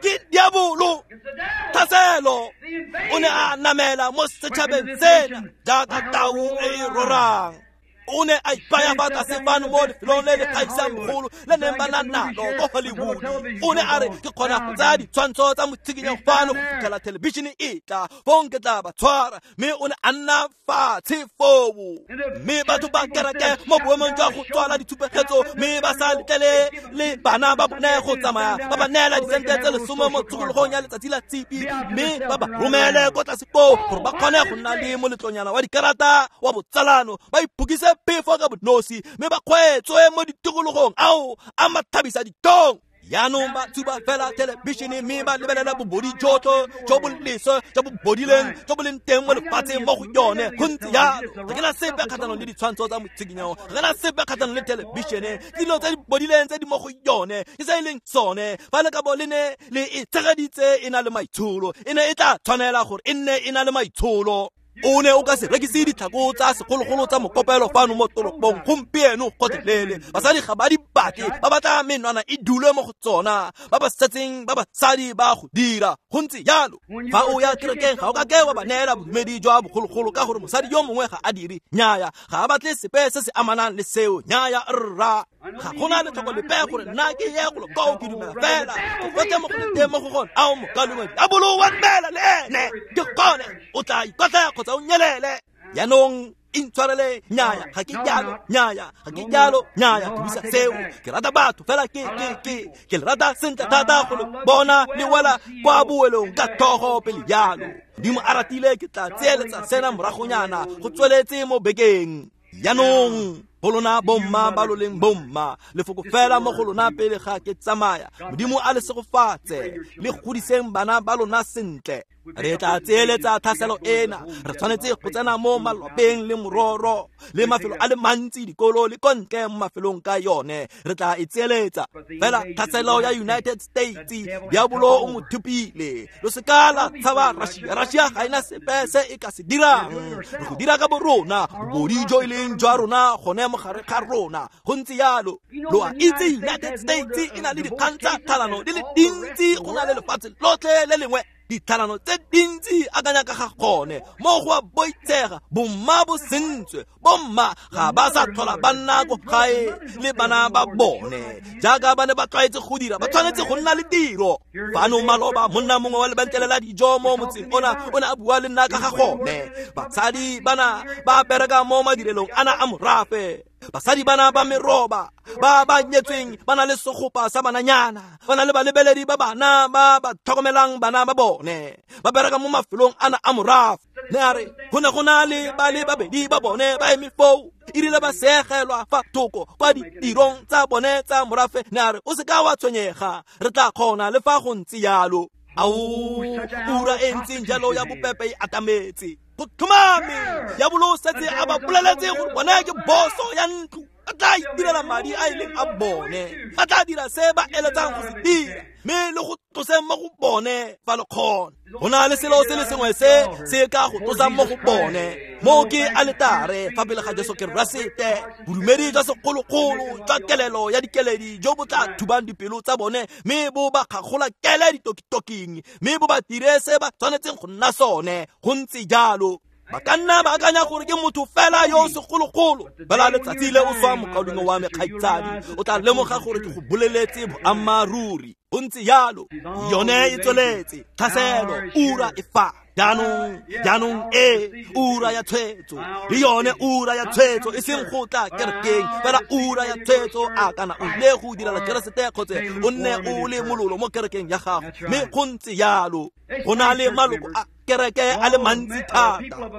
Ke diabolo. Tlhaselo. O ne a namela mo setšhabeng sena jaaka tau e e rorang. O ne a ipaya fa tlase fano mo lefelong le le kgaisang bogolo le neng ba na nalo ko Hollywood. O ne a re, ke kgona go tsaya ditshwantsho tsa motshikinyo fano go fitlhela thelebišene e tla, fong ke tla ba tshwara. Mme o ne a nna fatshe foo. Mme batho ba kereke mo boemong jwa go tswala ditshupegetso, mme ba sa letlele le bana ba bone go tsamaya, ba ba neela disente tse 10 mo tshokologong ya letsatsi la tshipi, mme ba ba romele ko tlase foo gore ba kgone go nna le moletlonyana wa dikarata wa botsalano, ba iphokise phefo ka bonosi, mme ba kgweetswe mo ditikologong ao a mathabisa ditong. Jaanong ba tshuba fela thelebišene mme ba lebelela bobodi jotlhe jo bo leswe jo bo bodileng jo bo leng teng mo lefatsheng mo go yone. Go ntse jalo. Ga ke na sepe kgatlhanong le ditshwantsho tsa motshikinyo, ga ke na sepe kgatlhanong le thelebišene, ke dilo tse di bodileng tse di mo go yone, ke se e leng sone. Fa le ka bo le ne le e tshegeditse e na le maitsholo, e ne e tla tshwanela gore e nne e na le maitsholo. O ne o ka se rekise ditlhako tsa segologolo tsa mokopelo fano mo toropong gompieno gotlhelele. Basadi ga ba di batle, ba batla menwana e dule mo go tsona, ba ba setseng ba basadi ba go dira. Go ntse jalo. Fa o ya kerekeng ga o ka ke wa ba neela bodumedi jwa bogologolo ka gore mosadi yo mongwe ga a dire. Nnyaya, ga a batle sepe se se amanang le seo. Nnyaya rra. Ga gona letlhoko lepe gore nna ke ye golo koo, ke dumela fela go gotlhe mo go leng teng mo go gone. Ao mokalengwe diabolo wa dumela le ene, ke gone o tla ikotlaya kgotsa o nyelele. Jaanong intshwarele, nnyaya ga ke jalo, nnyaya ga ke jalo, nnyaya ke buisa seo. Ke rata batho fela, ke le rata sentle thata go le bona le wela kwa boelong ka tlhogo pele jalo. Modimo a ratile ke tla tseeletsa sena moragonyana go tsweletse mo bekeng. Jaanong go lona bomma ba lo leng bomma, lefoko fela mo go lona pele ga ke tsamaya. Modimo a le segofatse, le godiseng bana ba lona sentle. Re tla tseeletsa tlhaselo ena. Re tshwanetse go tsena mo malwapeng le mororo le mafelo a le mantsi, dikolo le kontle mo mafelong ka yone. Re tla e tseeletsa. Fela tlhaselo ya United States, diabolo o mo thupile. Lo se ka la tshaba Russia. Russia ga ena sepe se e ka se dirang. Re go dira ka bo rona, bobodi jo e leng jwa rona gone mo gare ga rona. Go ntse jalo. Lo a itse United States e na le dikgang tsa tlhalano di le dintsi go na le lefatshe lotlhe le lengwe. Ditlhalano tse dintsi akanya ka ga gone mo go a boitshega. Bomma bo sentswe, bomma ga ba sa tlhola ba nna ko gae le bana ba bone jaaka ba ne ba tlwaetse go dira. Ba tshwanetse go nna le tiro. Fano maloba monna mongwe wa lebenkele la dijo mo motseng ona o ne a bua le nna ka ga gone. Basadi bana ba bereka mo madirelong ana a morafe. Basadi bana ba meroba ba ba nyetsweng ba na le segopa sa bananyana, ba na le balebeledi ba bana ba ba tlhokomelang bana ba bone, ba bereka mo mafelong ana a morafe. Ne a re go ne go na le ba le babedi ba bone ba eme foo, erile ba segelwa fa thoko kwa ditirong tsa bone tsa morafe. Ne a re o se ka wa tshwenyega, re tla kgona le fa go ntse jalo. Ao, ura e ntseng jalo ya bopepe e atametse. Go tlhomame diabolo o setse a ba boleletse gore bone ke boso ya ntlo, ba tla itirela madi a e leng a bone, ba tla dira se ba eletsang go se dira, mme le go tloseng mo go bone fa le kgona. Go na le selo se le sengwe se se ka go tlosang mo go bone, mo ke aletare fa pele ga Jesu Keresete, bodumedi jwa segologolo jwa kelelo ya dikeledi jo bo tla thubang dipelo tsa bone, mme bo ba kgagola kele ditokitoking, mme bo ba dire se ba tshwanetseng go nna sone. Go ntse jalo. Ba ka nna ba akanya gore ke motho fela yo o segologolo. Fela letsatsi le o swa mokaulengwe wa me kgaitsadi, o tla lemoga gore ke go boleletse boammaaruri. Go ntse jalo. Yone e tsweletse. Tlhaselo, ura e fa. Jaanong e ura ya tshwetso, le yone ura ya tshwetso e seng go tla kerekeng, fela ura ya tshwetso a kana o ile go direla Keresete kgotsa o nne o le mololo mo kerekeng ya gago. Mme go ntse jalo. Go na le maloko a dikereke a le mantsi thata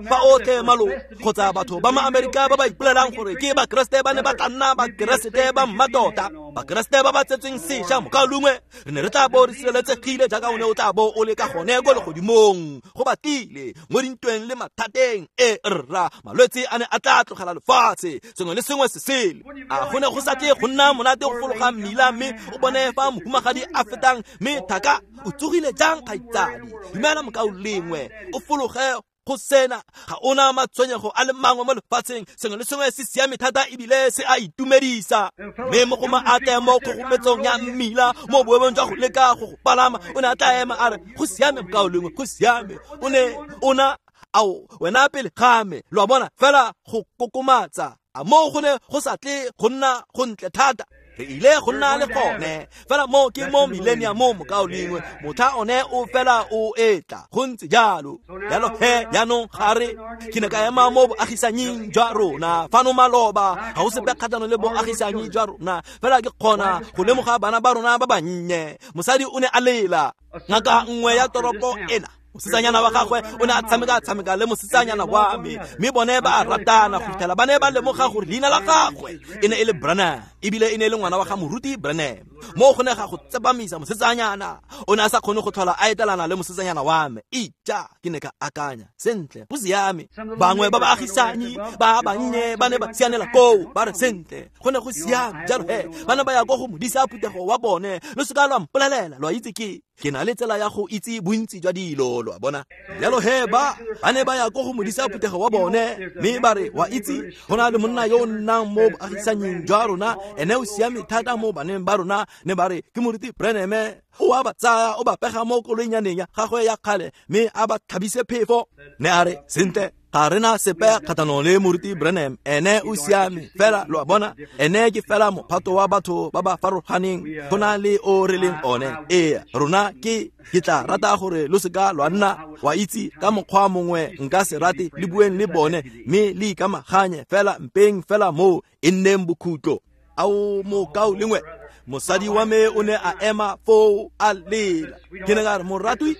fa otlhe malo kgotsa batho ba ma-Amerika ba ba ipolelang gore ke bakeresete ba ne ba tla nna bakeresete ba mmatota, bakeresete ba ba tsetsweng sešwa mokaulengwe, re ne re tla bo re sireletsegile jaaka o ne o tla bo o le ka gone ko legodimong go batlile mo dintweng le mathateng. E rra, malwetse a ne a tla tlogela lefatshe, sengwe le sengwe se sele. A go ne go sa tle go nna monate go fologa mmila mme o bone fa mohumagadi a fetang mme thaka o tsogile jang kgaitsadi, dumela mokaulengwe, o fologe go sena ga ona matshwenyego a le mangwe mo lefatsheng, sengwe le sengwe se siame thata ebile se a itumedisa. Mme mogoma a tle mo kgogometsong ya mmila mo boemong jwa go leka go go palama, o ne a tla ema a re go siame mokaulengwe, go siame, o ne ona ao wena pele ga me, lo a bona, fela go kokomatsa. A moo go ne go sa tle go nna go ntle thata? Re ile go nna le gone fela mo ke mo millennium mokaulengwe, motlha one o fela o etla go ntse jalo. Jalo he jaanong ga re ke ne ka ema mo boagisanying jwa rona fano maloba, ga go sepe kgatlhanong le boagisanyi jwa rona, fela ke kgona go lemoga bana ba rona ba bannye. Mosadi o ne a lela, ngaka nngwe ya toropo ena, mosetsanyana wa gagwe o ne a tshameka le mosetsanyana wa me, mme bone ba a ratana go fitlhela ba ne ba lemoga gore leina la gagwe e ne e le Branham, ebile e ne e le ngwana wa ga moruti Branham. Mo go ne ga go tsepamisa mosetsanyana, o ne a sa kgone go tlhola a etelana le mosetsanyana wa me. Ija, ke ne ka akanya sentle, go siame. Bangwe ba baagisanyi ba bannye ba ne ba sianela koo, ba re sentle, go ne go siame. Jalo he ba ne ba ya ko go modisa phuthego wa bone, lo seka lwa mpolelela, lo a itse ke na le tsela ya go itse bontsi jwa dilo, lo a bona. Jalo he ba ne ba ya ko go modisa phuthego wa bone, mme ba re wa itse go na le monna yo o nnang mo boagisanying jwa rona, ene o siame thata mo baneng ba rona, ne ba re ke moruti Branham, o a ba tsaya o ba pega mo koloinyaneng ya gagwe ya kgale mme a ba tlhabise phefo. Ne a re sentle, ga rena sepe kgatlhanong le moruti Branham, ene o siame fela, lo a bona, ene ke fela mophato wa batho ba ba farologaneng go na le o re leng one. Ee, rona ke tla rata gore lo seka lwa nna wa itse ka mokgwa mongwe nka se rate le bueng le bone mme le ikamaganye fela, mpeng fela moo e nneng bokhutlo. Ao mokaulengwe, mosadi wa me o ne a ema foo a lela. Ke ne ka re moratwi,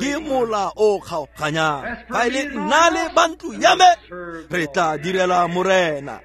ke mola o kgaoganyang, fa e le nna le ba ntlo ya me re tla direla Morena.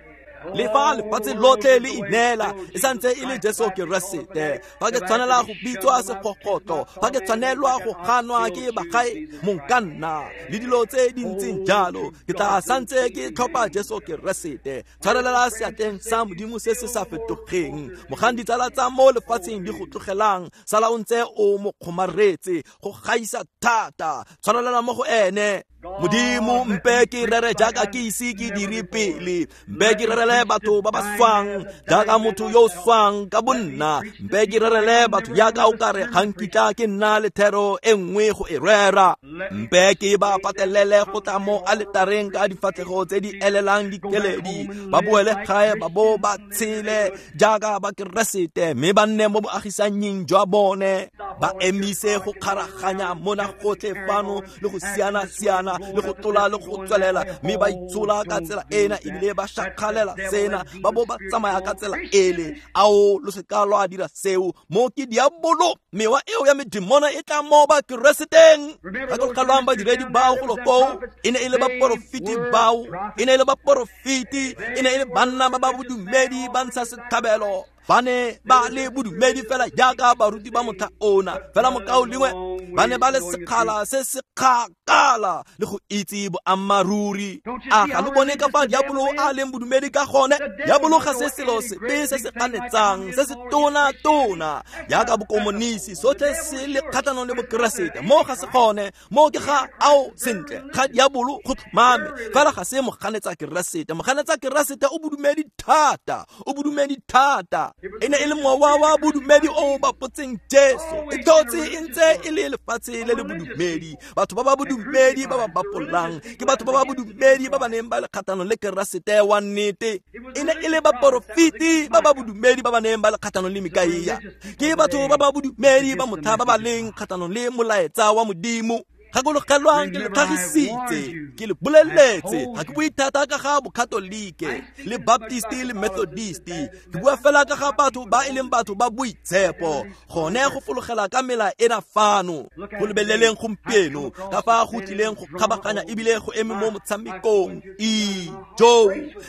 Le fa lefatshe lotlhe le ineela, e santse e le Jesu Keresete. Fa ke tshwanela go bitswa segogotlo, fa ke tshwanelwa go ganwa ke bagae monkanna le dilo tse di ntseng jalo, ke tla santse ke tlhopha Jesu Keresete. Tshwarelela seatleng sa Modimo se se sa fetogeng, mogang ditsala tsa mo lefatsheng di go tlogelang, sala o ntse o mo kgomaretse go gaisa thata, tshwarelela mo go ene. Modimo mpe ke rere jaaka ke ise ke dire pele, mpe ke rerele batho ba ba swang jaaka motho yo o swang ka bonna, mpe ke rerele batho jaaka o kare ga nkitla ke nna le thero e nngwe go e rera, mpe ke ba patelele go tla mo aletareng ka difatlhego tse di elelang dikeledi, ba boele gae ba bo ba tshele jaaka bakeresete mme ba nne mo boagisanying jwa bone, ba emise go kgaraganya mona gotlhe fano le go siana-siana le go tlola le go tswelela, mme ba itshola ka tsela ena ebile ba shakgalela sena, ba bo ba tsamaya ka tsela ele. Ao lo seka lwa dira seo, mo ke diabolo, mewa eo ya medimona e tla mo bakereseteng. Gakologelwang badiredi bao golo koo, e ne e le baporofiti bao, e ne e le baporofiti, e ne e le banna ba ba bodumedi ba ntsha setlhabelo, ba ne ba le bodumedi fela jaaka baruti ba motlha ona, fela mokaulengwe ba ne ba le sekgala se se kgakala le go itse boammaaruri. A ga lo bone ka fa diabolo a leng bodumedi ka gone? Diabolo ga se selo sepe se se ganetsang, se se tona-tona jaaka bokomonisi, sotlhe se le kgatlhanong le bokeresete. Mo ga se gone, mo ke ga ao sentle ga diabolo go tlhomame, fela ga se moganetsa keresete. Moganetsa keresete o bodumedi thata, o bodumedi thata. E ne e le mowa wa bodumedi o bapotseng Jesu. E tlotse e ntse e le lefatshe le le bodumedi, batho ba ba bodumedi ba ba bapolang ke batho ba ba bodumedi ba ba neng ba le kgatlhanong le keresete wa nnete. E ne e le baporofiti ba ba bodumedi ba ba neng ba le kgatlhanong le Mikaia, ke batho ba ba bodumedi ba motlha ba ba leng kgatlhanong le molaetsa wa Modimo. Gakologelwang ke le tlhagisitse, ke le boleletse, ga ke bue thata ka ga bokatolike le baptisti le methodisti, ke bua fela ka ga batho ba e leng batho ba boitshepo, gone go fologela ka mela ena fano. Go lebeleleng gompieno ka fa go tlileng go kgabaganya ebile go eme mo motshamekong. Ijo,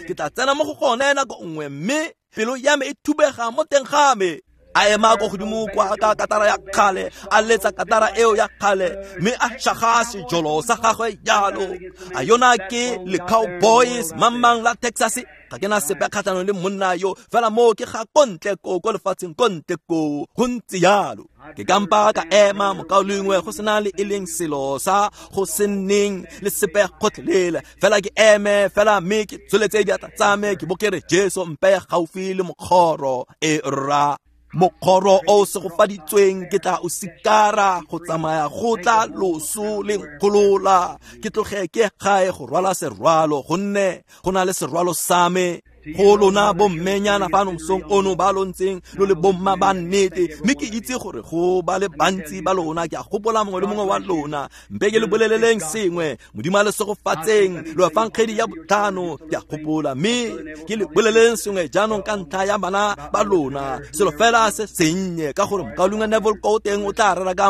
ke tla tsena mo go gone nako nngwe mme pelo ya me e thubega mo teng ga me. A ema ko godimo kwa ka katara ya kgale, a letsa katara eo ya kgale, mme a shaga sejolo sa gagwe jalo. A yona ke le Cowboys mamang la Texas. Ga ke na sepe kgatlhanong le monna yo, fela moo ke ga kontle ko ko lefatsheng kontle ko, go ntse jalo. Ke kampa ka ema mokaulengwe go sena le e leng selo sa go se nneng le sepe gotlhelele, fela ke eme fela mme ke tsholetse diatla tsa me ke bo ke re Jesu mpeye gaufi le mokgoro e rra. Mokgoro o segofaditsweng ke tla o sikara go tsamaya go tla loso le nkgolola, ke tloge ke gae go rwala serwalo, gonne go na le serwalo sa me. Go lona bommenyana fano mosong ono ba lo ntseng lo le bomma ba nnete, mme ke itse gore go ba le bantsi ba lona, ke a gopola mongwe le mongwe wa lona. Mpe ke le boleleleng sengwe, Modimo a le segofatseng lo efankgedi ya botlhano, ke a gopola, mme ke le boleleleng sengwe jaanong ka ntlha ya bana ba lona, selo fela se sennye, ka gore mokaulengwe Neville ko teng o tla rera ka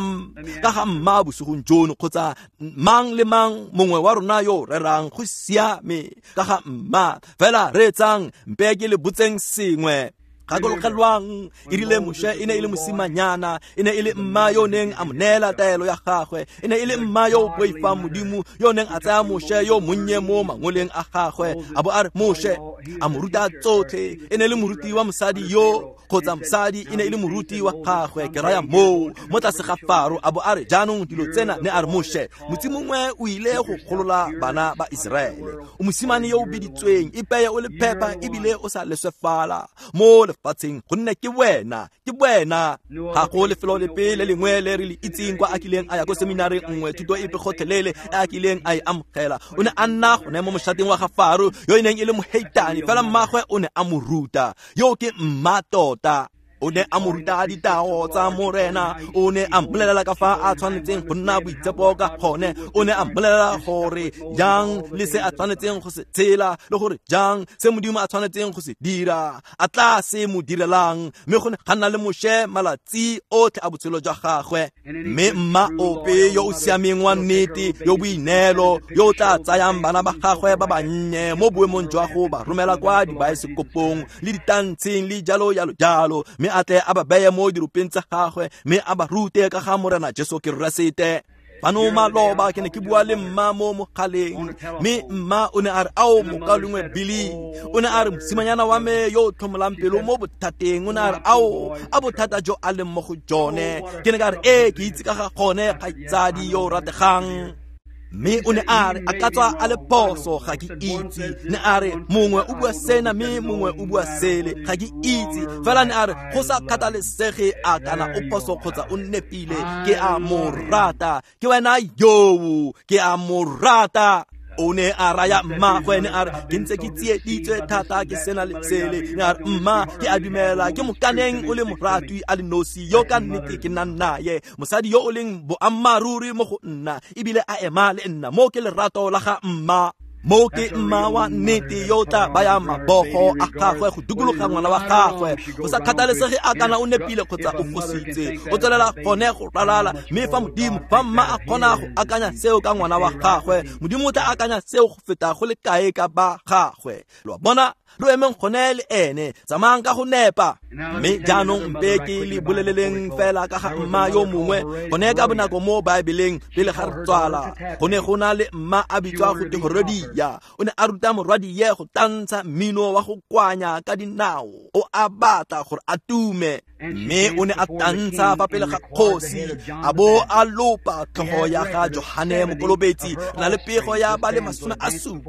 ga mma bosigong jono, kgotsa mang le mang mongwe wa rona yo rerang, go siame ka ga mma. Fela reetsang, mpe ke le botseng sengwe. Gakologelwang e rile Moshe e ne e le mosimanyana, e ne e le mma yo neng a mo neela taelo ya gagwe, e ne e le mma yo o boifang Modimo yo neng a tsaya Moshe yo monnye mo mangoleng a gagwe, a bo a re Moshe, a mo ruta tsotlhe. E ne e le moruti wa mosadi yo, kgotsa mosadi e ne e le moruti wa gagwe, ke raya moo mo tlase ga Faro, a bo a re jaanong dilo tsena, ne a re Moshe, motsi mongwe o ile go golola bana ba Iseraele, o mosimane yo o biditsweng, ipeye o le phepa ebile o sa leswefala mo lefatsheng, gonne ke wena, ke wena. Ga go lefelo lepe le lengwe le re le itseng kwa a kileng a ya ko seminareng nngwe, thuto epe gotlhelele e a kileng a e amogela. O ne a nna gone mo moshateng wa ga Faro yo e neng e le moheitane, fela mmagwe o ne a mo ruta. Yo ke mma tota. O ne a mo ruta ditao tsa Morena, o ne a mmolelela ka fa a tshwanetseng go nna boitshepo ka gone, o ne a mmolelela gore jang le se a tshwanetseng go se tshela, le gore jang se Modimo a tshwanetseng go se dira, a tla se mo direlang. Mme go ne ga nna le Moshe malatsi otlhe a botshelo jwa gagwe. Mme mma ope yo o siameng wa nnete, yo boineelo, yo o tla tsayang bana ba gagwe ba bannye mo boemong jwa go ba romela kwa dibaesekopong le ditantsheng le jalo jalo jalo, mme a tle a ba beye mo diropeng tsa gagwe, mme a ba rute ka ga Morena Jesu Keresete. Fano maloba ke ne ke bua le mma mo mogaleng, mme mma o ne a re ao mokaulengwe Billy, o ne a re mosimanyana wa me yo o tlhomolang pelo mo bothateng, o ne a re ao a bothata jo a leng mo go jone. Ke ne ka re ee, ke itse ka ga gone, kgaitsadi yo o rategang. Mme o ne a re a ka tswa a le phoso, ga ke itse. Ne a re mongwe o bua sena mme mongwe o bua sele, ga ke itse. Fela ne a re go sa kgathalesege a kana o phoso kgotsa o nepile, ke a mo rata. Ke wena yoo, ke a mo rata. O ne a raya mmagwe, ne a re ke ntse ke tsieditswe thata ke sena le sele. Ne a re mma, ke a dumela ke mokaneng o le moratwi a le nosi yo ka nnete ke nnang naye, mosadi yo o leng boammaaruri mo go nna ebile a ema le nna. Mo ke lerato la ga mma. Mo ke mma wa nnete yo o tla bayang mabogo a gagwe go dikologa ngwana wa gagwe, go sa kgathalesege a kana o nepile kgotsa o fositse, o tswelela gone go ralala. Mme fa Modimo, fa mma a kgona go akanya seo ka ngwana wa gagwe, Modimo o tla akanya seo go feta go le kae ka ba gagwe. Lo a bona, lo emeng gone le ene, tsamayang ka go nepa. Mme jaanong mpe ke le boleleleng fela ka ga mma yo mongwe gone ka bonako mo Baebeleng pele ga re tswala. Go ne go na le mma a bitswa go te Herodia. O ne a ruta morwadie go tantsha mmino wa go kwanya ka dinao, o a batla gore a tume. Mme o ne a tantsha fa pele ga kgosi, a bo a lopa tlhogo ya ga Johane Mokolobetsi. Na le pego ya ba le 70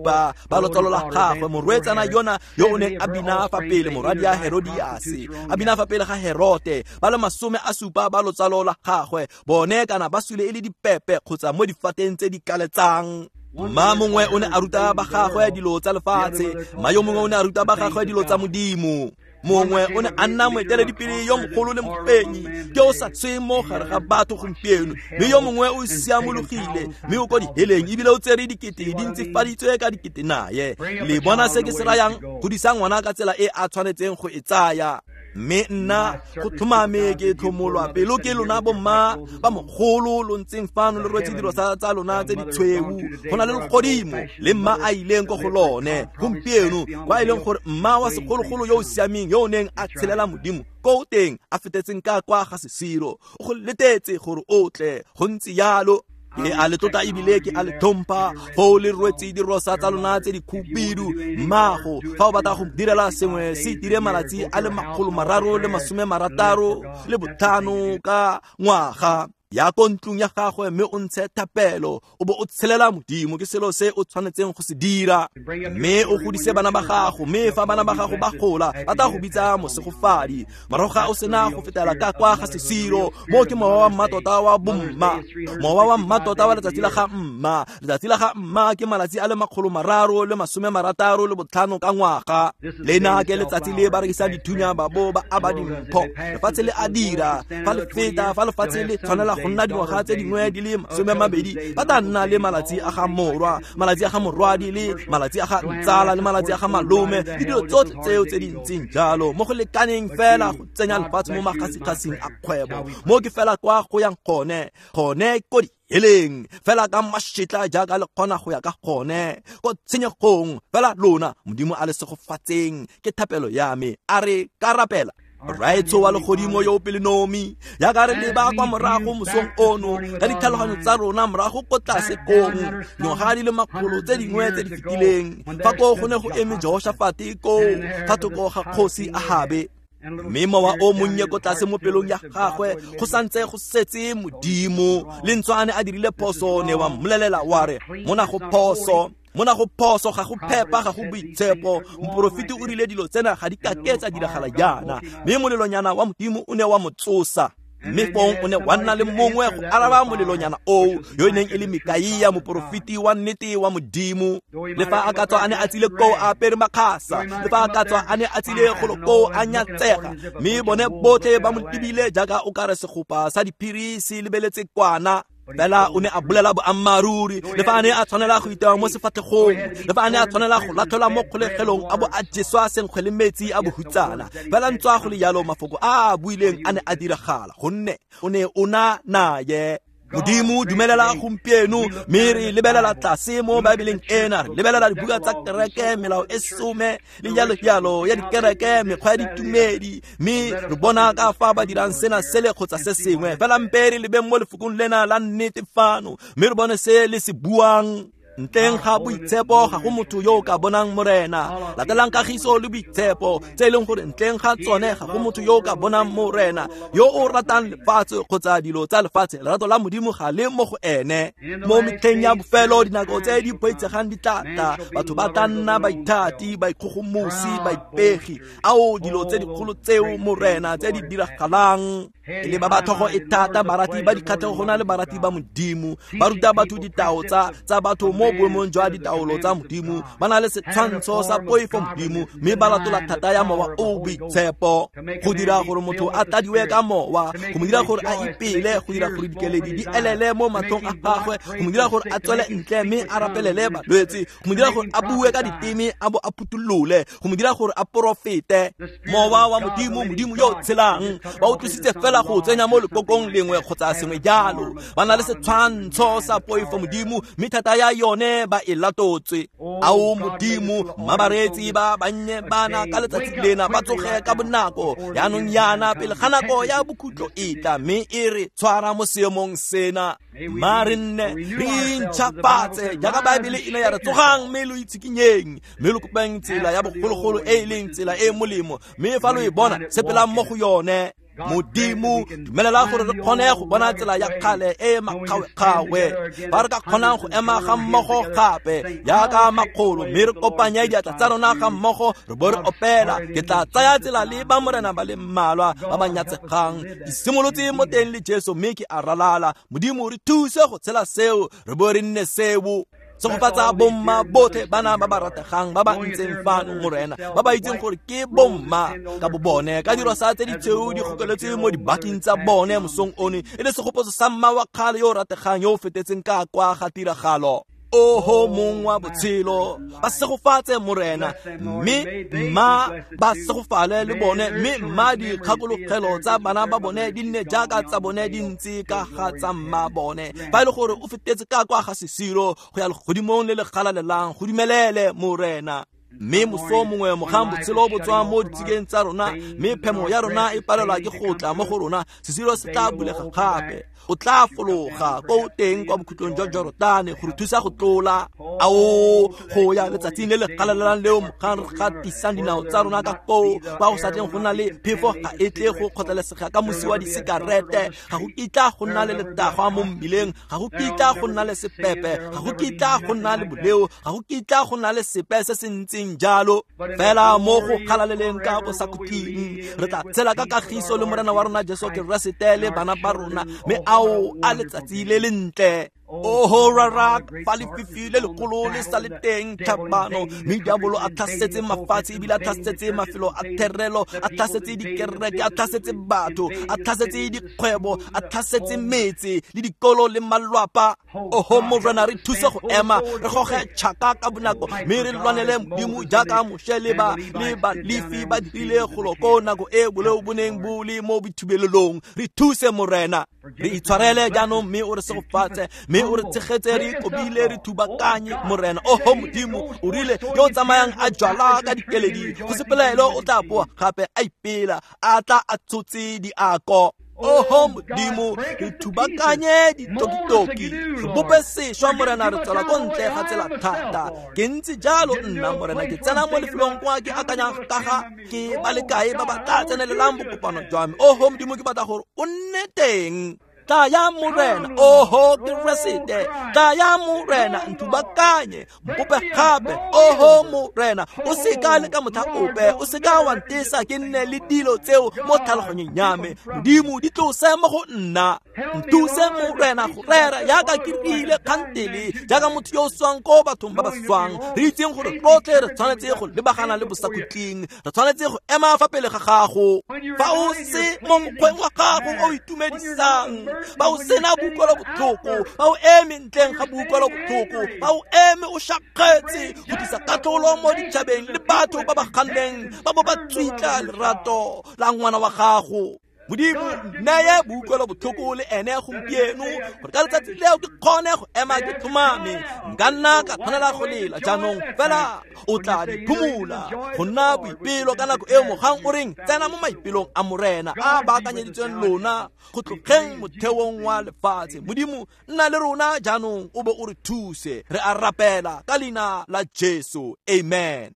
ba lotsalo la gagwe, morwetsana yona yo o neng a bina fa pele morwadia Herodiase, a bina fa pele ga Herote, ba le 70 ba lotsalo la gagwe, bone kana ba sule e le dipepe kgotsa mo difateng tse di kaletsang. Mma mongwe o ne a ruta ba gagwe dilo tsa lefatshe, mma yo mongwe o ne a ruta ba gagwe dilo tsa Modimo. Mongwe o ne a nna moeteledipele yo mogolo le mofenyi ke o sa sweng mo gare ga batho gompieno, mme yo mongwe o siamologile mme o ko diheleng ebile o tsere dikete di ntsifaditswe ka dikete naye. Le bona se ke se rayang? Godisa ngwana ka tsela e a tshwanetseng go e tsaya. Mme nna go tlhomame ke tlhomolwa pelo ke lona bomma ba mogolo lo ntseng fano le rwetse dilo tsa lona tse di tshweu. Go na le legodimo le mma a ileng ko go lone gompieno, kwa e leng gore mma wa segologolo yo o siameng yo o neng a tshelela Modimo ko teng a fetetseng ka kwa ga sesiro, o go letetse gore o tle. Go ntse yalo. Ke a le tlotla ebile ke a le tlhompha foo le rwetse dirosa tsa lona tse di khubidu. Mmago, fa o batla go direla sengwe, se dire malatsi a le 365 ka ngwaga. Ya ko ntlong ya gagwe mme o ntshe thapelo, o bo o tshelela Modimo. Ke selo se o tshwanetseng go se dira. Mme o godise bana ba gago, mme fa bana ba gago ba gola ba tla go bitsa mosegofadi. Morago ga o sena go fetela ka kwa ga sesiro, mo ke mowa wa mmatota wa bomma, mowa wa mmatota wa letsatsi la ga mma. Letsatsi la ga mma ke malatsi a le 365 ka ngwaga. Lena ke letsatsi le ba rekisang dithunya ba bo ba aba dimpho. Lefatshe le a dira fa le feta, fa lefatshe le tshwanela go nna dingwaga tse dingwe di le 20, ba tla nna le malatsi a ga morwa, malatsi a ga morwadi, le malatsi a ga ntsala, le malatsi a ga malome, le dilo tsotlhe tseo tse di ntseng jalo, mo go lekaneng fela go tsenya lefatshe mo magasikgasing a kgwebo. Mo ke fela kwa go yang gone, gone ko diheleng, fela ka mašetla jaaka le kgona go ya ka gone ko tshenyegong. Fela lona Modimo a le segofatseng, ke thapelo ya me. A re ka rapela. Rraetsho wa legodimo yo o pelonomi, jaaka re leba kwa morago mosong ono ka ditlhaloganyo tsa rona morago ko tlase kong dingwaga di le makgolo tse dingwe tse di fetileng, fa koo go ne go eme Jehoshafate koo fa thoko ga kgosi Ahabe, mme mowa o monnye ko tlase mo pelong ya gagwe go santse go setse Modimo. Le ntswa a ne a dirile phoso, ne wa mmolelela wa re mona go phoso, mona go phoso, ga go phepa, ga go boitshepo. Moporofeti o rile dilo tsena ga di kake tsa diragala jaana, mme molelonyana wa Modimo o ne wa mo tsosa. Mme fong o ne wa nna le mongwe go araba molelonyana oo, yo e neng e le Mikaia, moporofeti wa nnete wa Modimo. Le fa a ka tswa a ne a tsile koo a apere makgasa, le fa a ka tswa a ne a tsile golo koo a nyatsega, mme bone botlhe ba mo lebile jaaka o kare segopa sa diphiri se lebeletse kwana. Fela o ne a bolela boammaaruri, le fa a ne a tshwanela go itewa mo sefatlhegong, le fa a ne a tshwanela go latlhelwa mo kgolegelong a bo a jeswa senkgwe le metsi a bohutsana. Fela ntswa go le jalo, mafoko a a buileng a ne a diragala, gonne o ne o na naye. Modimo dumelela gompieno, mme re lebelela tlase mo Baebeleng ena, re lebelela dibuka tsa kereke, melao e some le jalo jalo ya dikereke, mekgwa ya ditumedi, mme re bona ka fa ba dirang sena sele kgotsa se sengwe. Fela mpe re lebeng mo lefokong lena la nnete fano, mme re bone se le se buang. Ntleng ga boitshepo ga go motho yo o ka bonang Morena. Latelang kagiso le boitshepo, tse e leng gore ntleng ga tsone ga go motho yo o ka bonang Morena. Yo o ratang lefatshe kgotsa dilo tsa lefatshe, lerato la Modimo ga le mo go ene. Mo metlheng ya bofelo, dinako tse di boitshegang di tla tla, batho ba tla nna baithati, baikgogomosi, baipegi. Ao dilo tse dikgolo tseo Morena tse di diragalang. E le ba ba tlhogo e thata, barati ba dikgatlhego go na le barati ba Modimo. Ba ruta batho ditao tsa batho mo boemong jwa ditaolo tsa Modimo. Ba na le setshwantsho sa poifo Modimo, mme ba latola thata ya mowa o boitshepo. Go dira gore motho a tladiwe ka mowa, go mo dira gore a ipele, go dira gore dikeledi di elele mo matlhong a gagwe, go mo dira gore a tswele ntle mme a rapelele balwetse, go mo dira gore a bue ka diteme a bo a phutholole, go mo dira gore a porofete. Mowa wa Modimo, Modimo yo o tshelang, ba o tlositse fela go tsenya mo lekokong lengwe kgotsa sengwe jalo. Ba na le setshwantsho sa poifo Modimo, mme thata ya yone ba e latotswe. Ao Modimo, mma bareetsi ba bannye bana ka letsatsi lena ba tsoge ka bonako jaanong yana pele ga nako ya bokhutlo e tla, mme e re tshwara mo seemong sena. Mma re nne re intšhafatse jaaka Baebele e ne ya re, tsogang mme lo itshikinyeng, mme lo kopeng tsela ya bogologolo e e leng tsela e e molemo, mme fa lo e bona, sepelang mo go yone. Modimo, dumelela gore re kgone go bona tsela ya kgale e makgawe-kgawe, fa re ka kgonang go ema ga mmogo gape jaaka makgolo, mme re kopanye diatla tsa rona ga mmogo re bo re opela, ke tla tsaya tsela le ba Morena ba le mmalwa ba ba nyatsegang. Ke simolotse mo teng le Jesu, mme ke a ralala. Modimo, re thuse go tshela seo, re bo re nne seo. Segofatsa bomma botlhe bana ba ba rategang ba ba ntseng fano Morena, ba ba itseng gore ke bomma ka bo bone, ka diro sa tse ditshweu di gokeletse mo dibaking tsa bone mosong ono, e le segopotso sa mma wa kgale yo o rategang yo o fetetseng ka kwa ga tiragalo. Oho mong wa botshelo, ba segofatse Morena, mme mma ba segofale le bone, mme mma dikgakologelo tsa bana ba bone di nne jaaka tsa bone di ntse ka ga tsa mma bone. Fa e le gore o fetetse ka kwa ga sesiro go ya legodimong le le galalelang, go dumelele Morena. Mme moso mongwe mogang botshelo bo tswa mo ditshikeng tsa rona, mme phemo ya rona e palelwa ke go tla mo go rona, sesiro se tla bulega gape. O tla fologa ko teng kwa bokhutlong jwa Jorotane go re thusa go tlola. Ao, go ya letsatsing le le galalelang leo mogang re gatisang dinao tsa rona ka koo, kwa go sa tleng go nna le phefo ga e tle go kgotlelesega ka mosi wa disekarete, ga go kitla go nna le letagwa mo mmileng, ga go kitla go nna le sepepe, ga go kitla go nna le boleo, ga go kitla go nna le sepe se se ntseng jalo. Fela mo go galaleleng ka bosakhutleng re tla tshela ka kagiso le Morena wa rona Jesu Keresete le bana ba rona, mme ao a letsatsi le lentle. Oho rara, fa lefifi le legolo le sa le teng tlhabano, mme diabolo a tlhasetse mafatshe, ebile a tlhasetse mafelo a therelo, a tlhasetse dikereke, a tlhasetse batho, a tlhasetse dikgwebo, a tlhasetse metse le dikolo le malwapa. Oho Morena, re thuse go ema, re goge tšhaka ka bonako, mme re lwanele Modimo jaaka Moshe le ba le Balefi ba dirile golo ko nako e boleo bo neng bo le mo boithubelelong. Re thuse Morena, re itshwarele jaanong, mme o re segofatse, mme o re tshegetse, re ikobile, re thubakanye Morena. Oho Modimo, o rile yo o tsamayang a jwala ka dikeledi, go se pelaelo o tla boa gape a ipela, a tla a tshotse diako. Oho Modimo, re thubakanye ditokitoki, re bope sešwa Morena, re tswela ko ntle ga tsela thata. Ke ntse jalo nna Morena, ke tsena mo lefelong kwa ke akanyang ka ga ke ba le kae ba ba tla tsenelelang bokopano jwa me. Oho Modimo, ke batla gore o nne teng. Tlaya Morena, oho Keresete, tlaya Morena, nthubakanye, mpope gape. Oho Morena, o seka le ka motlha ope, o seka wa ntesa ke nne le dilo tseo mo tlhaloganyong ya me. Modimo, di tlose mo go nna. Nthuse Morena go rera jaaka ke rile kgantele, jaaka motho yo o swang ko bathong ba ba swang. Re itseng gore rotlhe re tshwanetse go lebagana le bosakhutleng, re tshwanetse go ema fa pele ga gago. Fa o se mo mokgweng wa gago o itumedisang, ba o sena boutlwelo botlhoko, ba o eme ntleng ga boutlwelo botlhoko, ba o eme o shakgetse go tlisa katlholo mo ditšhabeng le batho ba ba ganneng ba bo ba tswitla lerato la ngwana wa gago. Modimo, neye boutlwelo botlhoko le ene gompieno, gore ka letsatsi leo ke kgone go ema ke tlhomame. Nka nna ka tshwanela go lela jaanong, fela o tla di phumola go nna boipelo ka nako eo mogang o reng tsena mo maipelong a Morena a baakanyeditsweng lona go tlogeng motheong wa lefatshe. Modimo, nna le rona jaanong, o be o re thuse. Re a rapela ka leina la Jesu, amen.